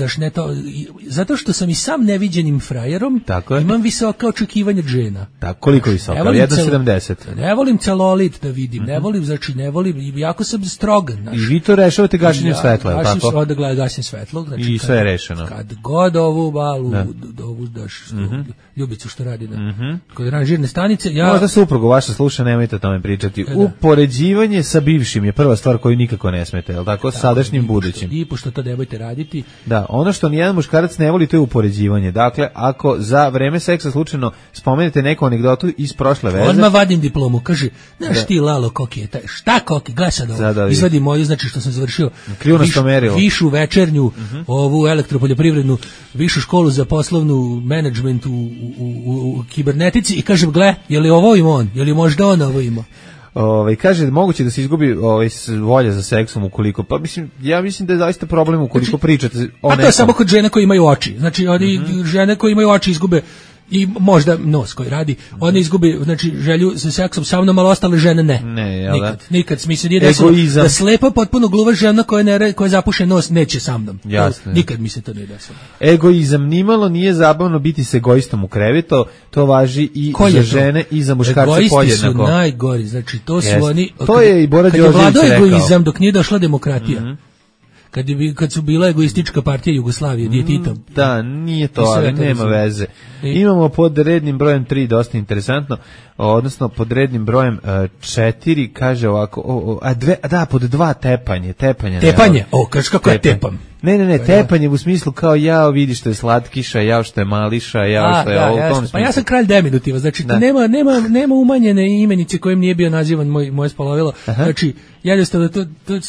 zato što sam i sam neviđenim frajerom, imam visoka očekivanja od žena. Tako, koliko visoka? 1,70. Ne volim celulit da vidim, ne volim, jako sam strogan. I vi to rešavate gašenjem svetla, je li tako? Onda gledam gašenjem svetla. I sve je rešeno. Kad god ovu balu, ovu ljubicu što radi kod ranžirne stanice, možda suprugu vaša sluša, nemojte o tome pričati. Upoređivanje sa bivšim je prva stvar koju nikako ne smete, je li tako? Sadašnjim budućim. I pošto to nemojte raditi. Da, ono što nijedan muškarac ne voli, to je upoređivanje. Dakle, ako za vreme seksa slučajno spomenete neku anegdotu iz prošle veze... Odmah vadim diplomu, kaže, znaš ti Lalo koki je taj, šta koki, gledaj sad ovo, izvadi moju, znači što sam završio višu večernju, ovu elektropoljoprivrednu, višu školu za poslovnu menadžment u kibernetici i kažem, gle, je li ovo ima on, je li možda on ovo ima? Kaže moguće da se izgubi volja za seksom ukoliko, pa ja mislim da je zaista problem ukoliko pričate o nekom. A to je samo kod žena koji imaju oči. Znači žene koje imaju oči izgube i možda nos koji radi, one izgubi znači želju za seksom sa mnom, ali ostale žene ne. Nikad smisli nije desilo da slepa potpuno gluva žena koja zapuše nos neće sa mnom. Nikad mi se to nije desilo. Egoizam nimalo nije zabavno biti s egoistom u krevetu, to važi i za žene i za muškarce podjednako. Egoisti su najgori, znači to su oni. To je i Bora Đorđević rekao. Kad je vladao egoizam dok nije došla demokratija. Kad su bila egoistička partija Jugoslavije, gdje je Tito. Da, nije to, ali nema veze. Imamo pod rednim brojem 3, dosta interesantno, odnosno pod rednim brojem 4, kaže ovako, pod 2 tepanje. Tepanje? Kažeš kako je tepam? Ne, tepanje u smislu kao jao vidi što je slatkiša, jao što je mališa, jao što je ovo u tom smislu. Pa ja sam kralj deminutiva, znači nema umanjene imenice kojim nije bio nazivan moje spolovilo, znači jednostavno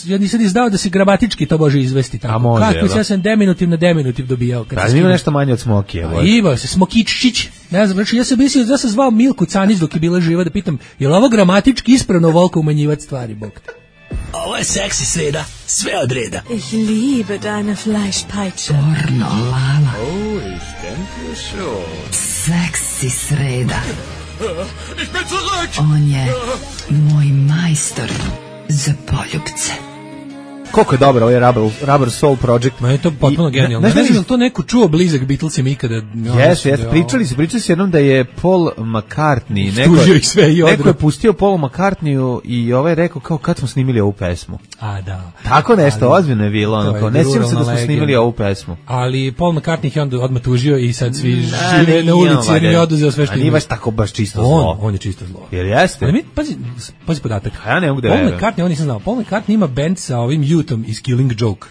ja nisam znao da se gramatički to može izvesti tako. A može, kako ja sam deminutiv na deminutiv dobijao. Pa ima nešto manje od Smokije. Ima se Smokičić, ne znam, znači ja sam zvao Milku Canić dok je bila živa da pitam, je li ovo gramatički ispravno volko umanjivati stvari, bog te. Ovo je seksi sreda, sve od reda. Ich liebe deine Fleischpeitsche. Pornolala. Oh, ich denke schon. Seksi sreda. Ich bin zurück. On je moj majstor za poljubce. Koliko je dobro ovaj Rubber Soul Project. Ma je to potpuno genijalno. Ne znam to neko čuo blizak Beatlesima ikada. Jeste, pričali se jednom da je Paul McCartney, neko je pustio Paul McCartneyu i ovaj rekao kao kad smo snimili ovu pesmu. A da. Tako nešto ozbiljno je bilo, ono, ne sjećam se da smo snimili ovu pesmu. Ali Paul McCartney je onda odmah tužio i sad svi žive na ulici jer mi oduzeo sve što ima. Nije baš tako baš čisto zlo. On je čisto zlo. Jer jeste? Ali pazi podatak. Ja ne mogu da verujem. Paul McCartney, on nisam znao. Paul McCartney ima band sa ovim Youthom iz Killing Joke.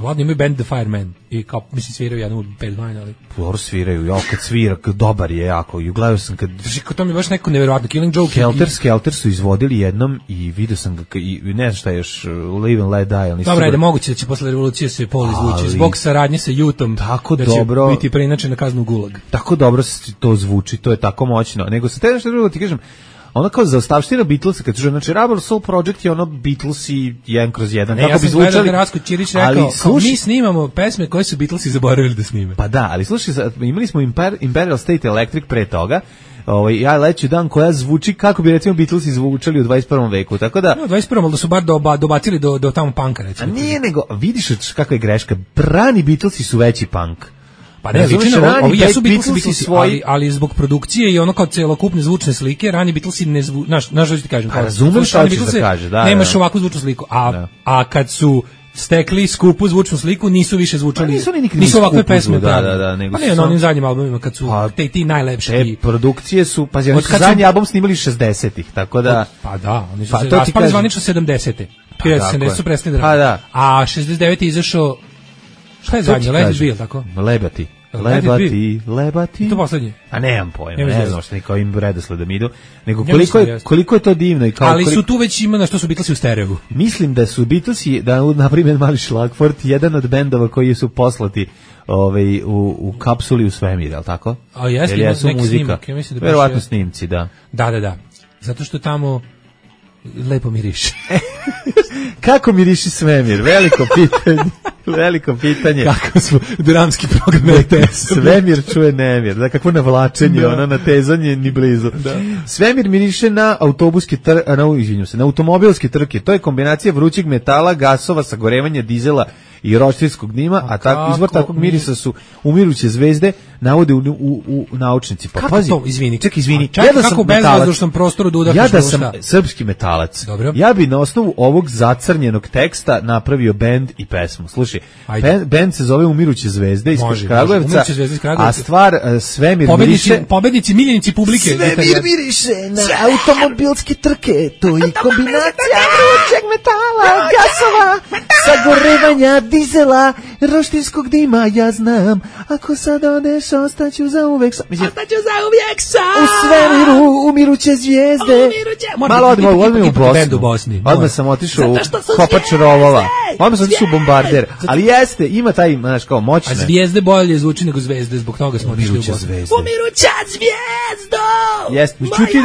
Ladno imaju band The Fireman i kao, mislim, sviraju jednu u Bad Wine, ali... Dobro sviraju, ja kad svira, dobar je jako, i gledao sam kad... To mi je baš neko nevjerovatno, Killing Joke... Skelter su izvodili jednom i vidio sam ga, i ne znam šta je još, Live and Let Die, ali... Dobro, ajde, moguće da će posle revolucije se Paul izvući, zbog saradnje sa Youthom, tako da dobro, će biti preinačen na kaznu Gulag. Tako dobro to zvuči, to je tako moćno, nego sa te nešto drugo ti kažem, ono kao za ostavština Beatlesa, kad znači Rubber Soul Project je ono Beatlesi 1/1. Ne, ja sam gledao da Rasko Ćirić rekao, mi snimamo pesme koje su Beatlesi zaboravili da snime. Pa da, ali slušaj, imali smo Imperial State Electric pre toga, ja leću dan koja zvuči kako bi recimo Beatlesi zvučali u 21. veku, tako da... No, 21. ali da su bar dobacili do tamo punka, recimo. A nije, nego, vidiš kakva je greška, brani Beatlesi su veći punk. Pa ne, ovi jesu Beatlesi svoji, ali zbog produkcije i ono kao celokupne zvučne slike, rani Beatlesi ne znaš što ti kažem. Pa razumem šta ćeš da kaže, da. Nemaš ovakvu zvučnu sliku, a kad su stekli skupu zvučnu sliku, nisu više zvučali, nisu ovakve pesme. Da, pa ne, na onim zadnjim albumima, kad su ti najlepši. Te produkcije su, pa oni su zadnji album snimali 60-ih, tako da... Pa da, oni su se raspali zvanično 70-te. 70 su prestali da rade. A 69 je izašao... Šta je zadnje? Let it be, tako? Lebati. To poslednje. A nemam pojma, ne znam što niko im redosledom idu, nego koliko je to divno i kao... Ali su tu već ima na što su Beatlesi u stereo. Mislim da su Beatlesi, da na primjer Mali Šlagford, jedan od bendova koji su poslati u kapsuli u svemir, al tako? A jeste, neki snimak, ja mislim da verovatno snimci, da. Da. Zato što tamo lepo miriše. Kako miriši svemir? Veliko pitanje. Kako smo dramski program Svemir čuje nemir. Da, kakvo navlačenje, ono natezanje ni blizu. Da. Svemir miriše na na automobilske trke. To je kombinacija vrućeg metala, gasova, sagorevanja dizela i roštilskog dima, a izvor takvog mirisa su umiruće zvezde, navode u naučnici. Pa kako pazi, to? Izvini. Kako bezvazdušnom prostoru da udahneš da sam srpski metalac. Dobro. Ja bi na osnovu ovog zacrnjenog teksta napravio bend i pesmu. Slušaj, bend se zove Umiruće zvezde iz Kragujevca, a stvar Svemir miriše... Pobednici, miljenici publike. Svemir miriše na automobilske trke, to je kombinacija vrućeg metala, gasova, sagorevanja dizela, roštilskog dima, ja znam, ako sad odeš, ostaću za uvek sam. U svemiru umiruće zvijezde. Malo odmah u Bosni. Odmah sam otišao u Kopač rovova. Odmah sam otišao u Bombarder. Ali jeste, ima taj, znaš, kao moćne. A zvijezde bolje zvuči nego zvezde, zbog toga smo otišli u Bosni. Umiruća zvijezdo! Jeste, čuti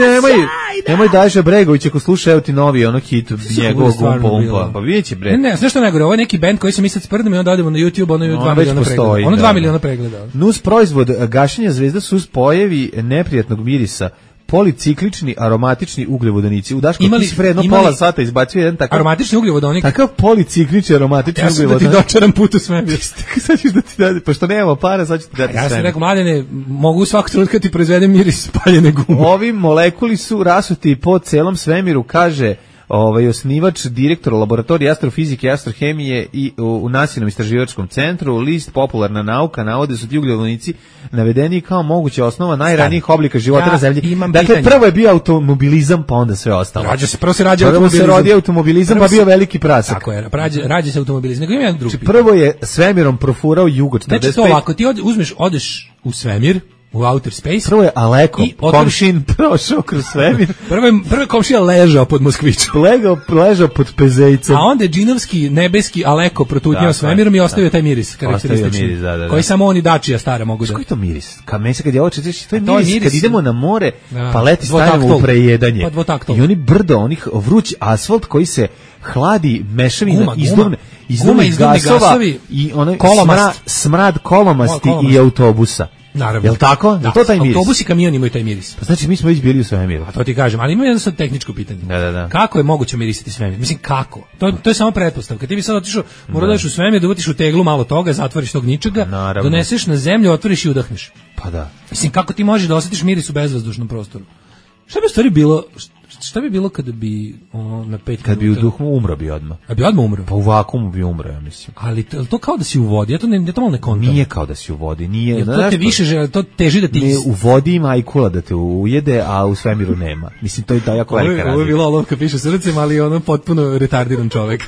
nemoj Daša Bregović ako sluša, evo ti novi ono hit njegovog umpa. Pa vidjet će bre. Ne, sve što najgore, ovo je neki band koji se mi sad sprdimo i onda odemo na YouTube, ono 2 miliona pregleda. Ono 2 miliona pregleda. Nus proizvod gašenja zvezda su spojevi neprijatnog mirisa, policiklični aromatični ugljovodonici. U Daško ti si predno pola sata izbacio jedan takav aromatični ugljovodonik. Takav policiklični aromatični ugljovodonik. Ja sam da ti dočaram put u svemir. Sad ćeš da ti dati, pošto nemamo para, sad ću ti dati svemir. Ja sam rekao, Mladene, mogu svakog trenutka ti proizvedem miris spaljene gume. Ovi molekuli su rasuti po celom svemiru, kaže osnivač, direktor laboratorija astrofizike i astrohemije i u Nacionalnom istraživačkom centru. List Popularna nauka navode su ti ugljovodonici navedeni kao moguća osnova najranijih oblika života na zemlji. Dakle, prvo je bio automobilizam, pa onda sve ostalo. Prvo se rodi automobilizam, pa bio veliki prasak. Tako je, rađa se automobilizam. Nego ima jedan drugi. Prvo je svemirom profurao Jugo 45. Znači to ovako, ti odeš u svemir, u outer space. Prvo je Aleko, komšin prošao kroz svemir. Prvo je komšija ležao pod Moskvićom. Ležao pod Pezejcem. A onda je džinovski nebeski Aleko protutnjao svemirom i ostavio taj miris karakteristični. Koji samo oni Dačija stara mogu da. Koji to miris? Meni kad je ovo četiš, to je miris kad idemo na more, pa leti stavimo u prejedanje. I oni brdo, onih vruć asfalt koji se hladi, mešavina izduvnih gasova i onaj smrad kolomasti i autobusa. Naravno. Jel tako? Da. To taj miris? Autobusi i kamion imaju taj miris. Pa znači mi smo već bili u svemiru. A to ti kažem, ali ima jedno sad tehničko pitanje. Da. Kako je moguće mirisati svemir? Mislim, kako? To je samo pretpostavka. Ti bi sad otišao, mora da ideš u svemir, da uvatiš u teglu malo toga, zatvoriš tog ničega, doneseš na zemlju, otvoriš i udahneš. Pa da. Mislim, kako ti možeš da osjetiš miris u bezvazdušnom prostoru? Šta bi u stvari bilo... Šta bi bilo kada bi na 5 minuta... Kad bi u duhu umro bi odmah. A bi odmah umro? Pa u vakuumu bi umro, ja mislim. Ali to kao da si u vodi, ja to malo ne kontam. Nije kao da si u vodi, nije... To te više, to teži da ti... Ne, u vodi ima ajkula da te ujede, a u svemiru nema. Mislim, to je da jako velika razlika. Ovo je bila olovka piše srcem, ali ono potpuno retardiran čovek.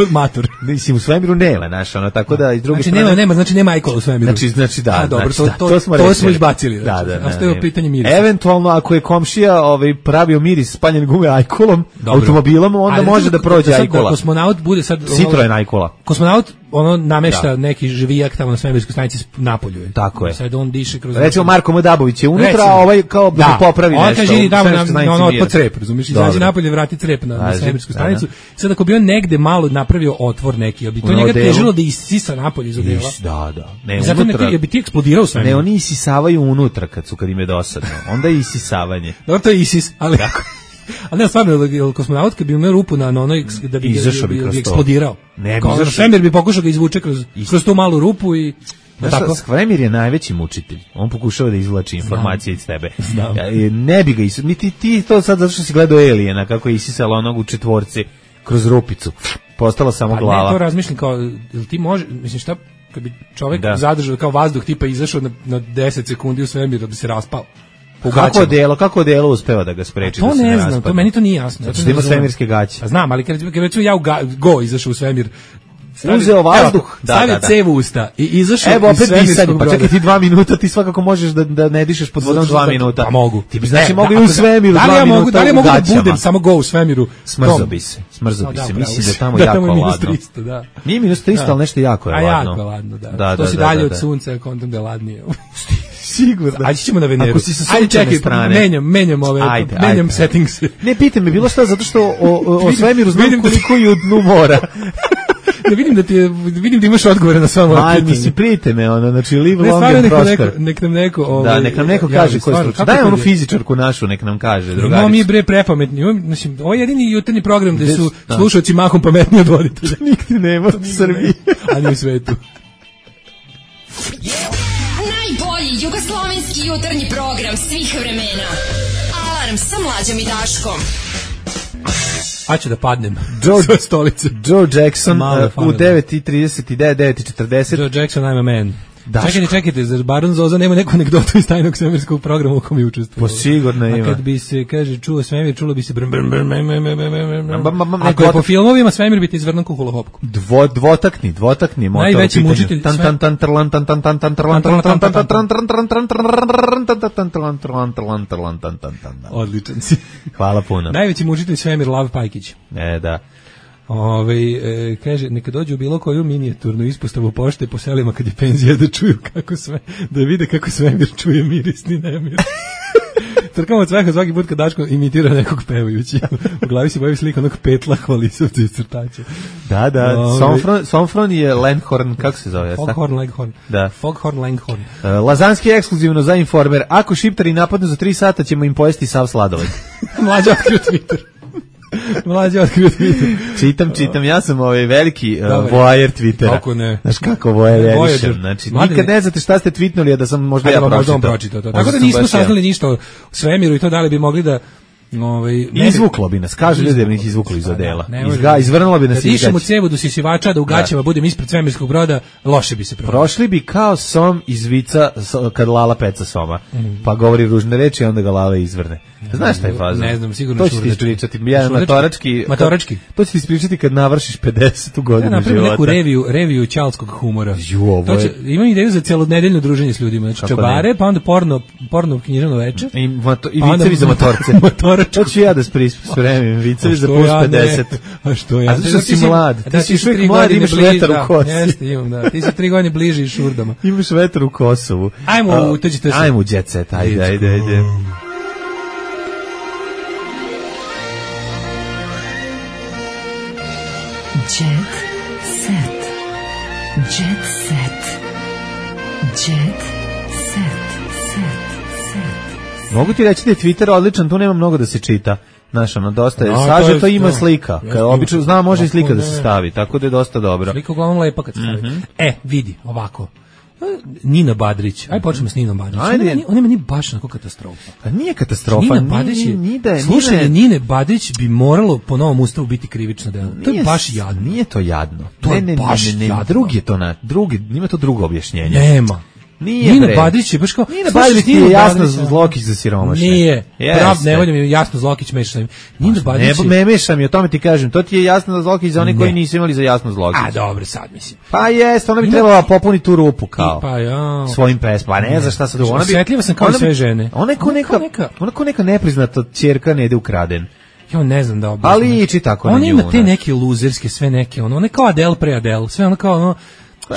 Matur. Mislim, u svemiru nema, znaš, ono, tako da iz druge strane... Znači nema ajkola u svemiru. Znači da. A dobro, znači, to smo izbacili. Da. Ostaje pitanje mirisa. Eventualno, ako je komšija pravio miris spaljen gume ajkolom, automobilom, onda može da prođe ajkola. Kosmonaut bude sad... Citroen ajkola. Kosmonaut, namešta neki živijak tamo na svemirskoj stanici napolju. Tako je. Sad on diše kroz... Recimo, Marko Modabović je unutra, a ovaj kao da popravi nešto. On kaže, idi tamo na otpod crep, razumiješ, izađi napolje, vrati crep na svemirsku stanicu. Sad ako bi on negde malo napravio otvor neki, bi to njega težilo da isisa napolje iz odela. Da. Ne, zato bi ti eksplodirao svemir. Ne, oni isisavaju unutra kad im je dosadno. Onda je isisavanje. Dobro, to je isis, ali kako? Ali ne, stvarno, kosmonaut kad bi imao rupu na onoj, da bi eksplodirao. Ne bi izašao. Svemir bi pokušao da izvuče kroz tu malu rupu i... Znaš, svemir je najveći mučitelj. On pokušava da izvlači informacije iz tebe. Ne bi ga ti to sad zato što si gledao Aliena kako je isisala onog u četvorci kroz rupicu. Postala samo glava. Ne, to razmišljam kao, jel ti može, mislim šta, kad bi čovjek zadržao kao vazduh tipa izašao na 10 sekundi u svemir da bi se raspao. Kako delo uspeva da ga spreči da se ne raspadne? To ne znam, to meni to nije jasno. Zato što ima svemirske gaće. Znam, ali kad recimo ja Go izašao u svemir, uzeo vazduh, stavio cev u usta i izašao iz svemirskog broda. Pa čekaj ti 2 minuta, ti svakako možeš da ne dišeš pod vodom 2 minuta. Pa mogu. Ti bi znači mogli u svemiru 2 minuta. Da li ja mogu da budem samo Go u svemiru? Smrzo bi se. Mislim da je tamo jako ladno. Nije -300, ali nešto jako je ladno. A jako ladno, da. To si dalje od sunca, kontam da je ladnije. Sigurno. Ajde ćemo na Veneru. Ako si sa sunčane strane. Menjam settings. Ne, pitaj me bilo šta, zato što o svemiru znam koliko je u dnu mora. Ne vidim da imaš odgovore na sva moja pitanja. Mislim, prijete me, znači live long and prosper. Nek nam neko... nek nam neko kaže koji slučaj. Daj onu fizičarku našu, nek nam kaže, drugaricu. Imamo mi bre prepametni. Mislim, ovo je jedini jutarnji program gde su slušalci mahom pametniji od voditelja. Nigde nema u Srbiji. Ani u svetu. Najbolji jugoslovenski jutarnji program svih vremena. Alarm sa Mlađom i Daškom. A ću da padnem. Joe Jackson u 9:39, 9:40. Joe Jackson, I'm a man. Čekajte, zar Baron Zoza nema neku anegdotu iz tajnog svemirskog programa u kom je učestvovao? Pa sigurno ima. A kad bi se, kaže, čuo svemir, čulo bi se ako je po filmovima, svemir bi te izvrnuo kuhula hopku. Dvotakni motor. Najveći mučitelj. Odličan si. Hvala puno. Najveći mučitelj svemir Lav Pajkić. Da. Kaže, neka dođu u bilo koju minijaturnu ispostavu pošte po selima kad je penzija da čuju da vide kako svemir čuje mirisni nemir. Trkamo od sveha svaki put kad Daško imitira nekog pevajući. U glavi se boji slika onog petla hvalisovca iz crtača. Da. Somfron je Langhorn, kako se zove? Foghorn Langhorn. Da. Foghorn Langhorn. Lazanski ekskluzivno za Informer. Ako šiptari napadnu za 3 sata ćemo im pojesti sav sladoled. Mlađa otkrio Twitter. Čitam, ja sam veliki voajer Twittera. Kako ne? Znaš kako voajerišem, znači nikad ne znate šta ste tweetnuli, a da sam možda ja pročitao. Tako da nismo saznali ništa o svemiru i to da li bi mogli da izvuklo bi nas, kaže ljudi da bi ih izvuklo iz odela. Izvrnulo bi nas iz gaća. Da dišem u cevu do sisivača, da u gaćama budem ispred svemirskog broda, loše bi se prošli bi kao som iz vica kad Lala peca soma. Pa govori ružne reči, onda ga Lala izvrne. Znaš šta je faza? Ne znam, sigurno to ću ti ispričati. Matorački. To ću ti ispričati kad navršiš 50. godinu života. Ja napravim neku reviju ćalskog humora. Imam ideju za celonedeljno druženje s ljudima. Znači čabare, pa onda porno književno veče. I vicevi za motorce. To ću ja da spremim, vicevi za plus 50. A što ja? A zato što si mlad. Ti si uvijek mlad, imaš vetar u kosi. Jeste, imam, da. Ti si 3 godine bliži šurdama. Imaš vetar u Kosovu. Ajmo u jet set, ajde. Jet set. Jet set. Mogu ti reći da je Twitter odličan, tu nema mnogo da se čita. Znaš, ono, dosta je, sažeto ima slika. Obično znam, može i slika da se stavi, tako da je dosta dobro. Slika uglavnom lepa kad se stavi. Vidi, ovako. Nina Badrić. Aj počnemo s Ninom Badrić. On ima ni baš onako katastrofa. Pa nije katastrofa. Nina Badrić slušanje Nine Badrić bi moralo po novom ustavu biti krivično delo. To je baš jadno. Nije to jadno. To je baš jadno. Drugi je to nima to drugo objašnjenje. Nema. Nina Badrić je baš kao... Nina Badrić je jasno Zlokić za siromašne. Nije. Ne voljam je jasno Zlokić mešam. Nina Badrić ne mešam je, o tome ti kažem. To ti je jasno Zlokić za oni koji nisu imali za jasno Zlokić. A dobro, sad mislim. Pa jeste, ona bi trebala popuniti tu rupu kao. Pa ja. Svojim pesmama. Pa ne znaš šta sad drugo. Osjetljiva sam kao sve žene. Ona ko neka nepriznata ćerka ne ide ukraden. Ja ne znam da objasnim. Ali ići tako na nju. Ona ima te neke luzerske, sve neke, ona kao Adele pre Adele, sve ona kao ono,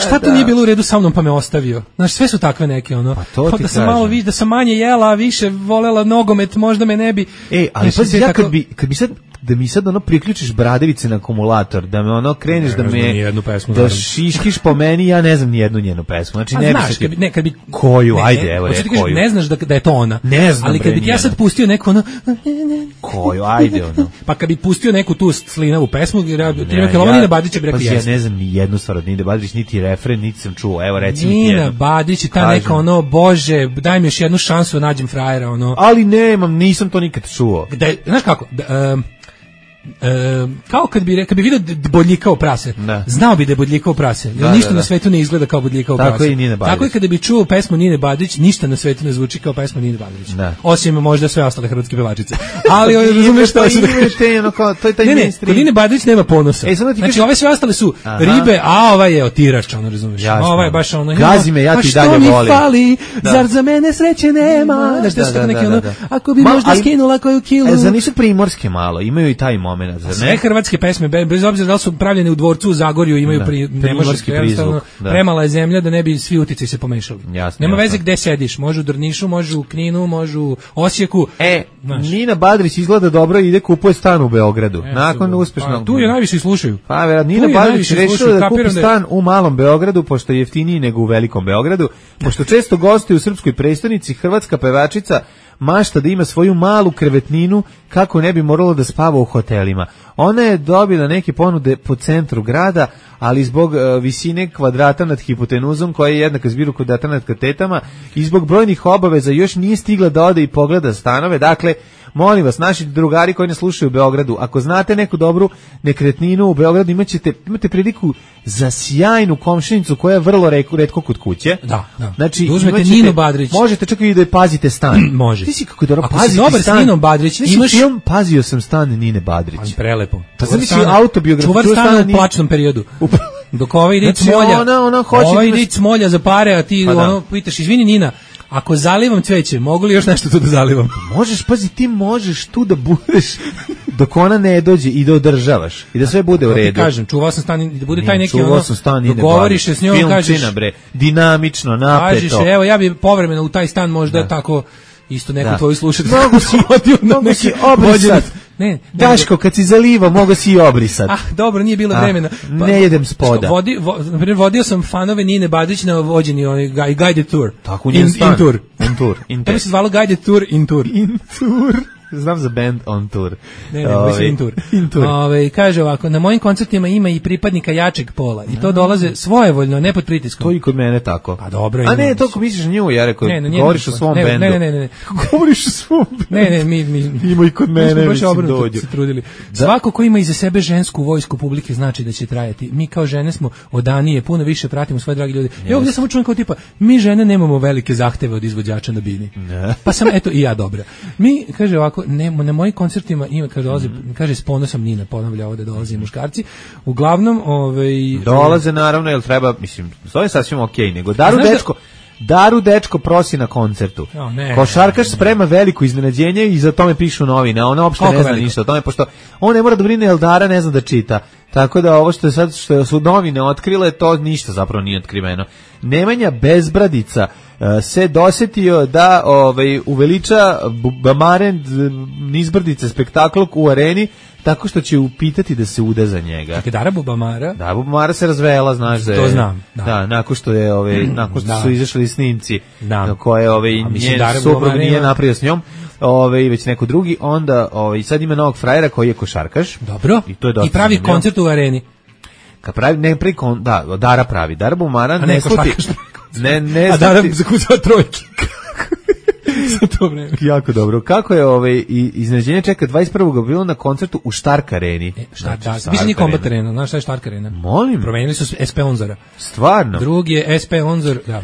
šta to nije bilo u redu sa mnom pa me ostavio. Znaš, sve su takve neke, ono, pa da sam malo da sam manje jela, a više volela nogomet, možda me ne bi. Ali pazi, ja kad bi sad, da mi sad ono priključiš bradavice na akumulator, da me ono kreneš da šiškiš po meni, ja ne znam ni jednu njenu pesmu. Znači ne znaš, kad bi koju, ajde, evo je koju. Ne znaš da je to ona. Ne znam, ali kad bi ja sad pustio neku ono koju, ajde ono. Pa kad bi pustio neku tu slinavu pesmu, Nina Badrić bi rekao ja ne znam ni jednu stvar od Nine Badrić, niti refren, niti sam čuo. Evo recimo Nina Badrić i ta neka ono, bože, daj mi još jednu šansu, nađem frajera, ono. Ali nisam to nikad čuo. Znaš kako, kao kad bi vidio bodljikao prase, znao bi da je bodljikao prase, jer ništa na svetu ne izgleda kao bodljikao prase. Tako i kada bi čuo pesmu Nine Badrić, ništa na svetu ne zvuči kao pesma Nine Badrić. Osim možda sve ostale hrvatske pevačice. Ali razumeš šta se to je taj mainstream. Kod Nine Badrić nema ponosa. Znači ove sve ostale su ribe, a ova je otirač, ono razumeš. Ova je baš ono. Gazi me, ja ti dalje volim. Što mi fali, zar za mene sreće nema? Znači što neki ono, ako bi možda skinula koju kilu. Za nisu primorske malo, imaju i taj moment. Sve hrvatske pesme, bez obzira da li su pravljene u dvorcu u Zagorju, imaju primorski prizvuk. Premala je zemlja da ne bi svi uticaji se pomešali. Nema veze gde sediš, može u Drnišu, može u Kninu, može u Osijeku. Nina Badrić izgleda dobro i ide kupuje stan u Beogradu. Nakon uspešnog. Tu je najviše i slušaju. Pa Nina Badrić rešila da kupi stan u malom Beogradu, pošto je jeftiniji nego u velikom Beogradu, pošto često gostuje u srpskoj prestonici, hrvatska pevačica mašta da ima svoju malu krevetninu kako ne bi moralo da spava u hotelima. Ona je dobila neke ponude po centru grada, ali zbog visine kvadrata nad hipotenuzom, koja je jednaka zbiru kvadrata nad katetama, i zbog brojnih obaveza još nije stigla da ode i pogleda stanove. Dakle, molim vas, naši drugari koji nas slušaju u Beogradu, ako znate neku dobru nekretninu u Beogradu, imate priliku za sjajnu komšinicu koja je vrlo retko kod kuće. Da. Znači, uzmete Ninu Badrić. Možete čak i da je pazite stan. Može. Ti si kako je dobro paziti stan. Ako si dobar s Ninom Badrić, imaš film Pazio sam stan Nine Badrić. Prelepo. Pa znači autobiografiju. Čuvar stana u plačnom periodu. Dok ovaj ide Smolja. Ovaj ide Smolja za pare, a ti ono pitaš, izvini Nina, ako zalivam cveće, mogu li još nešto tu da zalivam? Možeš, pazi, ti možeš tu da budeš dok ona ne dođe i da održavaš i da sve bude u redu. Ti kažem, čuvao sam stan, da bude taj neki ono, dogovoriš se s njom, kažeš, dinamično, napeto. Kažeš, evo, ja bi povremeno u taj stan možda tako isto neku tvoju slušati. Mogu si obrisat. Daško, kad si zaliva, mogu si i obrisat. Dobro, nije bilo vremena. Ne jedem spoda. Vodio sam fanove Nine Badrić na vođeni guided tour. Tako, in tour. To bi se zvalo guided tour in tour. Znam za band on tour. Ne, in tour. Kaže ovako, na mojim koncertima ima i pripadnika jačeg pola i to dolaze svojevoljno, ne pod pritiskom. To i kod mene tako. Pa dobro. A ne, to ko misliš na nju, ja rekao, govoriš o svom bendu. Ne. Govoriš o svom bendu. Ne, mi ima i kod mene, mislim, dođu. Se trudili. Svako ko ima iza sebe žensku vojsku publike znači da će trajati. Mi kao žene smo odanije, puno više pratimo svoje dragi ljudi. Evo gdje samo čujem kao tipa, mi žene nemamo velike zahteve od izvođača na bini. Pa sam, eto, i ja dobra. Mi, kaže ovako, na mojim koncertima ima, kaže s ponosom Nina ponavlja ovdje dolaze muškarci. Uglavnom, dolaze naravno, jel treba, mislim, to je sasvim okej, nego Daru dečko prosi na koncertu. Košarkaš sprema veliko iznenađenje i za tome pišu novine, a ona uopšte ne zna ništa o tome, pošto on ne mora da brine, jer Dara ne zna da čita. Tako da ovo što su novine otkrile, to ništa zapravo nije otkriveno. Nemanja Bezbradica se dosetio da uveliča Bamarend Nizbrdice spektakl u areni, tako što će upitati da se uda za njega. Čekaj, Dara Bubamara? Dara Bubamara se razvela, znaš da je... To znam, da. Da, nakon što je, nakon što su izašli snimci na koje njen suprug nije napravio s njom, već neko drugi, onda sad ima novog frajera koji je košarkaš. Dobro. I pravi koncert u areni. Kad pravi, ne pravi, Dara pravi. Dara Bubamara ne košarkaš. Ne, a Dara zakucava trojke. Za to vreme. Jako dobro. Kako je iznenađenje čeka 21. aprila na koncertu u Stark areni. Više nije Combat arena, znaš šta je Stark arena? Molim. Promenili su SP Onzora. Stvarno? Drugi je SP Onzor, da.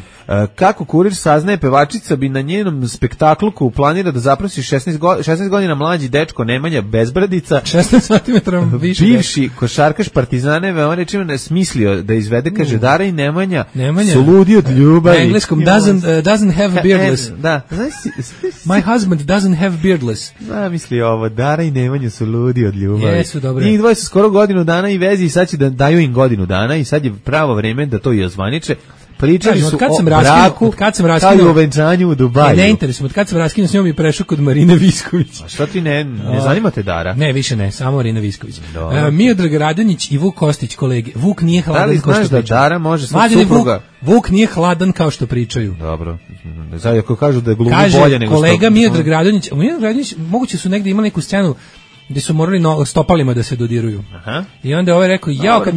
Kako kurir saznaje, pevačica bi na njenom spektaklu koju planira da zaprosi 16 godina mlađi dečko Nemanja Bezbradica, 16 cm više, bivši košarkaš Partizane, veoma rečima ne smislio da izvede, kaže Dara i Nemanja su ludi od ljubavi. Na engleskom doesn't have beardless. Da. My husband doesn't have beardless. Da, misli ovo, Dara i Nemanja su ludi od ljubavi. Jesu, dobre. Njih dvoje su skoro godinu dana i vezi i sad će da daju im godinu dana i sad je pravo vreme da to i ozvaniče. Pričali su o braku, kao i o venčanju u Dubaju. Ne interesujem, od kad sam raskinuo s njom i prešao kod Marine Visković. A šta ti ne zanima te Dara? Ne, više ne, samo Marina Visković. Miodrag Radonjić i Vuk Kostić, kolege. Vuk nije hladan kao što pričaju. Da li znaš da Dara može sa supruga? Vuk nije hladan kao što pričaju. Dobro. Sad ako kažu da je glumi bolje nego što... Kaže kolega Miodrag Radonjić, moguće su negde imali neku scenu gde su morali stopalima da se dodiruju. Aha. I onda ovaj rekao, kad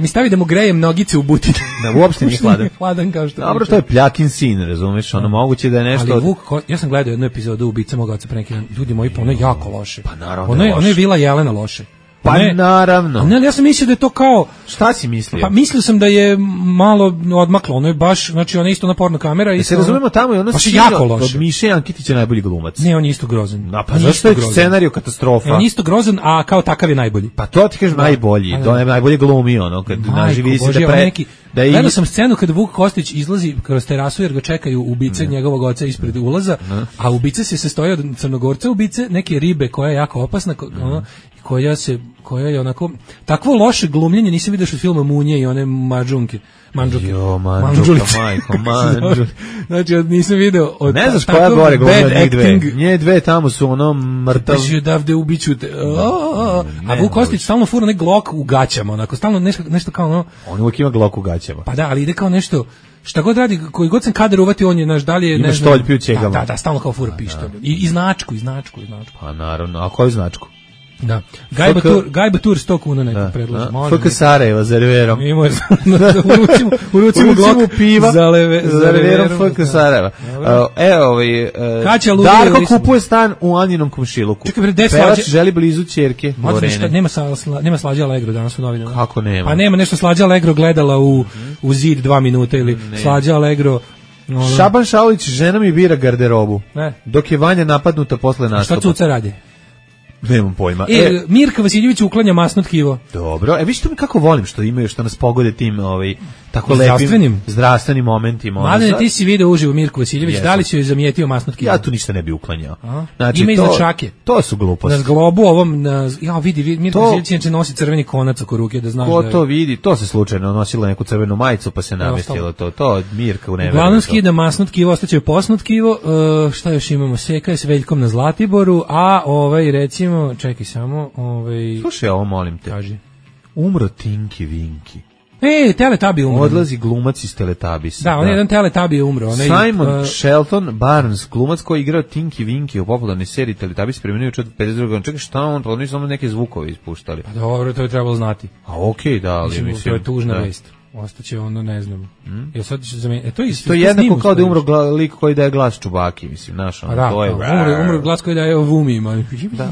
mi stavi da mu grejem nogice u butine. Da, uopšte nije hladan. Hladan kao što. Dobro, to je pljakin sin, razumeš, ono moguće da je nešto... Ali Vuk, ja sam gledao jednu epizodu Ubica mog oca pre neki dan, ljudi moji, ono je jako loše. Pa naravno ono je Vila Jelena loše. Pa naravno. Ne, ja sam mislio da je to kao... Šta si mislio? Pa mislio sam da je malo odmaklo, ono je baš, znači ona je isto naporna kamera. Da se razumemo, tamo je ono jako loše. Od Miše Ankitića najbolji glumac. Ne, on je isto grozan. Pa zašto je scenariju katastrofa? On je isto grozan, a kao takav je najbolji. Pa to ti kažem najbolji, najbolje glumi ono, kad naživi se da gledao sam scenu kad Vuk Kostić izlazi kroz terasu jer ga čekaju ubice njegovog oca ispred ulaza, a ubice se sastoji od Crnogorca ubice, neke ribe koja je jako opasna, koja je onako takvo loše glumljenje nisam vidio što filma Munje i one Mandžuke. Znači, nisam video od ne znaš koja gore glumlja njih dve. Nje dve tamo su ono mrtav. Znači, odavde ubiću te. A Vuk Kostić stalno fura nek glok u gaćama, onako, stalno nešto kao ono... On uvijek ima glok u gaćama. Pa da, ali ide kao nešto... Šta god radi, koji god sam kadar uvati, on je, naš, da li je... Ima štoljpi u čegama. Da, stalno kao fura pištolj. I značku. Pa naravno, a koju značku? Da. Gajba Tur 100 kuna neko predlaže. FK Sarajeva za reverom. U rucimu glok piva za reverom FK Sarajeva. Darko kupuje stan u Aninom komšiluku. Pevač želi blizu ćerke. Nema Slađa Allegro danas u novinama. Kako nema? Pa nema nešto Slađa Allegro gledala u zid 2 minuta ili Slađa Allegro... Šaban Šaulić, žena mi bira garderobu. Dok je Vanja napadnuta posle nastupa. Šta Cuca radi? Nemam pojma. Mirka Vasiljević uklanja masno tkivo. Dobro. Viš mi kako volim što imaju, što nas pogode tim tako lepim zdravstvenim momentima. Mladene, ti si video uživo Mirku Vasiljević, da li si joj zamijetio masno tkivo? Ja tu ništa ne bi uklanjao. Znači, ima iznad šake. To su gluposti. Na zglobu ovom, vidi, Mirka Vasiljević inače nosi crveni konac oko ruke, da znaš. Ko to vidi? To se slučajno nosila neku crvenu majicu pa se namestilo to. To Mirka u neveru. Uglavnom skida masno tkivo, ostaće posno tkivo. Šta još imamo? Seka je s Veljkom na Zlatiboru, a recimo, čekaj samo, Slušaj, ovo molim te. Kaži. Umro Tinky Winky. Teletabi umro. Odlazi glumac iz Teletabisa. Da, on je jedan Teletabi umro. Simon Shelton Barnes, glumac koji je igrao Tinky Winky u popularnoj seriji Teletubbies, preminuo u 52. Čekaj, šta on? Pa oni samo neke zvukove ispuštali. Pa dobro, to je trebalo znati. A okej, da, ali mislim. To je tužna vest. Ostaće ono, ne znam. Sad će zamijeniti. To je jednako kao da je umro lik koji daje glas Čubaki, mislim, naš ono. To je. Umro glas koji daje Vumima. Da.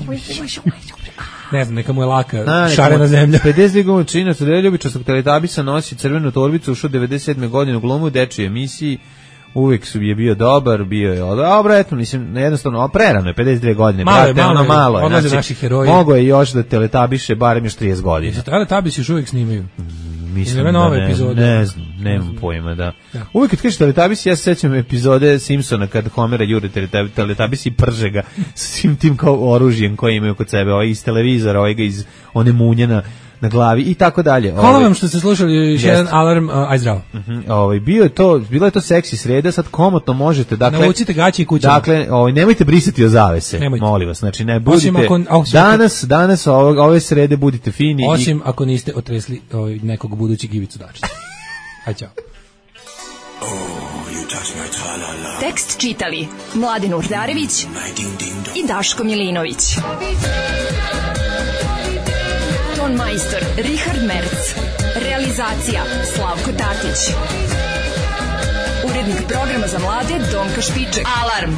Ne znam, neka mu je laka, šarena zemlja. 52 godina činac od ljubičastog Teletubbiesa nosi crvenu torbicu, ušao 97. godine u glumu u dečjoj emisiji. Uvijek je bio dobar, bio je dobro, eto, mislim, jednostavno, prerano je, 52 godine, malo je, odlaze naši heroji. Mogo je još da Teletabiše barem još 30 godina. Teletubbies još uvijek snimaju. Mislim da ne znam, nemam pojma, da. Uvijek kad kažeš Teletubbies, ja se sećam epizode Simpsona kad Homera jure Teletubbies i prže ga s svim tim kao oružjem koje imaju kod sebe, iz televizora, ga iz one munjena na glavi i tako dalje. Hvala vam što ste slušali još jedan alarm, aj zdravo. Bila je to seksi sreda, sad komotno možete, dakle... Naučite gaći i kućama. Dakle, nemojte brisati o zavese, molim vas, znači ne budite... Danas ove srede budite fini. Osim ako niste otresli nekog budućeg Ivicu Dačića. Aj, čao. Tekst čitali Mladen Urdarević i Daško Milinović. Ton majstor Richard Merc. Realizacija Slavko Tatić. Urednik programa za mlade Donka Špiček. Alarm!